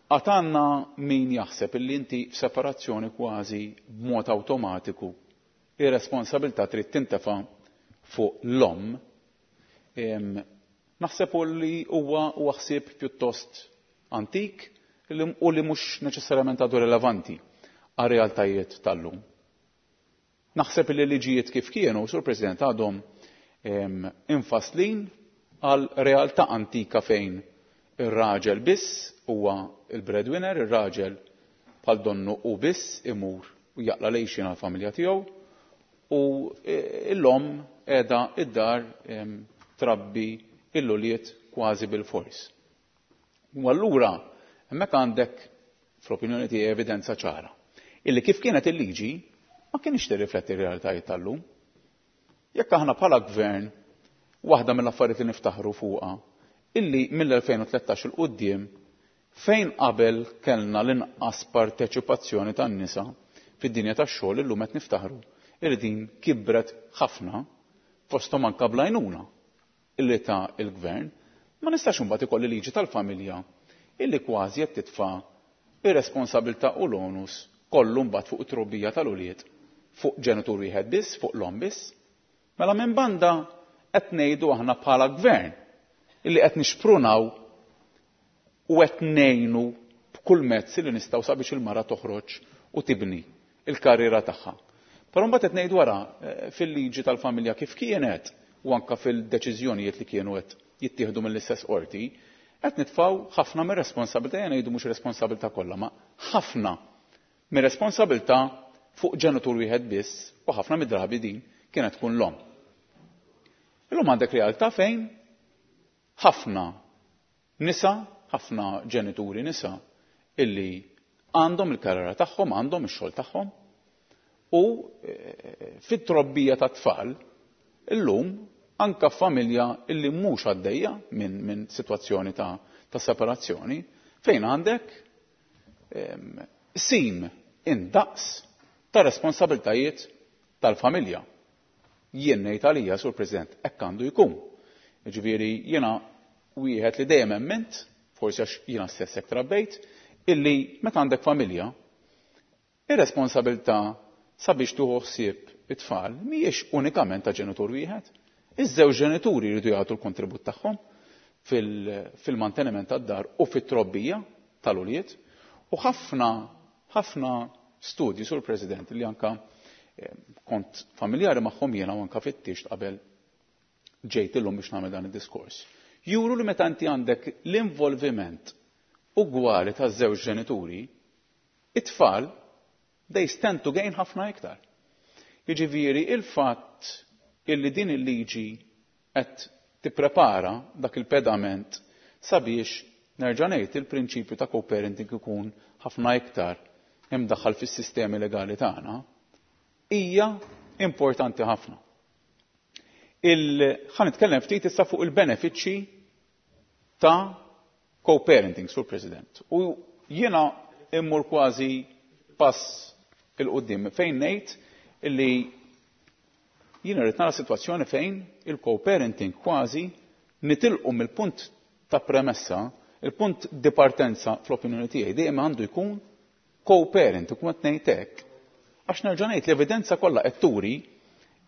għatanna min jaħseb illi inti f'separazzjoni kważi b'mod awtomatiku ir-responsabilità trid tintefa' fuq l-omm. Naħseb li huwa ħsieb pjuttost antik u li mhux neċessarjament għadu relevanti għar-realtajiet tal-lum. Naħseb li liġijiet kif kienu, Sur President, għadhom infaslin għal realtà antika fejn ir-raġel biss huwa il-breadwinner, ir-raġel bħal donnu u biss imur u jaqla lejxin għal-familja tiegħu u l-omm qiegħda id-dar trabbi l-ulied kważi bil-fors. U allura hemmhekk għandek fl-opinjoni tiegħi evidenza ċara illi kif kienet il-liġi ma kienx tirrifletti r-realtajiet tal-lum. Jekk aħna bħala gvern waħda mill-affarijiet li niftaħru fuqha illi mill-2013 il quddiem fejn qabel kellna l-inqas parteċipazzjoni tan-nisa fid-dinja tax-xogħol illum qed niftaħru illi din kibret ħafna fosthom anke bl-għajnuna illi ta' il-gvern, ma nistax imbagħad ikolli liġi tal-familja illi kważi qed titfa' ir-responsabilità u l-onus kollu mbagħad fuq it-trobbija tal-ulied fuq ġenitur wieħed biss, fuq l-omm biss. Mela minn banda qed ngħidu aħna bħala gvern illi qed nixprunaw u qed ngħinu b'kull mezz li nistgħu sabiex il-mara toħroġ u tibni il-karriera tagħha. Però mbagħad qed ngħidu wara fil-liġi tal-familja kif kienet u anke fil-deċiżjonijiet li kienu qed jittieħdu mill-istess qorti, qed nitfgħu ħafna mir-responsabilità, jien ngħidu mhux responsabilità kollha, ma ħafna mir-responsabilità fuq ġenitur wieħed biss u ħafna mid-drabi din kienet tkun l-omm. Illum għandek realtà fejn ħafna nisa, ħafna ġenituri nisa illi għandhom il-karriera tagħhom, għandhom ix-xogħol tagħhom u fit-trobbija tat-tfal illum anka familja illi mhux għaddejja minn sitwazzjoni ta' separazzjoni fejn għandek sim indaqs ta' responsabiltajiet tal-familja. Jien ngħid għalija, Sur President, hekk għandu jkun. Jiġifieri jiena wieħed li dejjem emmint, forsi għax jiena stess hekk trabbejt, illi meta għandek familja, ir-responsabilità sabiex tieħu ħsieb it-tfal mhijiex unikament ta' ġenitur wieħed. Iż-żewġ ġenituri jridu jagħtu l-kontribut tagħhom fil-manteniment tad-dar u fit-trobbija tal-ulied u ħafna ħafna studji, Sur President, li anka kont familjari magħhom jiena u anka fittixt qabel ġejt illum biex nagħmel dan id-diskors. Juru li meta inti għandek l-involviment ugwali taż-żewġ ġenituri, it-tfal they stand to gain ħafna iktar. Jiġifieri il-fatt illi din il-liġi qed tipprepara dak il-pedament sabiex nerġa' ngħid il-prinċipju ta' co-parenting ikun ħafna iktar imdaħħal fis-sistemi legali tagħna hija importanti ħafna. Ħa nitkellem ftit issa fuq il-benefiċċji ta' co-parenting, Sur President. U jiena immur kważi pass il-qudiem fejn ngħid illi jiena rrid nara sitwazzjoni fejn il-co-parenting kważi nitilqu mill-punt ta' premessa, il-punt di partenza fl-opinjoni tiegħi dejjem għandu jkun co-parent, u qed ngħid hekk. Għax nerġa' ngħid l-evidenza kollha qed turi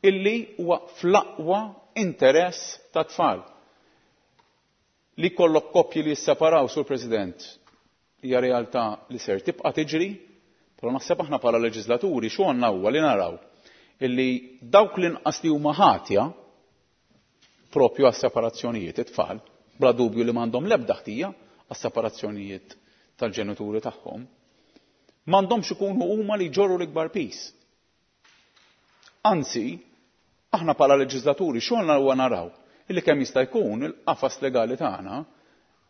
illi huwa fl-aqwa interess ta' tfal. Li kollok koppji li jisseparaw, Sur President, hija realtà li ser tibqa' tiġri, però naħseb aħna bħala leġislaturi xogħolna huwa li naraw illi dawk l-inqas li huma ħatja propju għas-separazzjonijiet it-tfal, bla dubju li m'għandhom l-ebda ħtija għas-separazzjonijiet tal-ġenituri tagħhom, m'għandhomx ikunu huma li jġorru l-ikbar pis. Anzi, aħna bħala leġislaturi xogħolna huwa naraw illi kemm jista' jkun il-qafas legali tagħna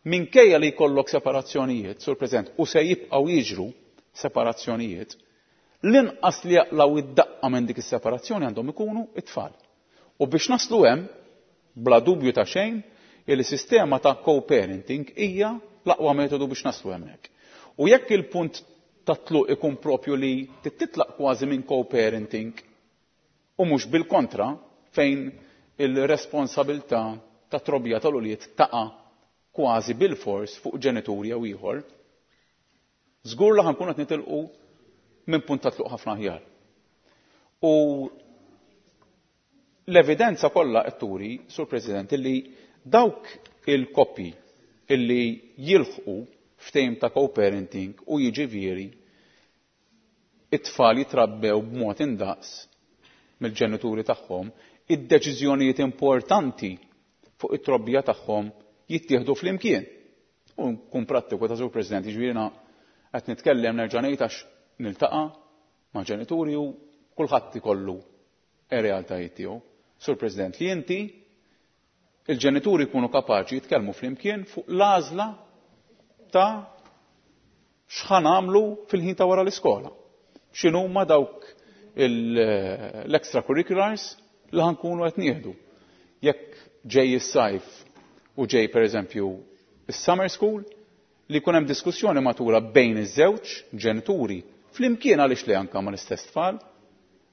Minkejja li jkollok separazzjonijiet, Sur President, u se jibqgħu jiġru separazzjonijiet, l-inqas li jaqlaw id-daqqa minn dik is-separazzjoni għandhom ikunu it-tfal. U biex naslu hemm, bla dubju ta' xejn, il-sistema ta' co-parenting hija l-aqwa metodu biex naslu hemmhekk. U jekk il-punt ta' tluq ikun propju li titlaq kważi minn co-parenting u mhux bil-kontra fejn il-responsabilità ta' trobbija tal-ulied taqa' kważi bil-fors fuq ġenituri jew ieħor, żgur li ħa nkunu qed nitilqu minn punt ta' tluq ħafna aħjar. U l-evidenza kollha qed turi, Sur President, illi dawk il-koppji illi jilħqu ftehim ta' co-parenting u jiġifieri it-tfal jitrabbew b'mod indaqs mill-ġenituri tagħhom, id-deċiżjonijiet importanti fuq it-trobbija tagħhom jittieħdu flimkien. U nkun prattiku ta' Sur President, jiġifieri qed nitkellem nerġa' ngħid għax niltaqa' ma' ġenituri u kulħadd ikollu ir-realtajiet tiegħu. Sur President, li inti il-ġenituri jkunu kapaċi jitkellmu flimkien fuq l-għażla ta' x'ħa nagħmlu fil-ħin ta' wara l-iskola. X'inhuma dawk l-extracurriculars li ħa nkunu qed nieħdu. Jekk ġej is-sajf u ġej pereżempju is-summer school, li jkun hemm diskussjoni matura bejn iż-żewġ ġenituri flimkien għaliex li anka mal-istess tfal,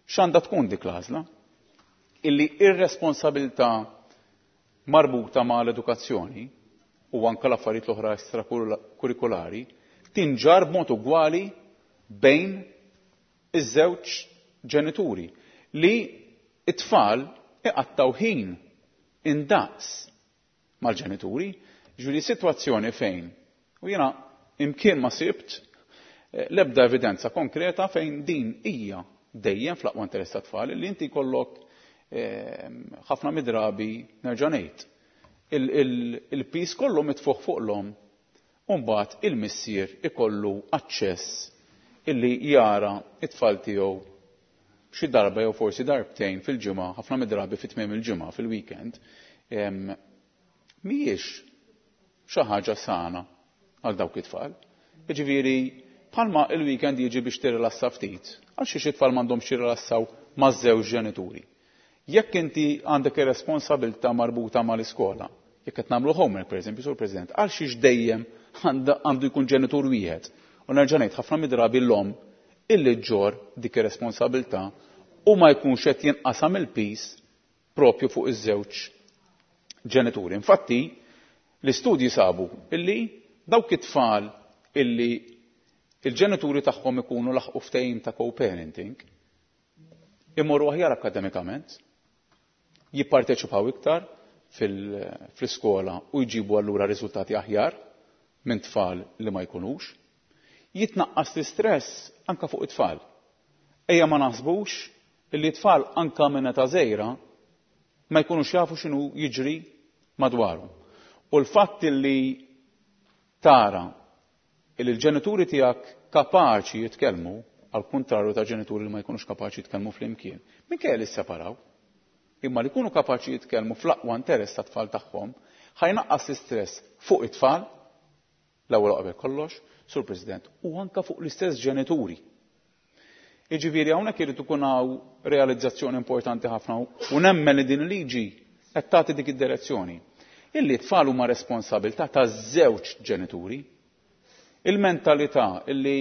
x'għandha tkun dik l-għażla? Illi ir-responsabilità marbuta ma' l-edukazzjoni u anka l-affarijiet l-oħra extracurriculari tinġar b'mod ugwali bejn iż-żewġ ġenituri li it-tfal iqattaw ħin indaqs mal-ġenituri, ġifieri sitwazzjoni fejn u jiena imkien ma sibt l-ebda evidenza konkreta fejn din hija dejjem fl-aqwa interess tat-tfal li inti jkollok ħafna midrabi nerġa' ngħid il-piż kollu mitfuħ fuq l-omm u mbagħad il-missier ikollu aċċess illi jara it-tfal tiegħu xi darba jew forsi darbtejn fil-ġimgħa, ħafna midrabi fi tmiem il-ġimgħa fil-weekend, mhijiex xi ħaġa sana għal dawk it-tfal. Jiġifieri bħalma il-weekend jiġi biex tirrilassa ftit, għal xi tfal m'għandhomx jirrilassaw maż-żewġ ġenituri. Jekk inti għandek ir-responsabilità marbuta mal-iskola, jekk qed nagħmlu homework pereżempju, Sur President, għal xiex dejjem għandu jkun ġenitur wieħed. U nerġa' ngħid ħafna midrabi l-omm illi ġġorr dik ir-responsabilità u ma jkunx qed jinqasam il-piż propju fuq iż-żewġ ġenituri. Infatti, l-istudji sabu illi dawk it-tfal illi il-ġenituri tagħhom ikunu laħqu ftehim ta' co-parenting imorru aħjar akademikament, jipparteċipaw iktar fl-iskola u jġibu allura riżultati aħjar minn tfal li ma jkunux, jitnaqqas l-istress anka fuq it-tfal. Ejja ma naħsbux illi t-tfal anka minn età żgħira ma jkunux jafu x'inhu jiġri madwarhom. U l-fatt illi tara illi l-ġenituri tiegħek kapaċi jitkellmu, għal kuntrarju ta' ġenituri li ma jkunux kapaċi jitkellmu flimkien, minkejja li sseparaw, imma li jkunu kapaċi jitkellmu fl-aqwa interess tat-tfal tagħhom, ħa jnaqqas l-istress fuq it-tfal, l-ewwel qabel kollox, Sur President, u anka fuq l-istess ġenituri. Jiġifieri hawnhekk irid ikun hawn realizzazzjoni importanti ħafna u nemmen li din il-liġi qed tagħti dik id-direzzjoni. Illi t-tfal huma responsabilità taż-żewġ ġenituri. Il-mentalità illi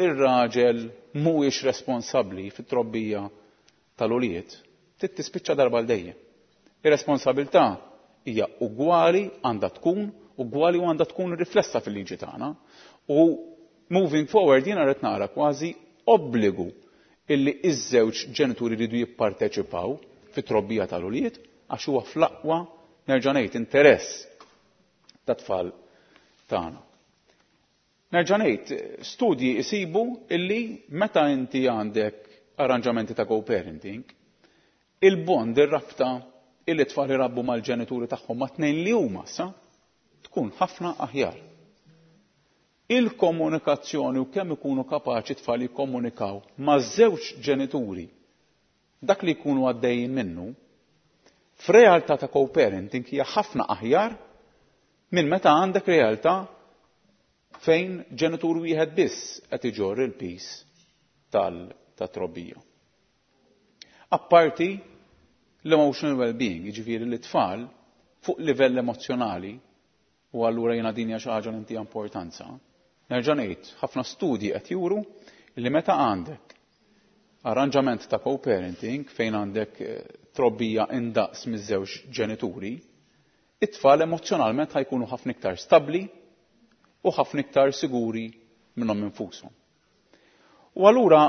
ir-raġel mhuwiex responsabbli fit-trobbija tal-ulied trid tispiċċa darba għal dejjem. Ir-responsabilità hija ugwali, għandha tkun ugwali u għandha tkun riflessa fil-liġi tagħna. U moving forward jiena rrid nara kważi obbligu illi iż-żewġ ġenituri jridu jipparteċipaw fit-trobbija tal-ulied għax huwa fl-aqwa nerġa' ngħid interess tat-tfal tagħna. Nerġa' ngħid, studji jsibu illi meta inti għandek arranġamenti ta' co-parenting, il-bond, ir-rabta illi tfal irabbu mal-ġenituri tagħhom ma' tnejn li huma sa tkun ħafna aħjar. Il-komunikazzjoni u kemm ikunu kapaċi tfal jikkomunikaw ma' żewġ ġenituri dak li jkunu għaddejjin minnu, f'realtà ta' co-parenting hija ħafna aħjar minn meta għandek realtà fejn ġenitur wieħed biss qed iġorr il-piż tat-trobbija. Apparti l-emotional well-being, jiġifieri li tfal fuq livell emozzjonali, u allura jiena din hija xi ħaġa li ntiha importanza. Nerġa' ngħid, ħafna studji qed juru li meta għandek arranġament ta' co-parenting fejn għandek trobbija indaqs miż-żewġ ġenituri, it-tfal emozzjonalment ħa jkunu ħafna iktar stabbli u ħafna iktar siguri minnhom infushom. U allura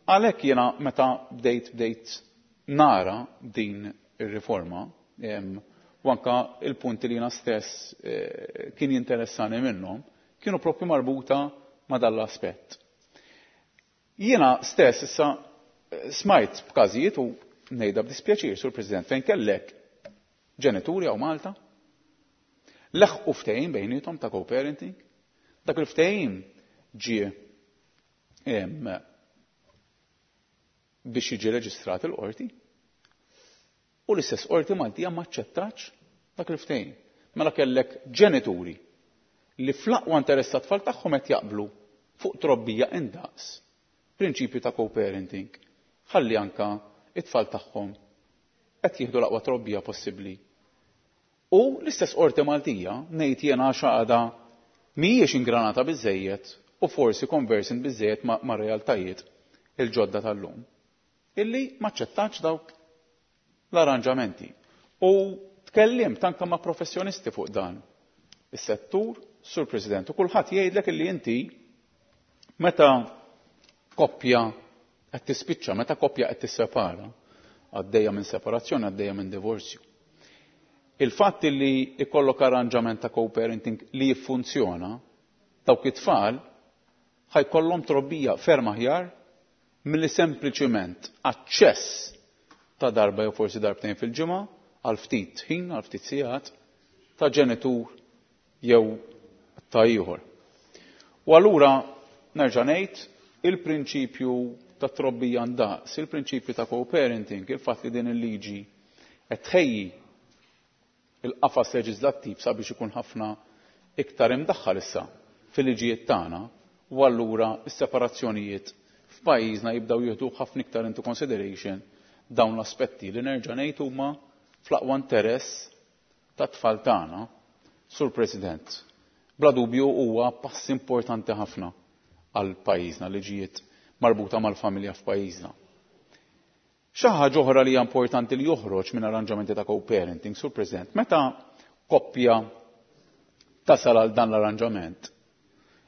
għalhekk jiena meta bdejt nara din ir-riforma, u anka il-punti li jiena stess kien jinteressani minnhom, kienu propju marbuta ma' dan l-aspett. Jiena stess issa smajt b'każijiet u ngħidha b'dispjaċir, Sur President, fejn kellek ġenituri hawn Malta leħqu ftehim bejniethom ta' co-parenting, dak il-ftehim ġie biex jiġi reġistrat il-qorti u l-istess qorti Maltija ma aċċettax dak il-ftehim. Mela kellek ġenituri li fl-aqwa interess tat-tfal tagħhom qed jaqblu fuq trobbija indaqs, prinċipju ta' co-parenting, ħalli anka it-tfal tagħhom qed jieħdu l-aqwa trobbija possibbli. U l-istess qorti Maltija ngħid jiena għax għadha mhijiex ingranata biżejjed u forsi conversant biżejjed ma' realtajiet il-ġodda tal-lum, illi ma aċċettax dawk l-arranġamenti. U tkellimt anke ma' professjonisti fuq dan is-settur, Sur President, u kulħadd jgħidlek illi inti meta koppja qed tispiċċa, meta koppja qed tissepara, għaddejja minn separazzjoni, għaddejja minn divorzju. Il-fatt li ikollok arranġament ta' co-parenting li jiffunzjona, dawk it-tfal ħa jkollhom trobbija ferm aħjar milli sempliċiment aċċess ta' darba jew forsi darbtejn fil-ġimgħa għal ftit ħin, għal ftit sigħat ta' ġenitur jew ta' ieħor. U allura nerġa' ngħid il-prinċipju ta' trobbija ndaqs, il-prinċipju ta' co-parenting, il-fatt li din il-liġi qed tħejji il-qafas leġislattiv sabiex ikun ħafna iktar imdaħħal issa fil-liġijiet tagħna, u allura s-separazzjonijiet f'pajjiżna jibdew jieħdu ħafna iktar into consideration dawn l-aspetti li nerġa' ngħid huma fl-aqwa interess tat-tfal tagħna. Sur President, bla dubju huwa pass importanti ħafna għal pajjiżna, liġijiet marbuta mal-familja f'pajjiżna. Xi ħaġa oħra li hija importanti li joħroġ minn arranġamenti ta' co-parenting, Sur President, meta koppja tasal għal dan l-arranġament,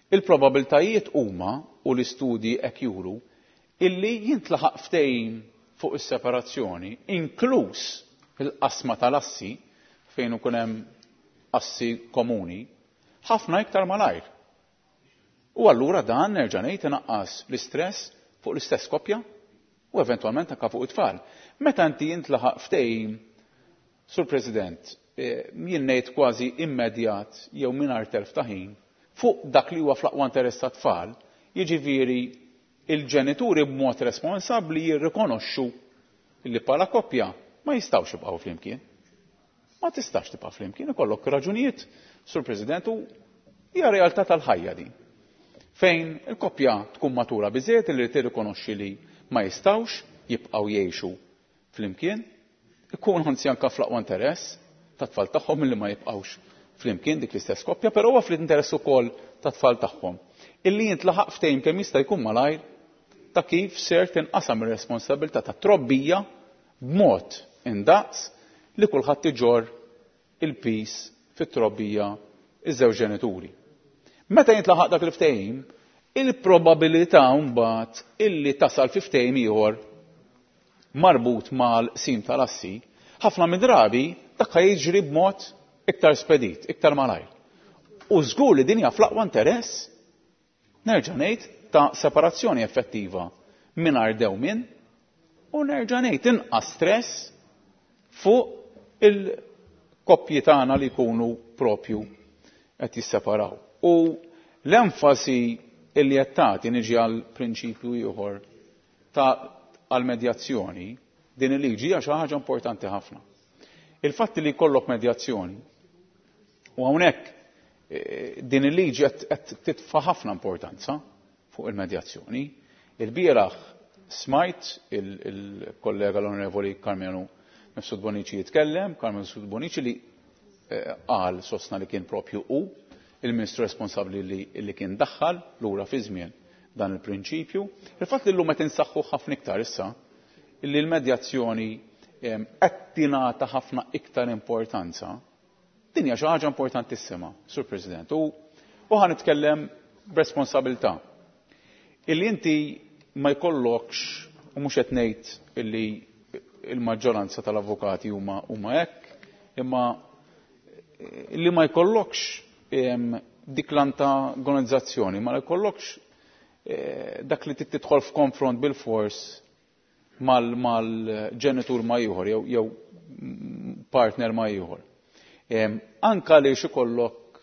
il-probabiltajiet huma u l-istudji hekk juru illi jintlaħaq ftehim fuq is-separazzjoni, inkluż il-qasma tal-assi fejn ikun hemm assi komuni, ħafna iktar malajr. U allura dan nerġa' ngħid inaqqas l-istress fuq l-istess koppja u eventwalment anke fuq it-tfal. Meta inti jintlaħaq ftehim, Sur President, jien ngħid kważi immedjat jew mingħajr telf ta' ħin fuq dak li huwa fl-aqwa interess tat-tfal, jiġifieri il-ġenituri b'mod responsabbli jirrikonoxxu li bħala koppja ma jistgħux jibqgħu flimkien. Ma tistax tibqa' flimkien, ikollok raġunijiet, Sur President, u hija realtà tal-ħajja din. Fejn il-koppja tkun matura biżejjed li tirrikonoxxi li ma jistgħux jibqgħu jgħixu flimkien, ikun anzi anke fl-aqwa interess tat-tfal tagħhom li ma jibqgħux flimkien dik l-istess koppja, però huwa fl-interess ukoll tat-tfal tagħhom. Illi jintlaħaq ftehim kemm jista' jkun malajr ta' kif ser tinqasam ir-responsabilità ta' trobbija b'mod indaqs li kulħadd iġorr il-pis fit-trobbija iż-żewġ ġenituri. Meta jintlaħaq dak il-ftehim, il-probabilità mbagħad illi tasal fi ftehim ieħor marbut mal-qsim tal-assi, ħafna mid-drabi dak jiġri b'mod iktar spedit, iktar malajr. U żgur li din hija fl-aqwa interess, nerġa' ngħid, ta' separazzjoni effettiva mingħajr dewmien u nerġa' ngħid inqas stress fuq il-koppji tagħna li jkunu propju qed jisseparaw. U l-enfasi illi qed tagħti niġi għal prinċipju ieħor ta' għal medjazzjoni, din il-liġi hija xi ħaġa importanti ħafna. Il-fatt li jkollok medjazzjoni U hawnhekk din il-liġi qed titfa' ħafna importanza fuq il-medjazzjoni. Il-bieraħ smajt il-kollega l-Onorevoli Karmenu Mifsud Bonnici jitkellem, Karmenu Mifsud Bonnici li qal sostna li kien propju hu il-Ministru responsabbli li kien daħħal lura fi żmien dan il-prinċipju. Il-fatt li llum qed insaħħu ħafna iktar issa illi l-medjazzjoni qed tingħata ħafna iktar importanza, din hija xi ħaġa importantissima, Sur President. U ħa nitkellem b'responsabilità. Illi inti ma jkollokx, u mhux qed ngħid illi il-maġġoranza tal-avukati huma hekk, imma illi ma jkollokx dik l-antagonizzazzjoni, ma jkollokx dak li tidħol f'konfront bil-fors mal-ġenitur ma ieħor jew partner ma ieħor. Anka li ikollok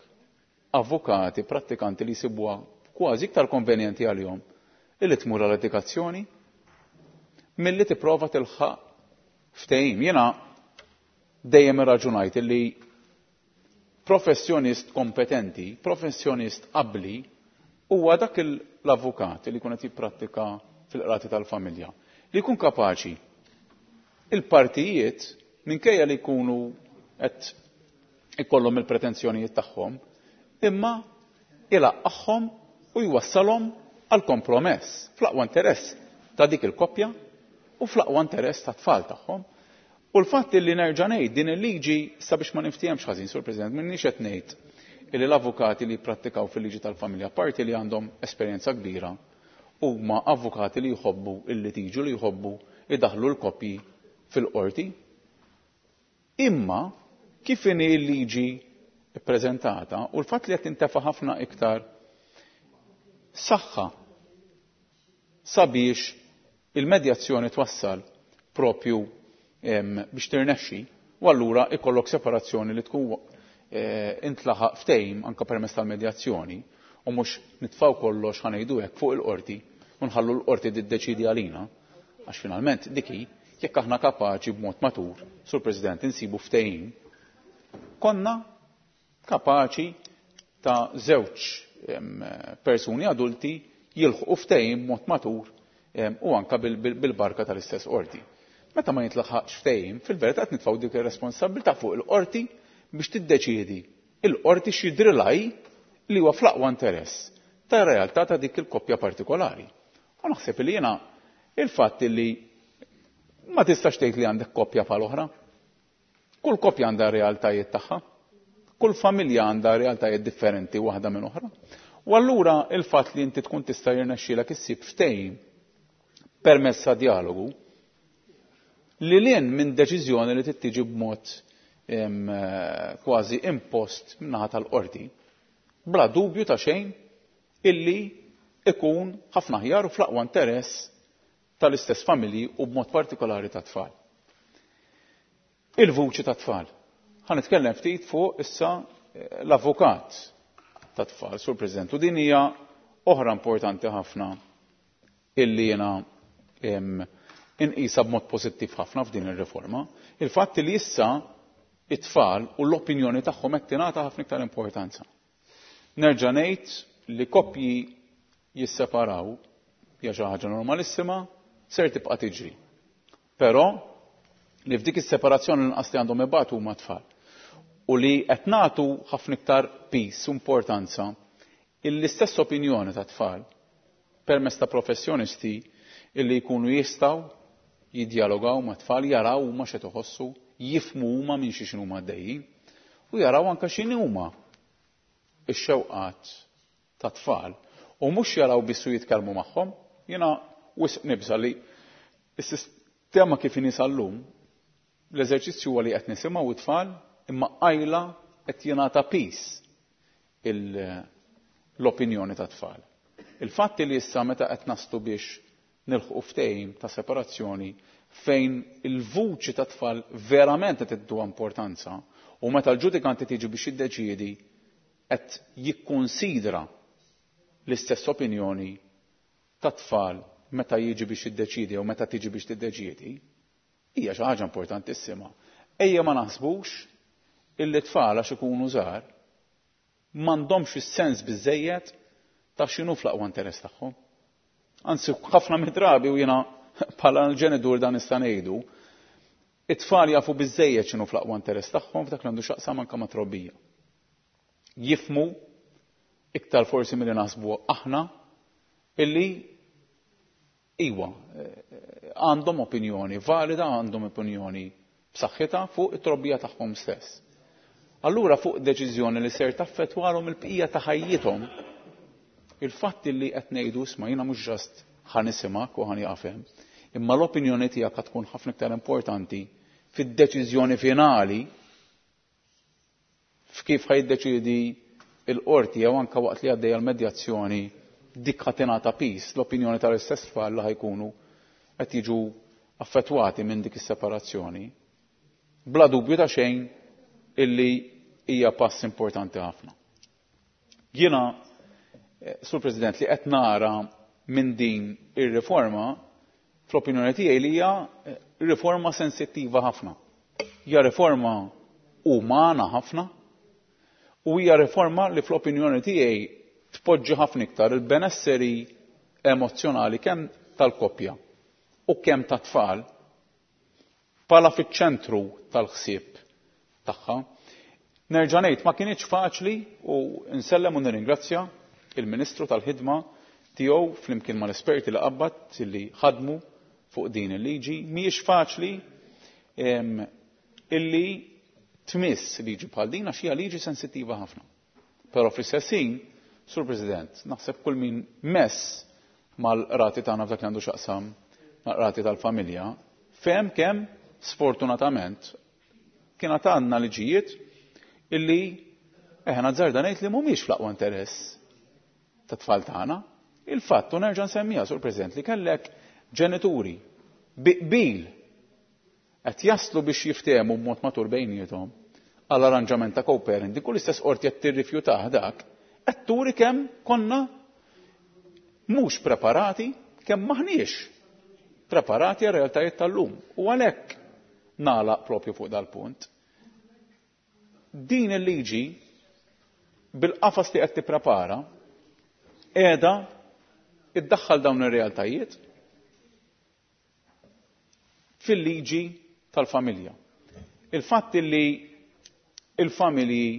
avukati, prattikanti li jsibuha kważi iktar konvenjenti għalihom illi tmur għal litigazzjoni milli tipprova tilħaq ftehim. Jiena dejjem irraġunajt illi professjonist kompetenti, professjonist abbli, huwa dak l-avukat li jkun qed jipprattika fil-qrati tal-familja, li jkun kapaċi il-partijiet minkejja li jkunu qed ikollhom il-pretenzjonijiet tagħhom, imma ilaqqagħhom u jwassalhom għal kompromess fl-aqwa interess ta' dik il-koppja u fl-aqwa interess ta' tfal tagħhom. U l-fatt li nerġa' ngħid din il-liġi sabiex ma niftihemx ħażin, Sur President, m'inhiex qed ngħid illi l-avukati li jipprattikaw fil-liġi tal-familja, parti li għandhom esperjenza kbira, huma avukati li jħobbu il-litiġu, li jħobbu idaħlu l-koppji fil-qorti. Imma kif inhi l-liġi ppreżentata u l-fatt li qed tintefa' ħafna iktar saħħa sabiex il-medjazzjoni twassal propju biex tirnexxi, u allura ikollok separazzjoni li tkun intlaħaq ftehim anke permezz tal-medjazzjoni, u mhux nitfgħu kollox ħanejdu hekk fuq il-qorti u nħallu l-qorti tiddeċidi għalina, għax finalment dik hi, jekk aħna kapaċi b'mod matur, Sur President, insibu ftehim, konna kapaċi ta' żewġ persuni adulti jilħqu ftehim b'mod matur u anka bil-barka tal-istess qorti. Meta ma jintlaħaqx ftehim, fil-verità qed nitfgħu dik ir-responsabilità fuq il-qorti biex tiddeċiedi il-qorti x'jidrilha li huwa fl-aqwa interess tar-realtà ta' dik il-koppja partikolari. U naħseb li jiena il-fatt li ma tistax tgħid li għandek koppja bħal oħra. Kull koppja għandha realtajiet tagħha, kull familja għandha realtajiet differenti waħda minn oħra. U allura il-fatt li inti tkun tista' jirnexxielek issib ftehim permezz ta' dialogu li lien minn deċiżjoni li tittiġi b'mod kważi impost min-naħa tal-qorti, bla dubju ta' xejn illi ikun ħafna aħjar u fl-aqwa interess tal-istess familji u b'mod partikolari ta' tfal. Il-vuċi ta' tfal. Ħa nitkellem ftit fuq issa l-avukat ta' tfal, Sur President, u din hija oħra importanti ħafna illi jiena inqisha b'mod pożittiv ħafna f'din ir-riforma. Il-fatt li issa it-tfal u l-opinjoni tagħhom qed tingħata ħafna iktar importanza. Nerġa' ngħid li koppji jisseparaw hija xi ħaġa normalissima, ser tibqa' tiġri. Però li f'dik is-separazzjoni l-inqas li għandhom ibatu huma tfal. U li qed nagħtu ħafna iktar pis u importanza l-istess opinjoni ta' tfal permezz ta' professjonisti illi jkunu jistgħu jiddialogaw ma' tfal, jaraw huma x'qed iħossu, jifhmu huma minn xi x'inhuma għaddejjin u jaraw anke x'inhi huma x-xewqat ta' tfal. U mhux jaraw biss u jitkellmu magħhom. Jiena wisq nibża' li s-sistema kif inhi sal-lum, l-eżerċizzju huwa li qed nisimgħu it-tfal imma qajla qed jingħata pis l-opinjoni ta' tfal. Il-fatt li issa meta qed naslu biex nilħqu ftehim ta' separazzjoni fejn il-vuċi ta' tfal verament qed tiddu importanza u meta l-ġudikanti tiġi biex jiddeċiedi qed jikkonsidra l-istess opinjoni ta' tfal meta jiġi biex jiddeċiedi jew meta tiġi biex tiddeċiedi, hija xi ħaġa importantissima. Ejja ma naħsbux illi tfal għax ikunu żgħar M'għandhomx is-sens biżejjed ta' x'inhu fl-aqwa interess tagħhom. Anzi, ħafna mid-drabi u jiena bħala l-ġenitur dan nista' ngħidu, it-tfal jafu biżejjed x'inhu fl-aqwa interess tagħhom f'dak li għandu x'jaqsam anke ma' trobbija. Jifhmu iktar forsi milli naħsbu aħna illi iwa għandhom opinjoni valida, għandhom opinjoni b'saħħitha fuq it-trobbija tagħhom stess. Allura fuq deċiżjoni li ser taffettwalhom il-bqija ta' ħajjithom, il-fatt li qed ngħidu isma' jiena mhux ġast ħa nisimgħek u ħa nieqaf hemm, imma l-opinjoni tiegħek tkun ħafna iktar importanti fid-deċiżjoni finali f'kif ħa jiddeċiedi l-qorti jew anke waqt li għaddejja l-medjazzjoni dik ħa tingħata piż l-opinjoni tal-istess tfal li ħajkunu qed jiġu affettwati minn dik is-separazzjoni. Bla dubju ta' xejn illi hija pass importanti ħafna. Jiena, Sur President, li qed nara minn din ir-riforma, fl-opinjoni tiegħi li hija riforma sensittiva ħafna. Hija riforma umana ħafna u hija riforma li fl-opinjoni tiegħi tpoġġi ħafna iktar il-benesseri emozzjonali kemm tal-koppja u kemm tat-tfal bħala fiċ-ċentru tal-ħsieb tagħha. Nerġa' ngħid ma kinitx faċli u nsellem u nirringrazzja il-Ministru tal-ħidma tiegħu flimkien mal-esperti li qabad li ħadmu fuq din il-liġi. Mhijiex faċli illi tmiss liġi bħal din għax hija liġi sensittiva ħafna. Però fl-istess ħin, Sur President, naħseb kull min mess mal-rati tagħna f'dak li għandu x'aqsam mal-rati tal-familja, fehem kemm sfortunatament kien għandna liġijiet illi nazzarda ngħid li mhumiex fl-aqwa interess tat-tfal tagħna. Il-fatt, u nerġa' nsemmija, Sur President, li kellek ġenituri bi qbil qed jaslu biex jiftehmu b'mod matur bejniethom għal arranġament ta' co-parenting, kull istess qorti qed tirrifjutah dak, qed turi kemm konna mhux preparati, kemm maħniex preparati għar realtajiet tal-lum. U għalhekk nagħlaq propju fuq dal-punt. Din il-liġi bil-qafas li qed tipprepara qiegħda iddaħħal dawn ir-realtajiet fil-liġi tal-familja. Il-fatt li il-familji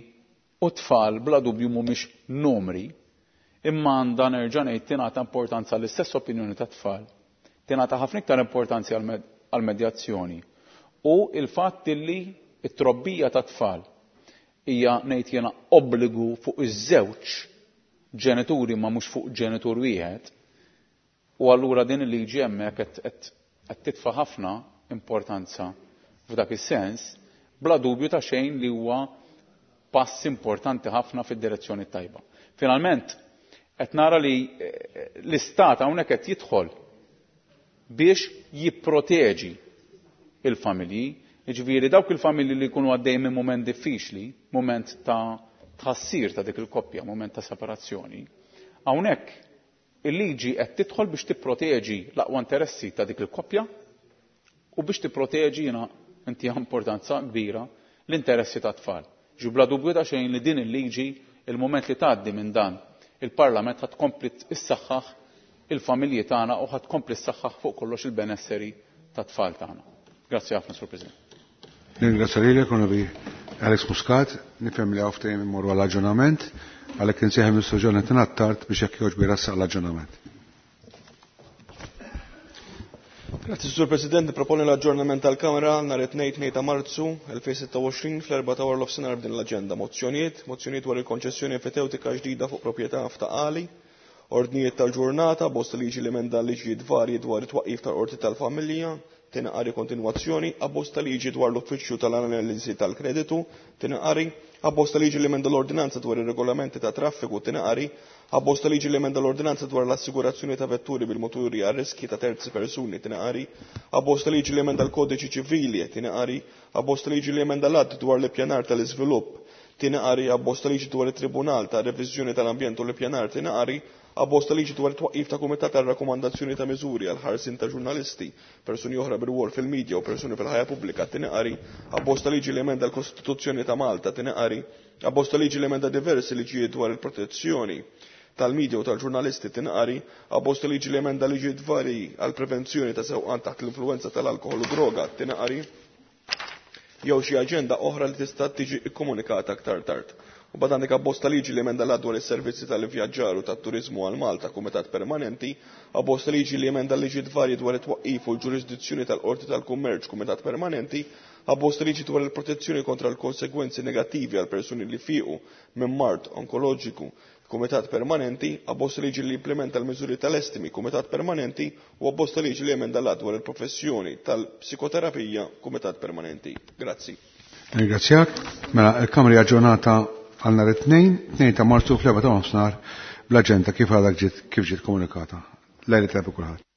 u tfal bla dubju mhumiex numri, imma għandha nerġa' ngħid tingħata importanza l-istess opinjoni tat-tfal, tingħata ħafna iktar importanza għall-medjazzjoni. U il-fatt li t-trobbija tat-tfal hija ngħid jiena obbligu fuq iż-żewġ ġenituri ma mhux fuq ġenitur wieħed, u allura din il-liġi hemmhekk qed titfa' ħafna importanza f'dak is-sens, bla dubju ta' xejn li huwa pass importanti ħafna fid-direzzjoni tajba. Finalment, qed nara li l-istat hawnhekk qed jidħol biex jipproteġi il-familji, jiġifieri dawk il-familji li jkunu għaddej minn mument diffiċli, mument ta' tħassir ta' dik il-koppja, mument ta' separazzjoni. Hawnhekk il-liġi qed tidħol biex tipproteġi l-aqwa interessi ta' dik il-koppja u biex tipproteġi jiena intiha importanza kbira l-interessi ta' tfal. Ġu bla dubju ta' xejn li din il-liġi il-moment li tgħaddi minn dan il-Parlament ħad tkompli issaħħaħ il-familji tagħna u ħad tkompli ssaħħaħ fuq kollox il-benesseri ta' tfal tagħna. Grazzi ħafna, Sur President. Ringrazzja lilek, Onorevoli Alex Muscat, nifhem li hawn ftehim immorru għall-aġġornament, għalhekk insejħem Mr. Jonathan Attard biex jekk jogħġbu jrassaq l-aġġornament. Grazzi, Sur President, proponi l-aġġornament tal-Kamra nhar it-Tnejn 2 ta' Marzu 2026 fl-4 ta' wara nofsinhar b'din l-aġenda. Mozzjonijiet, mozzjonijiet dwar il-konċessjoni enfitewtika ġdida fuq proprjetà f'Ta' Qali, ordnijiet tal-ġurnata, bosta liġi li emenda liġijiet varji dwar it-twaqqif tal-qorti tal-familja, tieni qari kontinwazzjoni, abbozz ta' liġi dwar l-uffiċċju tal-analiżi tal-kreditu, tieni qari, abbozz ta' liġi li emenda l-ordinanza dwar ir-regolamenti ta' traffiku, tieni qari, abbozz ta' liġi li emenda l-ordinanza dwar l-assigurazzjoni ta' vetturi bil-moturi għal riski ta' terzi persuni, tieni qari, abbozz ta' liġi li emenda l-kodiċi ċivili, tieni qari, abbozz ta' liġi li emenda l-att dwar l-ippjanar tal-iżvilupp, tieni qari, abbozz ta' liġi dwar it-Tribunal ta' Reviżjoni tal-Ambjent u l-Ippjanar, tieni qari, Abbozz ta' liġi dwar it-twaqqif ta' kumitat għal rakkomandazzjoni ta' miżuri għal ħarsien ta' ġurnalisti, persuni oħra bir-rwol fil-midja u persuni fil-ħajja pubblika, tieni qari. Abbozz ta' liġi li emenda l-Kostituzzjoni ta' Malta, tieni qari. Abbozz ta' liġi li emenda diversi liġijiet dwar il-protezzjoni tal-midja u tal-ġurnalisti, tieni qari. Abbozz ta' liġi li emenda liġijiet varji għal prevenzjoni ta' sewqan taħt l-influwenza tal-alkoħol u droga, tieni qari. Jew xi aġenda oħra li tista' tiġi kkomunikata aktar tard. U bad għandek abbozz ta' liġi li emenda l-Att dwar is-servizzi tal-ivvjaġġar u tat-turiżmu għal Malta, Kumitat Permanenti, abbozz ta' liġi li emenda l-liġijiet varji dwar it-twaqqif u l-ġurisdizzjoni tal-Qorti tal-Kummerċ, Kumitat Permanenti, abbozz ta' liġi dwar il-protezzjoni kontra l-konsegwenzi negattivi għal persuni li fiequ minn mard onkoloġiku, Kumitat Permanenti, abbozz ta' liġi li jimplementa l-miżuri tal-estimi, Kumitat Permanenti, u abbozz ta' liġi li jemenda l-Att dwar il-professjoni tal-psikoterapija, Kumitat Permanenti. Grazzi. Ringrazzjak. Mela, il-Kamra hija aġġornata għal nhar it-Tnejn, 2 ta' Marzu fl-4 ta' nofsinhar bl-aġenda kif għadha ġiet kif ġiet komunikata. Lejla tajba kulħadd.